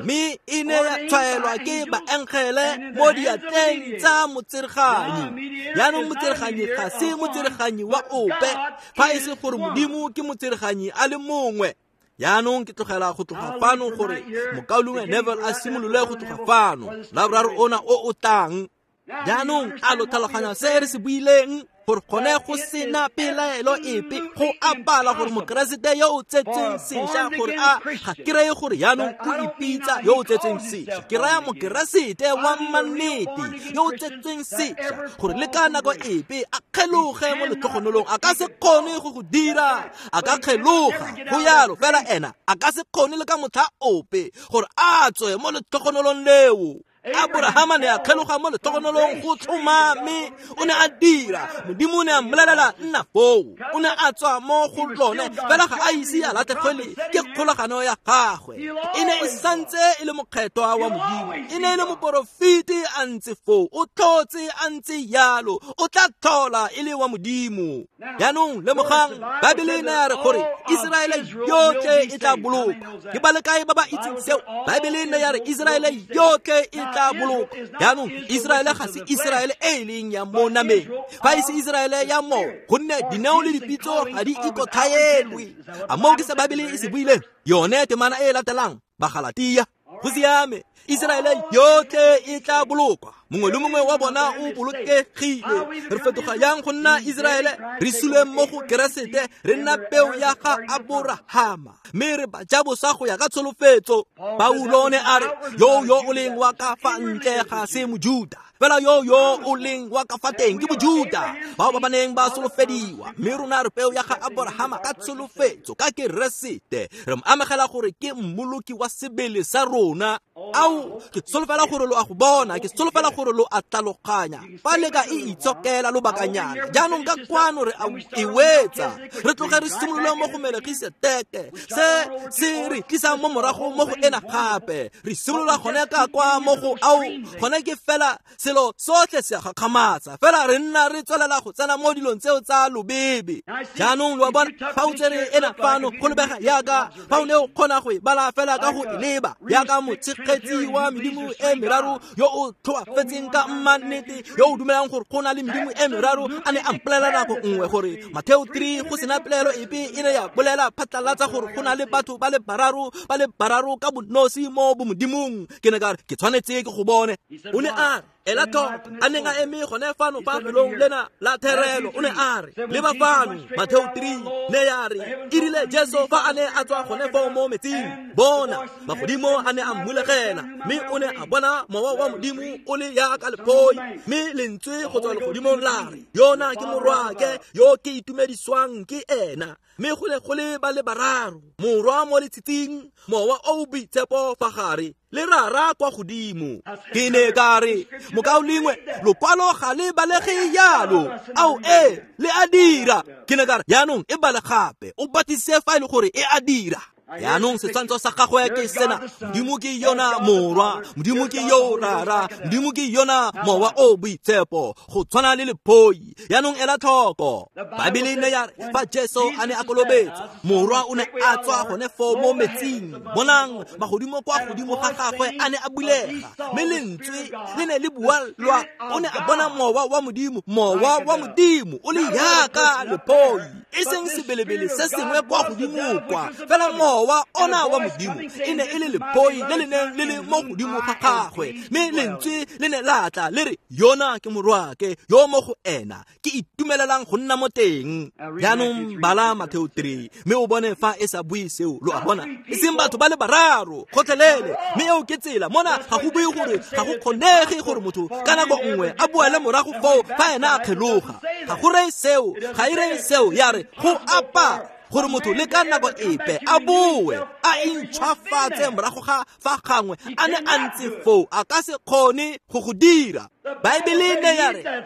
mme e ne ya tshwaelwa ke baengele mo diatleng tsa motsereganyi. Jaanong motsereganyi ga se motsereganyi wa ope, fa e se gore Modimo ke motsereganyi a le mongwe. Jaanong ke tlogela go tloga fano gore mokaulengwe Neville a simolole go tloga fano Laboraro ona o o tlang. Jaanong a lo tlhaloganya se re se buileng, gore gone go sena pelaelo epe go a bala gore Mokeresete yo o tsetsweng sešwa, gore a ga ke reye gore jaanong o ipitsa yo o tsetsweng sešwa, ke raya Mokeresete wa mannete yo o tsetsweng sešwa, gore le ka nako epe a kgeloge mo letlhogonolong, a ka se kgone go go dira, a ka kgeloga go yalo, fela ena a ka se kgone le ka motlha ope gore a tswe mo letlhogonolong leo. Aborahama ne a kgeloga mo letlhogonolong go tlhomame, o ne a dira. Modimo o ne a mmolelela nna foo, o ne a tswa mo go lone, fela ga a ise a latlhegelwe ke kgolagano ya gagwe. E ne e santse e le mokgethwa wa Modimo, e ne e le moporofeti a ntse foo, o tlhotse a ntse yalo, o tla tlhola e le wa Modimo. Jaanong lemogang, Baebele e ne ya re gore Iseraele yotlhe e tla bolokwa. Ke ba le kae ba ba itseng seo? Baebele e ne ya re Iseraele yotlhe e tla bolokwa. Jaanong Iseraele ga se Iseraele e e leng ya mo nameng, fa e se Iseraele ya mo, gonne dineo le dipitso ga di ikotlhaelwe. A moo ke se Baebele e se buileng? Yone temana e e latelang, Bagalatia. Go siame, Iseraele yotlhe e tla bolokwa, mongwe le mongwe wa bona o bolokegile. Re fetoga yang go nna Iseraele? Re sule mo go Keresete, re nna peo ya ga Aborahama, mme re ba ja boswa go ya ka tsholofetso. Paulo ne a re yo yo o leng wa ka fa ntle ga se Mojuda, fela yo yo o leng wa ka fa teng ke Mojuda, bao ba ba neng ba solofediwa. Mme rona re peo ya ga Aborahama ka tsholofetso, ka Keresete. Re mo amogela gore ke mmoloki wa sebele sa rona. Ao, ke solofela gore lo a go bona, ke solofela gore lo a tlhaloganya. Fa le ka e itshokela lobakanyana, jaanong ka kwano re a e wetsa, re tloge re simolole mo go Melkisedeke, se se re tlisang mo morago mo go ena gape. Re simolola gone ka kwa mo go ao, gone ke fela selo sotlhe se a gakgamatsa, fela re nna re tswelela go tsena mo dilong tseo tsa lobebe. Jaanong lo a bona, fa o tsere ena fano go lebega yaka fa o ne o kgona go e bala fela ka go e leba, yaka motshegetsi wa medimo e meraro yo o tlhoafetseng ka mannete, yo o dumelang gore go na le medimo e meraro, a ne a mpolelela nako nngwe gore Mateo 3 go sena pelaelo epe e ne ya bolela phatlalatsa gore go na le batho ba le bararo ka bonosi mo bomodimong. Ke ne ka re ke tshwanetse ke go bone. O ne a re ela tlhoko, a neng a eme gone fano fa felong lena la therelo, o ne a re leba fano, Mateo 3 ne ya re e rile Jesu fa a ne a tswa gone foo mo metsing, bona magodimo a ne a mmulegela, mme o ne a bona mowa wa Modimo o le yaka lephoi, mme lentswe go tswa legodimong la re, yona ke morwake yo ke itumediswang ke ena. Mme go ne go le ba le bararo, morwa mo letshitsing, mowa o o boitshepo fa gare. le Rara kwa godimo. Ke ne ka re, mokaulengwe, lokwalo ga le balege jalo. Ao ee, le a dira. Ke ne ka re, jaanong e bale gape, o batlisise fa e le gore e a dira. Jaanong setshwantsho sa gagwe ke sena, Modimo ke yona Morwa, Modimo ke yo Rara, Modimo ke yona Mowa o Boitshepo, go tshwana le lephoi. Jaanong ela tlhoko, Baebele ne ya re fa Jesu a ne a kolobetswa, Morwa o ne a tswa gone foo mo metsing. Bonang, magodimo kwa godimo ga gagwe a ne a bulega, mme lentswe le ne le bua lwa, o ne a bona Mowa wa Modimo, Mowa wa Modimo o le yaka lephoi, e seng sebelebele se sengwe kwa godimo kwa, fela Mowa ona wa Modimo e ne e le lephoi le le neng le le mo godimo ga gagwe, mme lentswe le ne la tla le re, yona ke morwake yo mo go ena ke itumelelang go nna mo teng. Jaanong bala Matheo 3 mme o bone fa e sa bue seo. Lo a bona, e seng batho ba le bararo gotlhelele, mme eo ke tsela. Mona ga go bue gore ga go kgonege gore motho ka nako nngwe a boele morago foo fa ena a kgeloga. Ga go reye seo, ga e reye seo. Ya re go apa gore motho le ka nako epe a boe a intšhwafatse morago ga fa gangwe a ne a ntse foo, a ka se kgone go go dira. Baebele ne ya re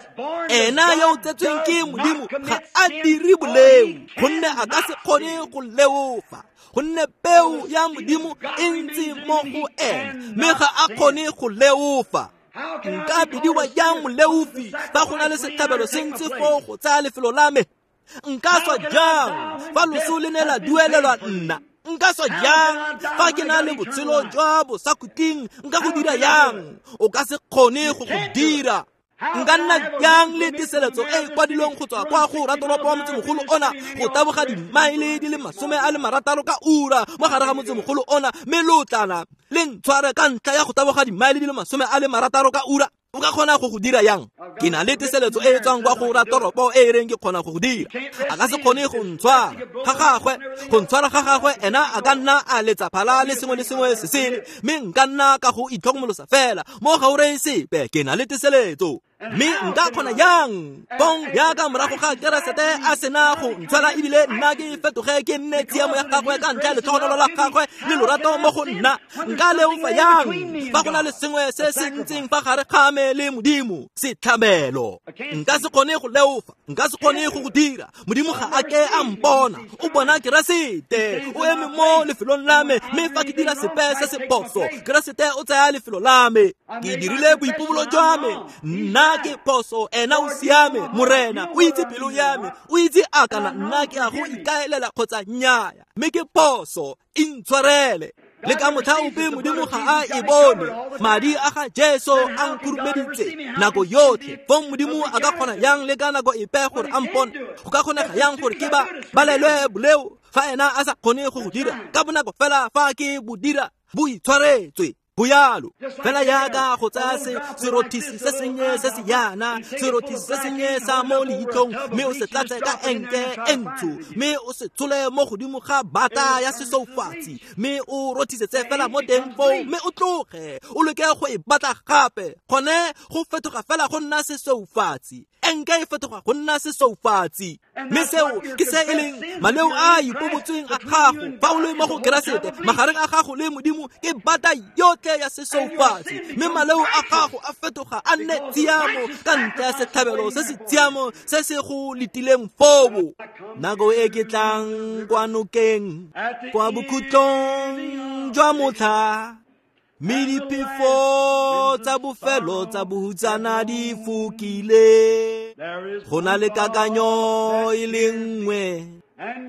ena yo o tsetsweng ke Modimo ga a dire boleo, gonne a ka se kgone go leofa, gonne peo ya Modimo e ntse mo go ena, mme ga a kgone go leofa. Nka bidiwa jang moleofi fa go na le setlhabelo se ntse foo go tsaya lefelo la me? Nka swa jang fa loso le ne la duelelwa nna? Nka swa jang fa ke na le botshelo jwa bosakhutleng? Nka go dira yang? O ka se kgone go go dira. Nka nna jang le teseletso e e kwadilweng go tswa kwa go ratoropo wa motsemogolo ona go taboga dimaele di le 60 ka ura mo gare ga motsemogolo ona, mme lotlana le ntshware ka ntlha ya go taboga dimaele di le 60 ka ura? O ka kgona go go dira yang? Ke na le teseletso e e tswang kwa go ratoropo e e reng ke kgona go go dira. A ka se kgone go ntshwara ga gagwe, go ntshwara ga gagwe ena a ka nna a letsa phala le sengwe le sengwe se sele, mme nka nna ka go itlhokomolosa fela mo ga o reye sepe. Ke na le teseletso. Mme nka kgona yang pong yaka morago ga Keresete a sena go ntshwara ebile nna ke fetoge ke nne tshiamo ya gagwe ka ntlha ya letlhogonolo la gagwe le lorato mo go nna? Nka leofa yang fa go na le sengwe se se ntseng fa gare ga me le Modimo, setlhabelo? Nka se kgone go leofa, nka se kgone go go dira. Modimo ga a ke a mpona, o bona Keresete o eme mo lefelong la me, mme fa ke dira sepe se se phoso, Keresete o tsaya lefelo la me. Ke dirile boipobolo jwa me, nna ke phoso, ena o siame. Morena o itse pelo ya me, o itse a kana nna ke a go ikaelela kgotsa nnyaya, mme ke phoso, intshwarele. Le ka motlha ope Modimo ga a e bone. Madi a ga Jesu a nkhurumeditse nako yotlhe. Fong Modimo a ka kgona yang le ka nako epe gore a mpone? Go ka kgonega yang gore ke ba balelwe boleo fa ena a sa kgone go go dira? Ka bonako fela fa ke bo dira, bo itshwaretswe. Go yalo fela yaka go tsaya serothisi se sennye se se yana, serothisi se sennye sa mo leitlhong, mme o se tlatse ka enke e ntsho, mme o se tshole mo godimo ga bata ya sesoufatsi, mme o rothisetse fela mo teng foo, mme o tloge o leke go e batla gape. Gone go fetoga fela go nna sesoufatsi, enke e fetoga go nna sesoufatsi. Mme seo ke se e leng maleo a ipobotsweng a gago fa o le mo go Keresete. Magareng a gago le Modimo ke bata yotlhe ya sesoufatsi, mme maleo a gago a fetoga a nne tshiamo ka ntlha ya setlhabelo se se tshiamo se se go letileng foo. Nako e ke tlang kwa nokeng, kwa bokhutlong jwa motlha, mme diphefo tsa bofelo tsa bohutsana di fokile, go na le kakanyo e le nngwe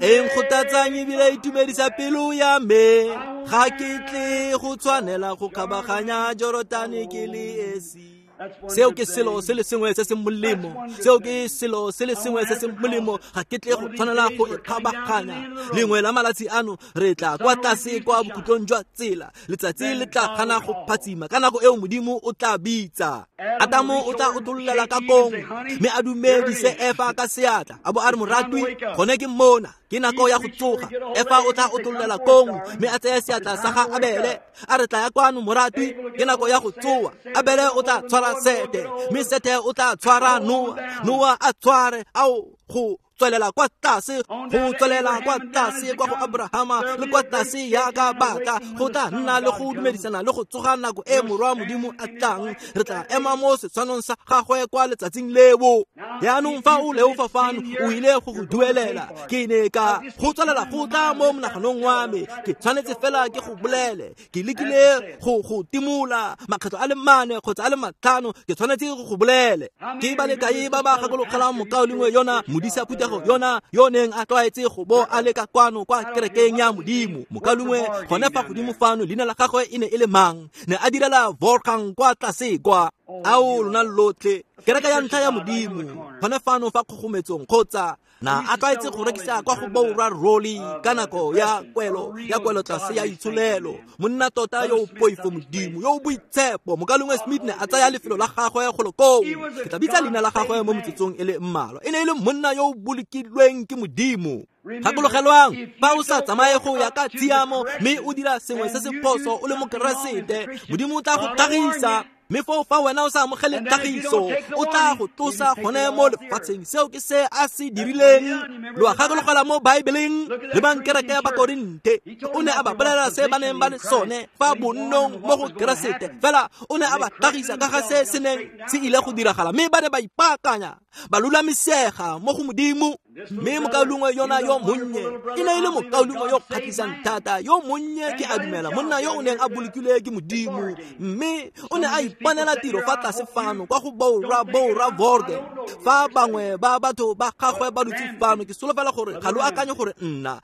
e nkgothatsang ebile e itumedisa pelo ya me. Ga ke tle go tshwanela go kgabaganya Jorotane ke le esi. Seo ke selo se le sengwe se se molemo, seo ke selo se le sengwe se se molemo. Ga ke tle go tshwanela go e kgabaganya. Lengwe la malatsi ano re tla kwa tlase kwa bokhutlong jwa tsela, letsatsi le tla gana go phatsima. Ka nako eo Modimo o tla bitsa Adamo, o tla otololela ka kong mme a dumedise Efa ka seatla, a bo a re, moratwi, gone ke mona, ke nako ya go tsoga. Efa o tla otololela kong mme a tseye seatla sa ga Abele, a re, tla ya kwano moratwi, ke nako ya go tsoga. Abele o tla tshwara Sete, mme Sete o tla tshwara Noa, Noa a tshware ao go tswelela kwa tlase, go tswelela kwa tlase kwa go Abrahama le kwa tlase yaka batla go tla nna le go dumedisana le go tsoga nako e morwa Modimo a tlang. Re tla ema mo setshwanong sa gagwe kwa letsatsing leo. Yaanong fa o leofa fano o ile go go duelela. Ke ne ka go tswelela go tla mo monaganong wa me, ke tshwanetse fela ke go bolele. Ke lekile go go timola makgetlo a le 4 kgotsa a le 5, ke tshwanetse go go bolele. Ke ba le kae ba ba gakologelang mokaulengwe yona modisa phuthego yona yo neng a tlwaetse go bo a le ka kwano kwa kerekeng ya Modimo? Mokaulengwe gone fa godimo fano, leina la gagwe e ne e le mang? Ne a direla Volkang kwa tlase kwa. Ao lona lotlhe, kereke ya ntlha ya Modimo gone fano fa kgogometsong, kgotsa na a tlwaetse go rekisa kwa go Boura Roli ka nako ya kwelo tlase ya itsholelo. Monna tota yo o poifo Modimo, yo o boitshepo. Mokaulengwe Smith ne a tsaya lefelo la gagwe golo koo. Ke tla bitsa leina la gagwe mo metsotsong e le mmalwa. E ne e le monna yo o bolokilweng ke Modimo. Gakologelwang, fa o sa tsamaye go ya ka tshiamo mme o dira sengwe se se phoso o le Mokeresete, Modimo o tla go tlhagisa. Mme foo fa wena o sa amogele tlhagiso, o tla go tlosa gone mo lefatsheng. Seo ke se a se dirileng. Lo a gakologela mo Baebeleng le bankereke ya Bakorinthe, o ne a ba bolelela se ba neng ba le sone fa bonnong mo go Keresete. Fela o ne a ba tlhagisa ka ga se se neng se ile go diragala, mme ba ne ba ipaakanya, ba lulamisega mo go Modimo. Mme mokaulengwe yona yo monnye e ne e le mokaulengwe yo kgatlhisang thata, yo monnye ke a dumela, monna yo o neng a bolokilwe ke Modimo. Mme o ne a iponela tiro fa tlase fano kwa go Boura Vorge. Fa bangwe ba batho ba gagwe ba dutse fano, ke solofela gore ga lo akanye gore nna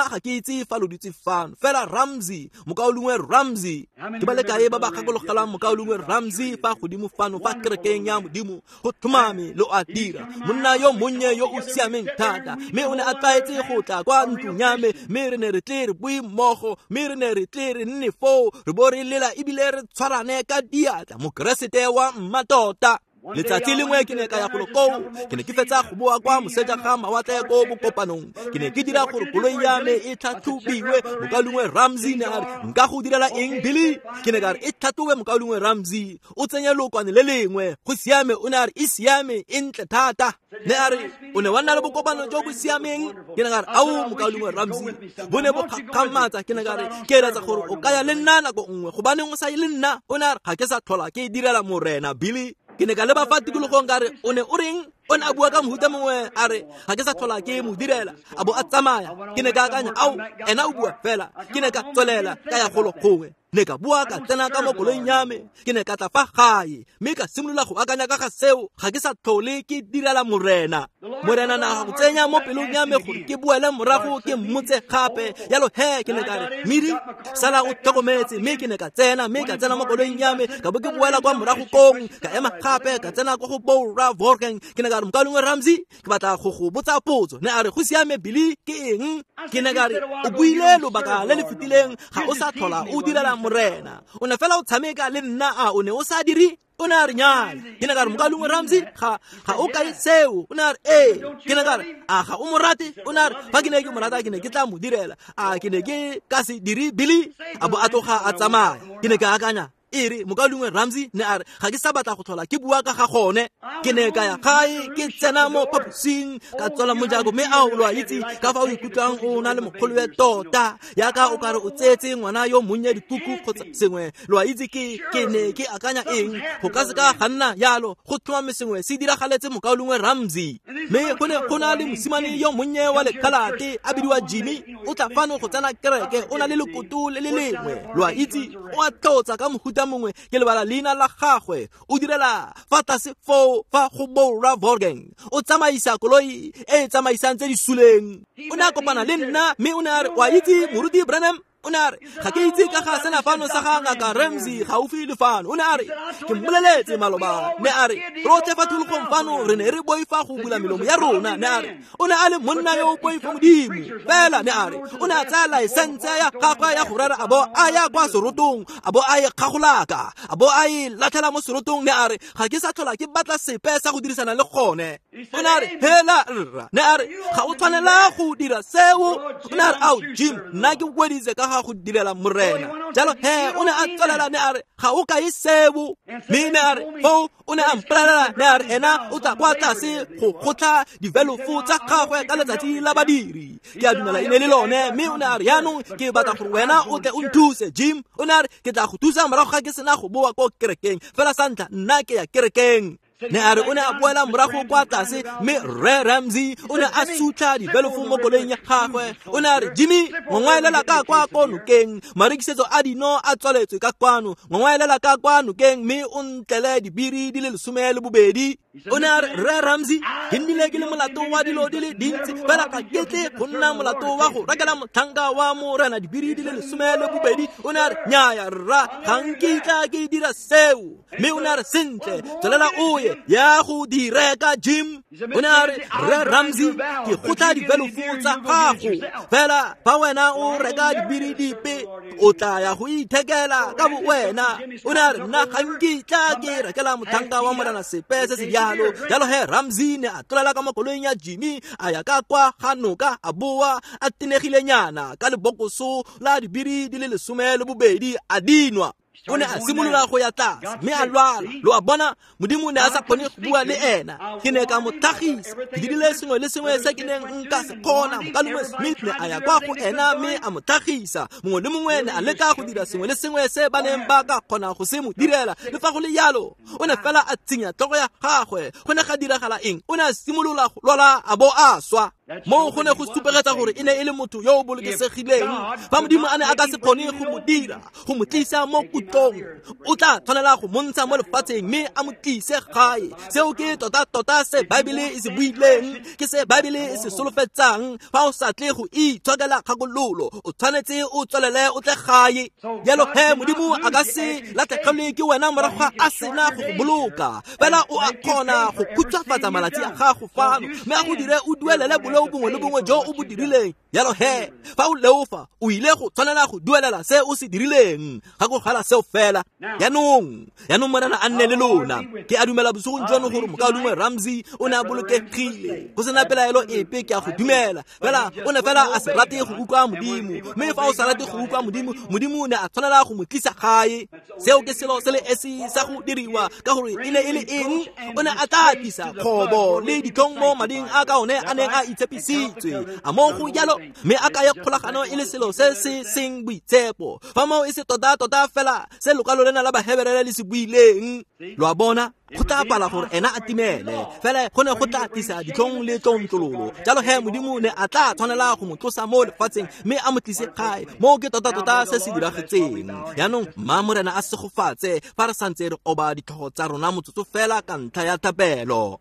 ga ke itse fa lo dutse fano. Fela Ramsey, mokaulengwe Ramsey, ke ba le kae ba ba gakologelang mokaulengwe Ramsey fa godimo fano fa kerekeng ya Modimo? Go tlhomame lo a dira. Monna yo monnye yo o siameng thata, mme o ne a tlwaetse go tla kwa ntlong ya me, mme re ne re tle re bue mmogo, mme re ne re tle re nne foo re bo re lela ebile re tshwarane ka diatla. Mokeresete wa mmatota. Letsatsi lengwe ke ne ka ya golo koo, ke ne ke fetsa go boa kwa moseja ga mawatle ko bokopanong. Ke ne ke dira gore koloi ya me e tlhatlhobiwe. Mokaulengwe Ramsey ne a re, nka go direla eng Billy? Ke ne ka re, e tlhatlhobe mokaulengwe Ramsey, o tsenye lokwane le lengwe. Go siame. O ne a re, e siame, e ntle thata. Ne a re, o ne wa nna le bokopano jo bo siameng? Ke ne ka re, ao mokaulengwe Ramsey, bo ne bo kgakgamatsa. Ke ne ka re, ke eletsa gore o ka ya le nna nako nngwe, gobaneng o sa ye le nna? O ne a re, ga ke sa tlhola ke direla Morena Billy. Ke ne ka leba fa tikologong ka re, o ne o reng? O ne a bua ka mohuta mongwe, a re, ga ke sa tlhola ke mo direla, a bo a tsamaya. Ke ne ka akanya, ao, ena o bua fela. Ke ne ka tswelela ka ya golo gongwe. Ne ka bua ka tsena ka mo koloing ya me. Ke ne ka tla fa gae, mme ka simolola go akanya ka ga seo. Ga ke sa tlhole ke direla Morena. Morena na go tsenya mo pelong ya me gore ke boele morago ke mmotse gape. Yalo he, ke ne ka re, Miri, sala o tlhokometse. Mme ke ne ka tsena, mme ka tsena mo koloing ya me, ka bo ke boela kwa morago kong, ka ema gape, ka tsena kwa go Boura Vorkeng. Ke ne ka re, mokaulengwe Ramsey, ke batla go go botsa potso. Ne a re, go siame Billy, ke eng? Ke ne ka re, o buile lobaka le le fetileng, ga o sa tlhola o direla Morena. O ne fela o tshameka le nna, a o ne o sa dire? O ne a re, nnyaya. Ke ne ka re, mokaulengwe Ramsey, ga o kae seo? O ne a re, ee. Ke ne ka re, a ga o mo rate? O ne a re, fa ke ne ke mo rata ke ne ke tla mo direla. A ke ne ke ka se dire Billy? A bo a tloga a tsamaya. Ke ne ka akanya, e re mokaulengwe Ramsey ne a re, ga ke sa batla go tlhola ke bua ka ga gone. Ke ne ka ya gae, ke tsena mo phaposing, ka tswala mojako, mme ao lo a itse ka fa o ikutlwang o na le mogolowe tota, yaka o kare o tseetse ngwana yo monnye dikuku kgotsa sengwe. Lo a itse ke ne ke akanya eng? Go ka se ka ga nna yalo. Go tlhomame sengwe se diragaletse mokaulengwe Ramsey. Mme go ne go na le mosimane yo monnye wa lekhalate a bidiwa Jimmy, o tla fano go tsena kereke, o na le lekoto le le lengwe. Lo a itse, o a tlotsa ka mohuta mongwe, ke lebala leina la gagwe. O direla fa tlase foo fa go Boura Vorgeng, o tsamaisa koloi e e tsamaisang tse di suleng. O ne a kopana le nna, mme o ne a re, wa itse moruti Branham? O ne a re, ga ke itse ka ga sena fano sa ga ngaka Ramsey gaufi le fano. O ne a re, ke mmoleletse maloba. Ne a re, rotlhe fa tikologong fano re ne re boifa go bula melomo ya rona. Ne a re, o ne a le monna yo o poifo Modimo. Fela ne a re, o ne a tsaya laesense ya gagwe ya go rera, a bo a ya kwa serotong, a bo a e kgagolaka, a bo a e latlhela mo serotong. Ne a re, ga ke sa tlhola ke batla sepe sa go dirisana le gone. O ne a re, hela rra. Ne a re, ga o tshwanela go dira seo. O ne a re, ao Jim, nna ke weditse ka ka ga go direla morena. Jalo he o ne a tswelela ne a re ga o kae seo, mme ne a re foo o ne a mpolelela ne a re ena o tla kwa tlase go gotla divelofo tsa gagwe ka letsatsi la badiri. Ke a dumela e ne le lone. Mme o ne a re yaanong ke batla gore wena o tle o nthuse Jim. O ne a re ke tla go thusa morago ga ke sena go boa ko kerekeng, fela sa ntlha nna ke ya kerekeng. Ne a re o ne a boela morago kwa tlase, mme Rre Ramsey o ne a sutlha divelofo mo koloing ya gagwe. O ne a re Jimmy, ngongwaelela ka kwa ko nokeng, marekisetso a dino a tswaletswe ka kwano, ngongwaelela ka kwa nokeng mme o ntlele dibiri di le 12. O ne a re Rre Ramsey, ke nnile ke le molato wa dilo di le dintsi, fela ga ke tle go nna molato wa go rekela motlhanka wa morena dibiri di le 12. O ne a re nnyaya rra, ga nkitla ke dira seo. Mme o ne a re sentle, tswelela o ye ya go di reka Jim. O ne a re Rre Ramsey, ke gotla divelofo tsa gago, fela fa wena o reka dibiri dipe o tla ya go ithekela ka bo wena. O ne a re nna ga nkitla ke rekela motlhanka wa morena sepe se se jalo. Jalo he Ramsey ne a tlolela ka mo koloing ya Jimmy, a ya ka kwa ga noka, a boa a tenegilenyana ka lebokoso la dibiri di le 12 a dinwa. O ne a simolola go ya tlase mme a lwala. Lo a bona, Modimo ne a sa kgone go bua le ena. Ke ne ka mo tlhagisa, ke dirile sengwe le sengwe se ke neng nka se kgona. Mokaulengwe Smith ne a ya kwa go ena mme a mo tlhagisa. Mongwe le mongwe ne a leka go dira sengwe le sengwe se ba neng ba ka kgona go se mo direla. Le fa go le jalo, o ne fela a tsinya tlhogo ya gagwe. Go ne ga diragala eng? O ne a simolola go lwala a bo a swa. Mo go ne go supegetsa gore e ne e le motho yo o bolokesegileng. Fa Modimo a ne a ka se kgone go mo dira, go mo tlisa mo kutlong, o tla tshwanela go montsha mo lefatsheng mme a mo tlise gae. Seo ke tota-tota se Baebele e se buileng, ke se Baebele e se solofetsang. Fa o sa tle go itshokela kgakololo, o tshwanetse o tswelele o tle gae. Jalo he Modimo a ka se latlhegelwe ke wena morago ga a sena go go boloka, fela o a kgona go khutshwafatsa malatsi a gago fano mme a go dire o duelele boleo bongwe le bongwe jo o bo dirileng. Jalo he fa o leofa, o ile go tshwanela go duelela se o se dirileng. Gakologelwa seo fela. Jaanong morena a nne le lona. Ke a dumela bosigong jono gore mokaulengwe Ramsey o ne a bolokegile, go sena pelaelo epe, ke a go dumela. Fela o ne fela a se rate go utlwa Modimo, mme fa o sa rate go utlwa Modimo, Modimo ne a tshwanela go mo tlisa gae. Seo ke selo se le esi sa go diriwa, ka gore e ne e le eng? O ne a tla tlisa kgobo le ditlhong mo mading a ka one a neng a itshepisitswe. A mo go jalo, mme a kaya kgolagano e le selo se se seng boitshepo. Fa moo e se tota-tota fela se lokwalo lena la Baheberele le se buileng. Lo a bona, go tla pala gore ena a timele, fela go ne go tla tlisa ditlhong le tlontlololo. Jalo he Modimo ne a tla tshwanela go mo tlosa mo lefatsheng mme a mo tlise gae. Moo ke tota-tota se se diragetseng. Jaanong mma morena a segofatse fa re santse re oba ditlhogo tsa rona motsotso fela ka ntlha ya thapelo.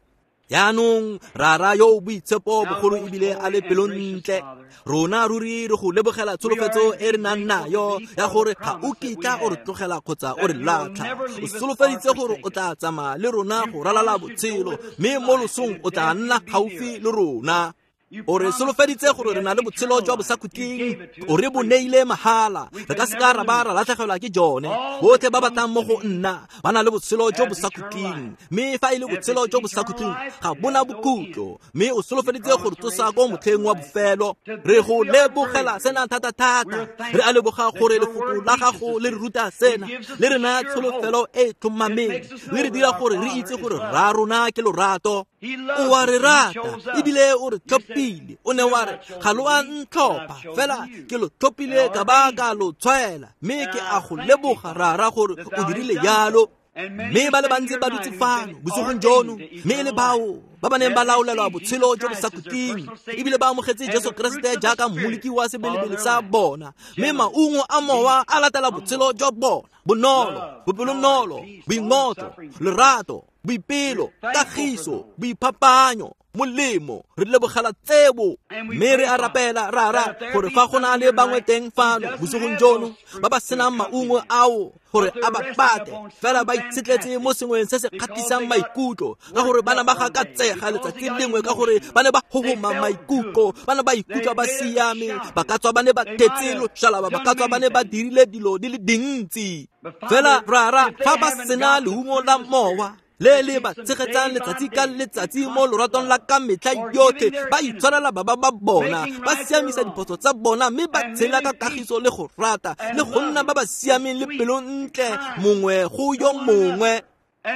Jaanong rara yo o boitshepo bogolo ebile a le pelontle, rona ruri re go lebogela tsholofetso e re nang nayo ya gore ga o kitla o re tlogela kgotsa o re latlha. O solofeditse gore o tla tsamaya le rona go ralala botshelo, mme mo losong o tla nna gaufi le rona. O re solofeditse gore re na le botshelo jwa bosakhutleng, o re bo neile mahala, re ka se ka ra ba ra latlhegelwa ke jone. Botlhe ba batlang mo go nna ba na le botshelo jo bosakhutleng, mme fa e le botshelo jo bosakhutleng ga bona bokhutlo. Mme o solofeditse gore tsosa ko motlheng wa bofelo. Re go lebogela sena thata-thata. Re a leboga gore lefoko la gago le re ruta sena, le re naya tsholofelo e e tlhomameng, le re dira gore re itse gore rra rona ke lorato. O a re rata ebile o re tlhophile. O ne wa re ga lo a ntlhopha, fela ke lo tlhophile ka ba ka lo tshwaela, mme ke a go leboga rara gore o dirile jalo. Mme ba le bantsi ba dutse fano bosigong jono, mme e le bao ba ba neng ba laolelwa botshelo jo bosakhutleng, ebile ba amogetse Jesu Keresete jaaka mmoloki wa sebelebele sa bona. Mme maungo a mowa a latela botshelo jwa bona: bonolo, bopelonolo, boingotlo, lerato, boipelo, kagiso, boiphapanyo, molemo. Re lebogela tsebo, mme re a rapela rara gore fa go na le bangwe teng fano bosigong jono ba ba senang maungo ao gore a ba pate, fela ba itshetletse mo sengweng se se kgatlhisang maikutlo, ka gore ba ne ba gakatsega letsatsi lengwe, ka gore ba ne ba hohoma maikutlo, ba ne ba ikutlwa ba siame, ba ka tswa ba ne ba thetse loshalaba, ba ka tswa ba ne ba dirile dilo di le dintsi. Fela rara fa ba sena leungo la mowa, Le le ba tshegetsang letsatsi ka letsatsi mo loratong la ka metlha yotlhe, ba itshwarela baba ba bona, ba siamisa diphoso tsa bona, mme ba tshela ka kagiso le go rata le go nna ba ba siameng le pelontle mongwe go yo mongwe.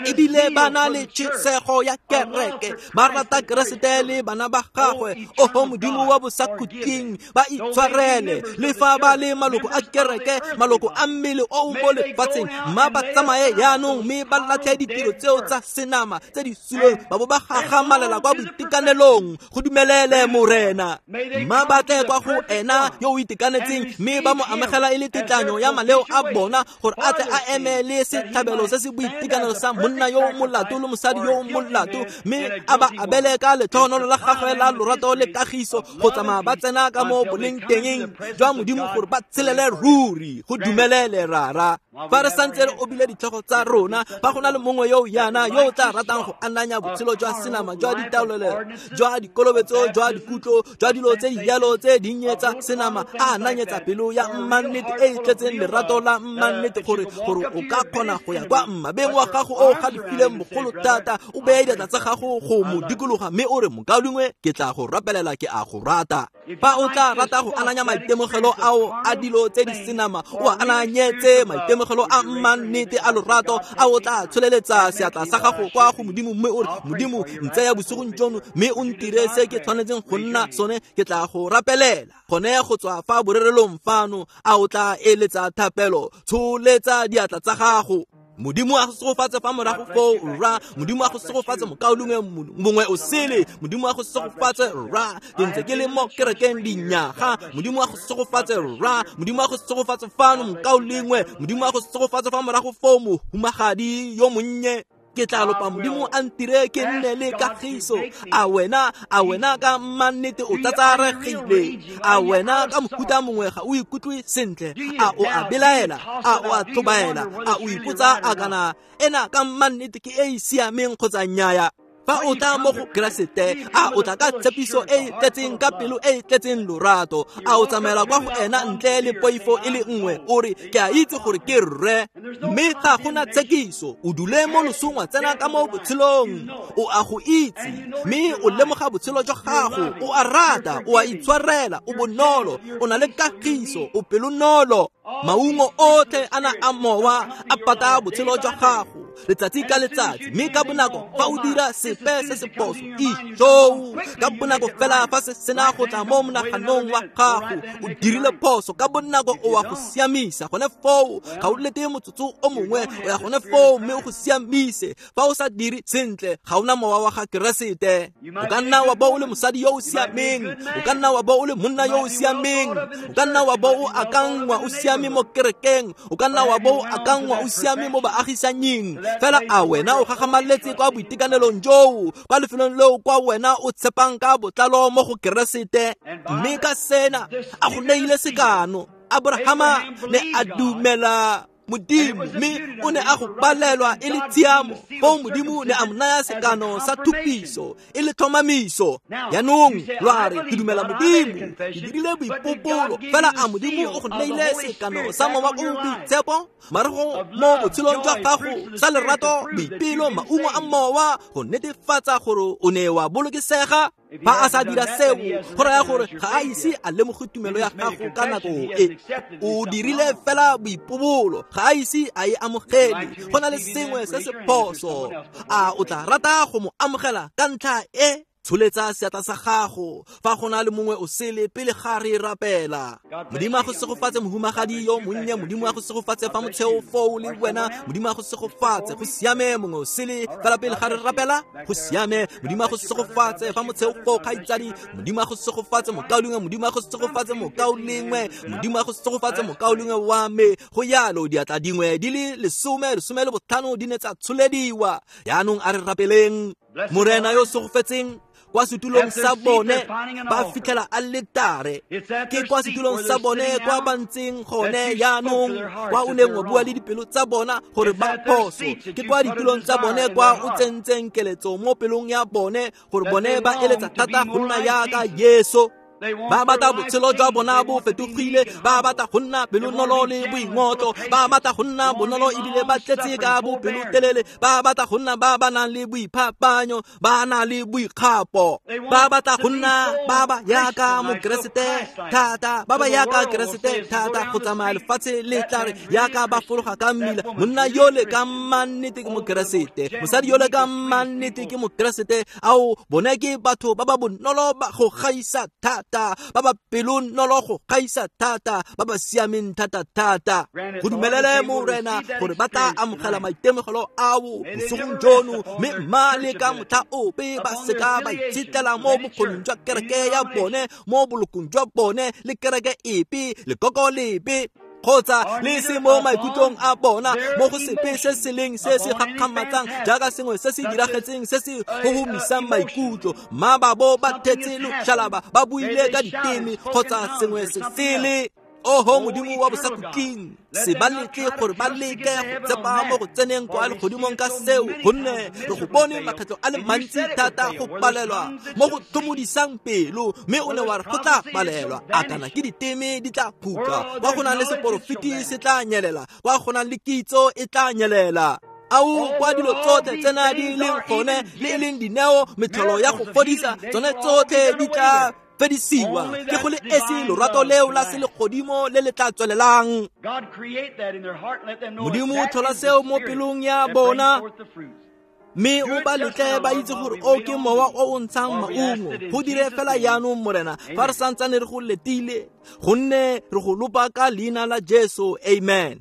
Ebile ba na le tšhisego ya kereke, ba rata Keresete le bana ba gagwe. Oho Modimo wa bosakhutleng, ba itshwarele le fa ba le maloko a kereke, maloko a mmele o o mo lefatsheng, mma ba tsamaye jaanong mme ba latlhe ditiro tseo tsa senama tse di suleng, ba bo ba gagamalela kwa boitekanelong. Go dumelele Morena, mma ba tle kwa go ena yo o itekanetseng, mme ba mo amogela e le tetlanyo ya maleo a bona, gore a tle a eme le setlhabelo se se boitekanelo sa monna yo molato le mosadi yo molato, mme a ba abele ka letlhogonolo la gagwe la lorato le kagiso go tsamaya ba tsena ka mo boleng tengeng jwa Modimo gore ba tshelele ruri. Go dumelele Rara. Fa re santse re obile ditlhogo tsa rona, fa go na le mongwe yo yana yo o tla ratang go ananya botshelo jwa senama jwa ditaolelo, jwa dikolobetso, jwa dikutlo, jwa dilo tse di jalo tse dinnye tsa senama, a ananyetsa pelo ya mmannete e e tletseng lerato la mmannete, gore o ka kgona go ya kwa mmabeng wa gago o galefileng bogolo thata, o beye diatla tsa gago go mo dikologa mme o re, mokaulengwe, ke tla go rapelela, ke a go rata. Fa o tla rata go ananya maitemogelo ao a dilo tse di senama, o a ananyetse maitemogelo a mmannete a lorato, a o tla tsholeletsa seatla sa gago kwa go Modimo mme o re, Modimo, ntseya bosigong jono mme o ntire se ke tshwanetseng go nna sone, ke tla go rapelela. Gone go tswa fa borerelong fano, a o tla eletsa thapelo, tsholetsa diatla tsa gago. Modimo a go segofatse fa morago foo, rra. Modimo a go segofatse mokaulengwe mongwe o sele. Modimo a go segofatse, rra. Ke ntse ke le mo kerekeng dinyaga. Modimo a go segofatse, rra. Modimo a go segofatse fano mokaulengwe. Modimo a go segofatse fa morago foo, mohumagadi yo monnye. Ke tla lopa Modimo a ntire ke nne le kagiso. A wena ka mmannete o tsatsaregile? A wena ka mohuta mongwe ga o ikutlwe sentle? A o a belaela? A o a tlhobaela? A o ipotsa a kana ena ka mmannete ke e e siameng kgotsa nnyaya? Fa o tla mo go Keresete, a o tla ka tshepiso e e tletseng, ka pelo e e tletseng lorato? A o tsamaela kwa go ena ntle le poifo e le nngwe, o re, ke a itse gore ke rre, mme ga gona tshekiso? O dule mo losong wa tsena ka mo botshelong, o a go itse mme o lemoga botshelo jwa gago, o a rata, o a itshwarela, o bonolo, o na le kagiso, o pelonolo. Maungo otlhe a na a mowa a pata botshelo jwa gago letsatsi ka letsatsi, mme ka bonako fa o dira sepe se se phoso, ijoo, ka bonako fela fa se sena go tla mo monaganong wa gago, o dirile phoso, ka bonako o wa go siamisa gone foo. Ga o lete motsotso o mongwe, o ya gone foo mme o go siamise. Fa o sa dire sentle, ga ona mowa wa ga Keresete. O ka nna wa bo o le mosadi yo o siameng, o ka nna wa bo o le monna yo o siameng, o ka nna wa bo o akangwa o siame mo kerekeng, o ka nna wa bo o akangwa o siame mo baagisanying, fela a wena o gagamaletse kwa boitekanelong joo, kwa lefelong leo kwa wena o tshepang ka botlalo mo go Keresete? Mme ka sena a go neile sekano, Abrahama ne a dumela Modimo, mme o ne a go palelwa e le tshiamo. Foo Modimo ne a mo naya sekano sa thupiso e le tlhomamiso. Jaanong lwa re, ke dumela Modimo, ke dirile boipopolo, fela a Modimo o go neile sekano sa mowa o boitshepo marago mo botshelong jwa gago, sa lerato, boipelo, maungo a mowa, go netefatsa gore o ne wa bolokesega? Fa a sa dira seo, go raya gore ga a ise a lemoge tumelo ya gago ka nako e. O dirile fela boipobolo, ga a ise a e amogele. Go na le sengwe se se phoso. A o tla rata go mo amogela ka ntlha e? Tsholetsa seatla sa gago fa go na le mongwe o sele pele ga re rapela. Modimo a go segofatse mohumagadi yo monnye, Modimo a go segofatse fa motsheo foo le wena, Modimo a go segofatse. Go siame, mongwe o sele fela pele ga re rapela. Go siame, Modimo a go segofatse fa motsheo foo, kgaitsadi. Modimo a go segofatse mokaulengwe, Modimo a go segofatse mokaulengwe, Modimo a go segofatse mokaulengwe wa me. Go yalo, diatla dingwe di le 10, 15 di ne tsa tsholediwa. Jaanong a re rapeleng. Morena yo segofetseng, kwa setulong sa bone ba fitlhela aletare. Ke kwa setulong sa bone kwa ba ntseng gone jaanong, kwa o neng wa bua le dipelo tsa bona gore ba phoso. Ke kwa ditulong tsa bone kwa o tsentseng keletso mo pelong ya bone gore bone ba eletsa thata go nna yaka Jesu. Ba batla botshelo jwa bona bo fetogile, ba batla go nna pelonolo le boingotlo, ba batla go nna bonolo ebile ba tletse ka bopelotelele, ba batla go nna ba ba nang le boiphapanyo, ba na le boikgapo, ba batla go nna ba ba yaka mokeresete thata, ba ba yaka keresete thata go tsamaya lefatshe le tla re yaka ba fologa ka mmila, monna yole ka mannete ke mokeresete, mosadi yole ka mannete ke mokeresete. Ao bone ke batho ba ba bonolo ba go gaisa thata, ba ba pelonolo go gaisa thata, ba ba siameng thata thata. Go dumelele Morena gore ba tla amogela maitemogelo ao bosigong jono, mme mma le ka motlha ope ba seka ba itshetlela mo bokgoning jwa kereke ya bone, mo bolokong jwa bone le kereke epe, lekoko lepe, kgotsa le se mo maikutlong a bona, mo go sepe se se leng se se gakgamatsang jaaka sengwe se se diragetseng se se gogomisang maikutlo. Mma ba bo ba thetse loshalaba, ba buile ka diteme kgotsa sengwe se sele. Oho Modimo wa bosakhutleng, se ba letle gore ba leke go tsepa mo go tseneng kwa legodimong ka seo, gonne re go bone makgetlho a le mantsi thata go palelwa mo go tlhomodisang pelo, mme o ne wa re go tla palelwa. A kana ke diteme di tla khutla, kwa go nang le seporofiti se tla nyelela, kwa go nang le kitso e tla nyelela. Ao kwa dilo tsotlhe tsena di leng gone, le e leng dineo, metlholo ya go fodisa, tsone tsotlhe di tla fedisiwa. Ke go le esi lorato leo la selegodimo le le tla tswelelang. Modimo tlhola seo mo pelong ya bona, mme o ba letle ba itse gore o ke mowa o o ntshang maungo. Go dire fela jaanong Morena, fa re santsane re go letile, gonne re go lopa ka leina la Jesu, amen.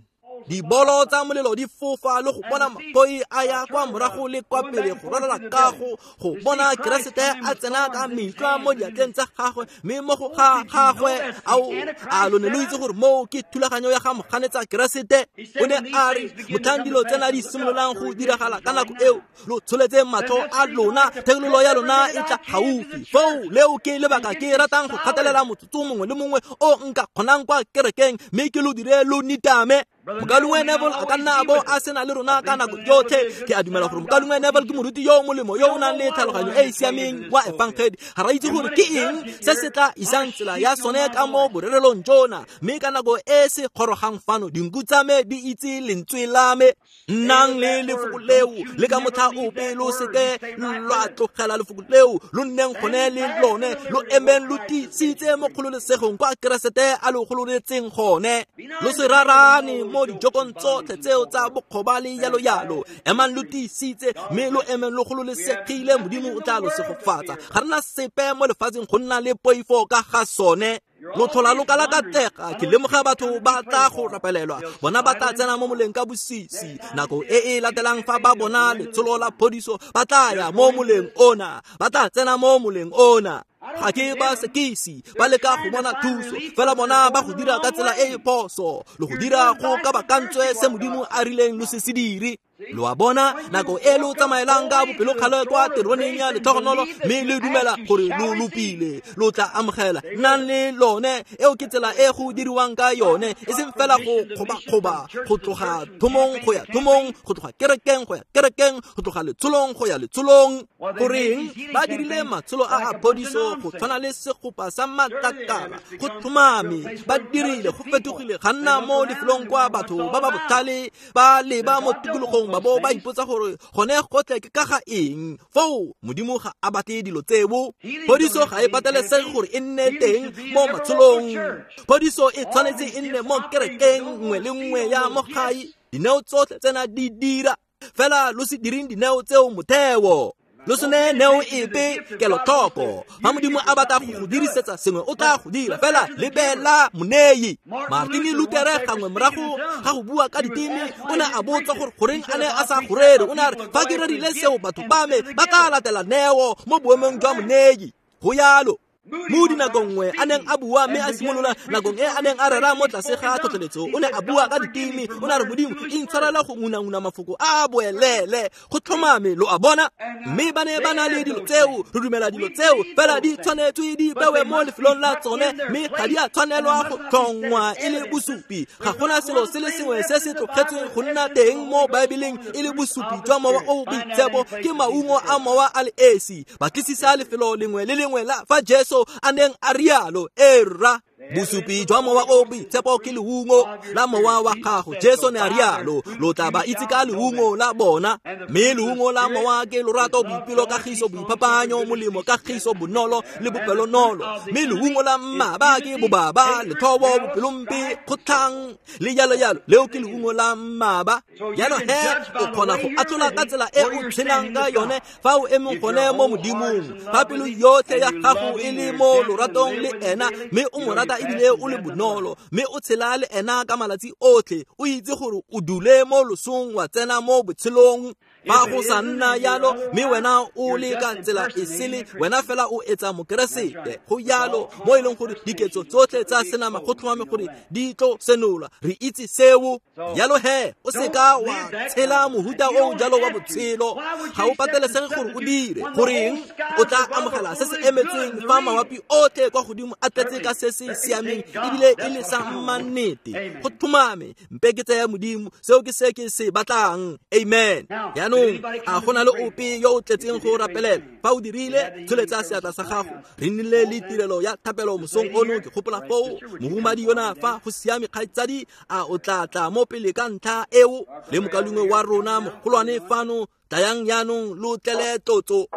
Dibolo tsa molelo di fofa le go bona maphoi a ya kwa morago le kwa pele go ralala kago, go bona Keresete a tsena ka metlwa mo diatleng tsa gagwe, mme mo go ga gagwe. Ao a lo ne lo itse gore moo ke thulaganyo ya ga moganetsa Keresete? O ne a re motlhang dilo tsena di simololang go diragala ka nako eo, lo tsholetse matlho a lona, thekololo ya lona e tla gaufi. Foo leo ke lebaka ke ratang go gatelela motsotso mongwe le mongwe o nka kgonang kwa kerekeng, mme ke lo dire lo nitame. Mokaulengwe Neville a ka nna a bo a sena le rona ka nako yotlhe. Ke a dumela gore mokaulengwe Neville ke moruti yo molemo yo o nang le tlhaloganyo e e siameng wa efangedi. Ga ra itse gore ke eng se se tla isang tsela ya sone ka mo borerelong jona, mme ka nako e se gorogang fano, dinku tsa me di itse lentswe la me. Nnang le lefoko leo, le ka motlha ope lo seke lwa tlogela lefoko leo, lo nneng gone le lone, lo emeng lo tiisitse mo kgololesegong kwa Keresete a lo gololetseng gone. Lo se rarane mo dijokong tsotlhe tseo tsa bokgoba le yalo yalo. Emang lo tiisitse, mme lo emeng lo gololesegile, Modimo o tla lo segofatsa. Ga rena sepe mo lefatsheng go nna le poifo ka ga sone. Lo tlhola lo kalakatega, ke lemoga batho ba tla go rapelelwa, bona ba tla tsena mo moleng ka bosisi. Nako e e latelang fa ba bona letsholo la phodiso, ba tla ya mo moleng ona, ba tla tsena mo moleng ona. Ga ke ba sekisi, ba leka go bona thuso, fela bona ba go dira ka tsela e e phoso, le go dira go kabakantswe se Modimo a rileng lo se se dire. Lo a bona, nako e lo tsamaelang ka bopelokgale kwa teroneng ya letlhogonolo, mme le dumela gore lo lopile, lo tla amogela. Nnang le lone, eo ke tsela e go diriwang ka yone, e seng fela go kgobakgoba, go tloga thomong go ya thomong, go tloga kerekeng go ya kerekeng, go tloga letsholong go ya letsholong. Goreng ba dirile matsholo a a phodiso go tshwana le segopa sa matlakala, go tlhomame ba dirile, go fetogile ga nna mo lefelong kwa batho ba ba botlhale ba leba mo tikologong ba bo ba ipotsa gore gone gotlhe ke ka ga eng. Foo Modimo ga a batle dilo tseo. Phodiso ga e patelesege gore e nne teng mo matsholong. Phodiso e tshwanetse e nne mo kerekeng nngwe le nngwe ya mo gae. Dineo tsotlhe tsena di dira, fela lo se direng dineo tseo motheo. Lo se neye neo epe kelotlhoko. Fa Modimo a batla go go dirisetsa sengwe, o tla go dira, fela lebela monei. Martin Luther gangwe morago ga go bua ka diteme, o ne a botsa gore goreng a ne a sa go rere. O ne a re, fa ke rerile seo, batho ba me ba tla latela neo mo boemong jwa monei. Go yalo. Mo dinakong nngwe a neng a bua mme a simolola, nakong e a neng a rera mo tlase ga tlhotlheletso, o ne a bua ka diteme. O ne a re, Modimo intshwarela go ngunanguna mafoko a boelele, go tlhomame, lo a bona. Mme ba ne ba na le dilo tseo, re dumela dilo tseo, fela di tshwanetswe di bewe mo lefelong la tsone, mme ga di a tshwanelwa go tlhongwa e le bosupi. Ga gona selo se le sengwe se se tlogetsweng go nna teng mo Baebeleng e le bosupi jwa mowa o boitshepo, ke maungo a mowa a le esi. Batlisisa lefelo lengwe le lengwe la fa Jesu Jesu a neng a rialo. Ee rra, bosupi jwa mowa o boitshepo ke leungo la mowa wa gago. Jesu ne a rialo, lo tla ba itse ka leungo la bona. Mme leungo la mowa ke lorato, boipelo, kagiso, boiphapanyo, molemo, kagiso, bonolo le bopelonolo. Mme leungo la mmaba ke bobaba, lethobo, bopelompe, kgotlhang le jalo jalo. Leo ke leungo la mmaba. Jaanong he o kgona go atlhola ka tsela e o tshelang ka yone fa o emeng gone mo Modimong. Fa pelo yotlhe ya gago e le mo loratong le ena, mme o mo rata ebile o le bonolo, mme o tshela le ena ka malatsi otlhe, o itse gore o dule mo losong wa tsena mo botshelong. Fa go sa nna yalo, mme wena o le ka tsela e sele, wena fela o etsa mokeresete. Go yalo mo e leng gore diketso tsotlhe tsa senama go tlhomame gore di tlo senolwa. Re itse seo. Yalo he, o seka wa tshela mohuta o jalo wa botshelo. Ga o patelesege gore o dire. Goreng o tla amogela se se emetsweng fa mawapi otlhe kwa godimo a tletse ka se se siameng ebile e le sa mmannete. Go tlhomame, mpe ke tsaya Modimo, seo ke se ke se batlang. Amen. Jaanong a gona le ope yo o tletseng go rapelela? Fa o dirile, tsholetsa seatla sa gago. Re nnile le tirelo ya thapelo mosong ono, ke gopola foo mohumadi yona fa go siame kgaitsadi, a o tla tla mo pele ka ntlha eo le mokalungwe wa rona mogolwane fano. Tlayang jaanong lo tlele tlotso.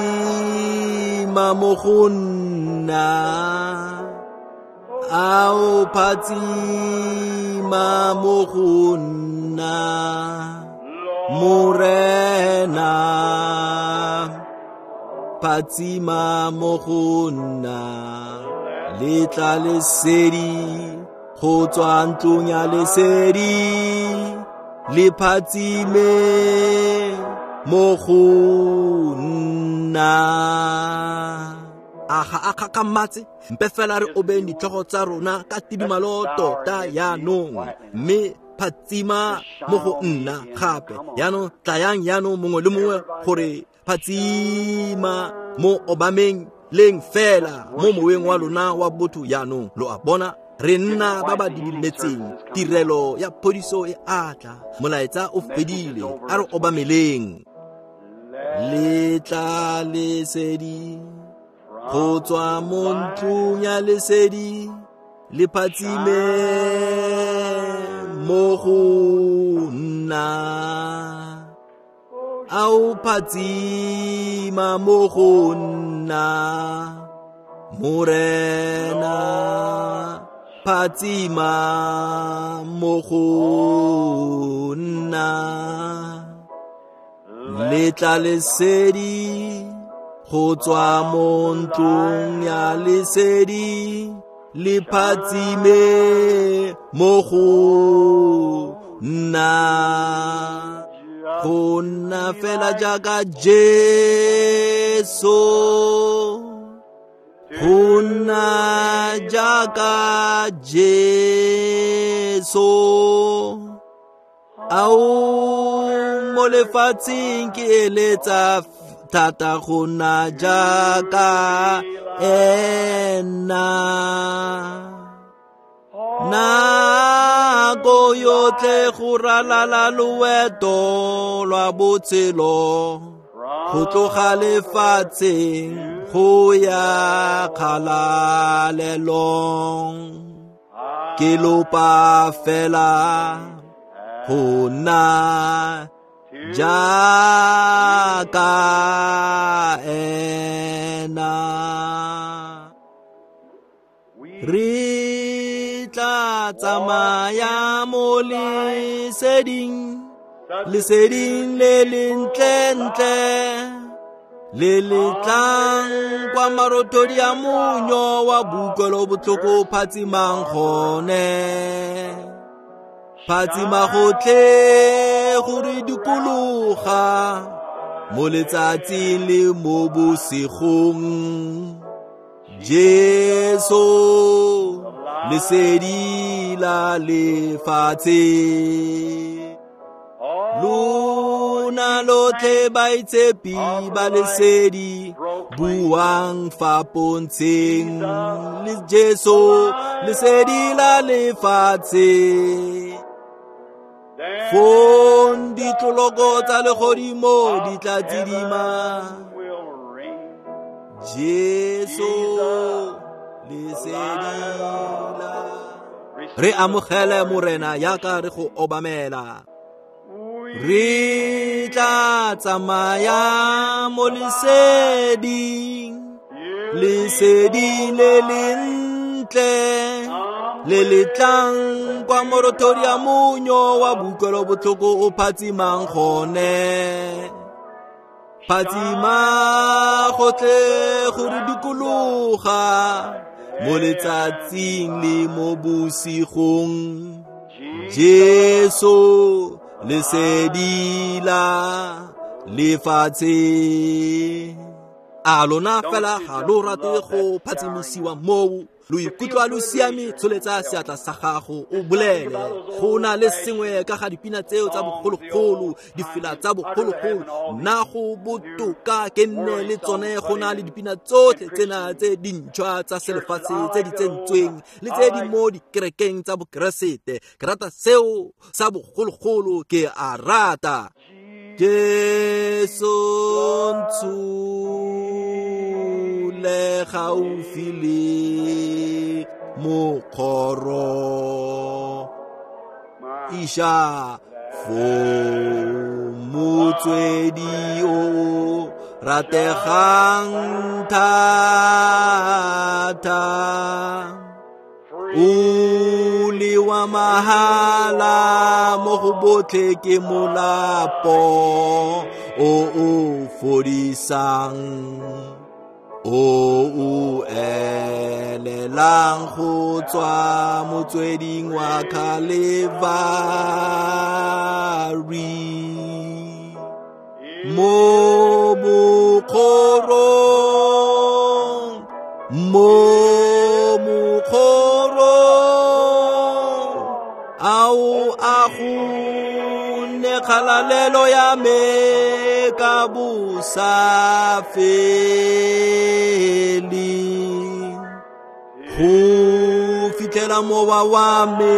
Phatsima mo go nna, ao phatsima mo go nna, Morena, phatsima mo go nna, letla lesedi go tswa ntlong ya lesedi, le phatsime mo go nna. A ga a kgakgamatse? Mpe fela re obeng ditlhogo tsa rona ka tidimalo tota jaanong, mme phatsima mo go nna gape. Jaanong tlayang jaanong mongwe le mongwe gore phatsima mo obameng leng fela mo moweng wa lona wa botho jaanong. Lo a bona, re nna ba ba didimetseng. Tirelo ya phodiso e atla, molaetsa o fedile, a re obameleng. Letla lesedi go tswa mo ntlong ya lesedi, le phatsime mo go nna. Ao phatsima mo go nna, Morena, phatsima mo go nna. Letla lesedi go tswa mo ntlong ya lesedi, le phatsime mo go nna. Go nna fela jaaka Jesu, go nna jaaka Jesu. Ao mo lefatsheng ke eletsa thata go nna jaaka ena. Nako yotlhe go ralala loeto lwa botshelo, go tloga lefatsheng go ya kgalalelong, ke lopa fela go nna jaaka ena. Re tla tsamaya mo leseding, leseding le lentlentle, le le tlang kwa marothodi a monyo wa bokutlwelobotlhoko phatsimang gone. Phatsima gotlhe go re dikologa mo letsatsing le mo bosigong. Jesu, lesedi la lefatshe. Lona lotlhe baitshepi ba lesedi, buang fa pontsheng le Jesu, lesedi la lefatshe. Fong ditloloko tsa legodimo di tla tsidima, Jesu lesedi la re amogele Morena yaka re go obamela. Re tla tsamaya mo leseding, lesedi le lentle le le tlang kwa morothodi ya monyo wa boutlwelo botlhoko o phatsimang gone. Phatsima gotlhe go re dikologa mo letsatsing le mo bosigong. Jesu lesedi la lefatshe. A lona fela ga lo rate go phatsimisiwa moo? Lo ikutlwa lo siame, tsholetsa seatla sa gago o bolele. Go na le sengwe ka ga dipina tseo tsa bogologolo, difela tsa bogologolo. Nna go botoka ke nne le tsone go na le dipina tsotlhe tsena tse dintšhwa tsa selefatshe tse di tsentsweng le tse di mo dikerekeng tsa bokeresete. Ke rata seo sa bogologolo, ke a rata. Jesu ntshule gaufi le mokgoro, iša fo motswedi o rategang thata, o le wa mahala mo go botlhe ke molapo o o fodisang, o o elelang go tswa motsweding wa Calvary. Mo mokgorong, mo mokgorong, ao a go nne kgalalelo ya me ka bosa feleng, go fitlhela mowa wa me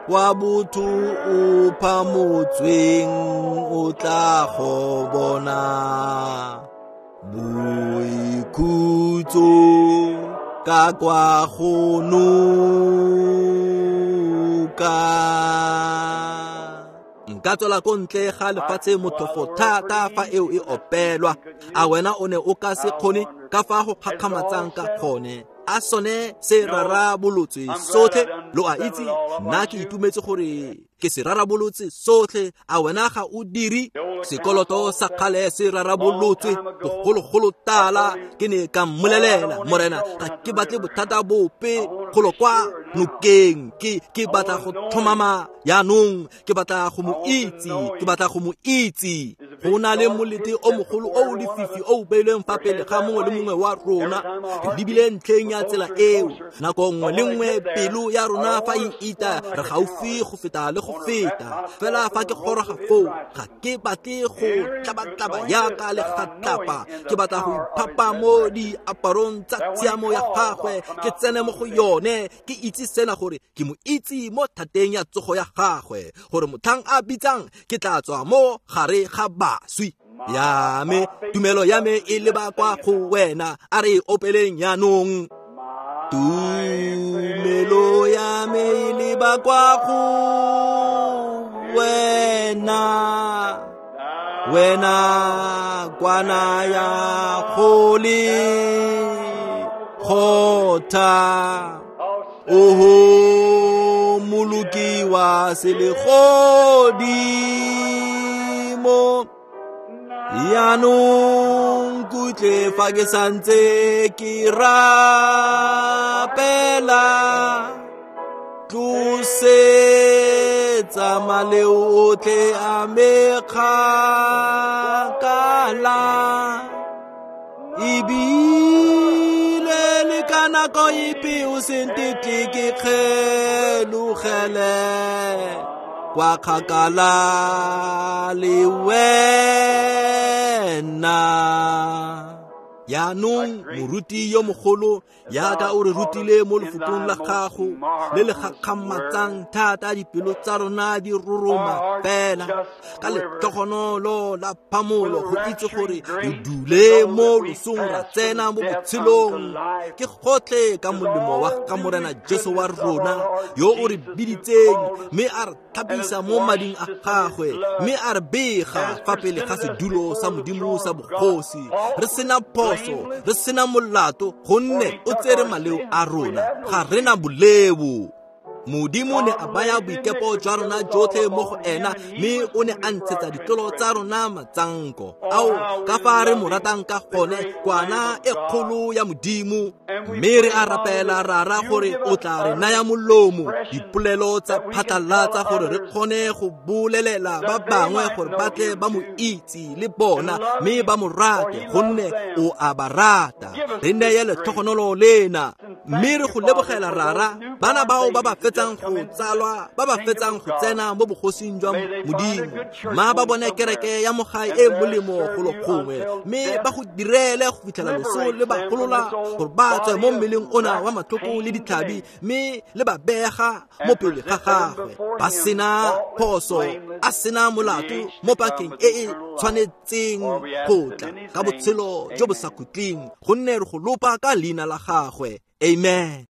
wa botho o phamotsweng o tla go bona boikhutso ka kwa go noka. Nka tswela ko ntle ga lefatshe motlhofo thata fa eo e opelwa. A wena o ne o ka se kgone ka fa go kgakgamatsang ka gone? A sone se rarabolotswe sotlhe? Lo a itse, nna ke itumetse gore ke se rarabolotse sotlhe. A wena ga o dire? Sekoloto sa kgale se rarabolotswe bogologolo tala. Ke ne ka mmolelela, Morena, ga ke batle bothata bope golo kwa nokeng. Ke batla go tlhomama yaanong, ke batla go mo itse, ke batla go mo itse. Go na le molete o mogolo o lefifi o beilweng fa pele ga mongwe le mongwe wa rona. Re lebile ntlheng ya tsela eo. Nako nngwe le nngwe pelo ya rona fa e ita, re gaufi go feta le go feta. Fela fa ke goroga foo, ga ke batle go tlabatlaba yaka le gatlapa. Ke batla go iphapa mo diaparong tsa tshiamo ya gagwe, ke tsene mo go yone, ke itse sena gore ke mo itse mo thateng ya tsogo ya gagwe, gore motlhang a bitsang ke tla tswa mo gare ga baswi. Ya me tumelo ya me e leba kwa go wena. A re opeleng yaanong. Tumelo ya me e leba kwa go wena, wena kwana ya kgole kgotha, oho moloki wa selegodimo. Yaanong kutle fa ke santse ke rapela, tlosetsa maleo otlhe a me kgakala, ebile le ka nako epe o se ntetle ke kgelogele kwa kgakala le wena. Jaanong moruti yo mogolo jaaka o re rutile mo lefokong la gago le le gakgamatsang thata, dipelo tsa rona di roroma fela ka letlhogonolo la phamolo go itse gore re dule mo losong ra tsena mo botshelong. Ke gotlhe ka molemo wa ga Morena Jesu wa rona yo o re biditseng mme a re tlhapisa mo mading a gagwe mme a re bega fa pele ga sedulo sa Modimo sa bogosi re sena phoso, re sena molato, gonne o tsere maleo a rona, ga rena boleo. Modimo ne a baya boikepo jwa rona jotlhe mo go ena mme o ne a ntshetsa ditlolo tsa rona matsanko. Ao, ka fa re mo ratang ka gone, kwana e kgolo ya Modimo. Mme re a rapela Rara gore o tla re naya molomo, dipolelo tsa phatlalatsa gore re kgone go bolelela ba bangwe gore ba tle ba mo itse le bona mme ba mo rate, gonne o a ba rata. Re neye letlhogonolo lena mme re go lebogela Rara bana bao ba ba fetsang go tsalwa, ba ba fetsang go tsena mo bogosing jwa Modimo. Ma ba bone kereke ya mogae e molemo golo gongwe mme ba go direle go fitlhela loso le ba golola gore ba tswe mo mmeleng ona wa matlhoko le ditlhabi mme le ba bega mo pele ga gagwe ba sena phoso, a sena molato mo pakeng e e tshwanetseng go tla ka botshelo jo bo sa khutleng, gonne re go lopa ka leina la gagwe. Amen.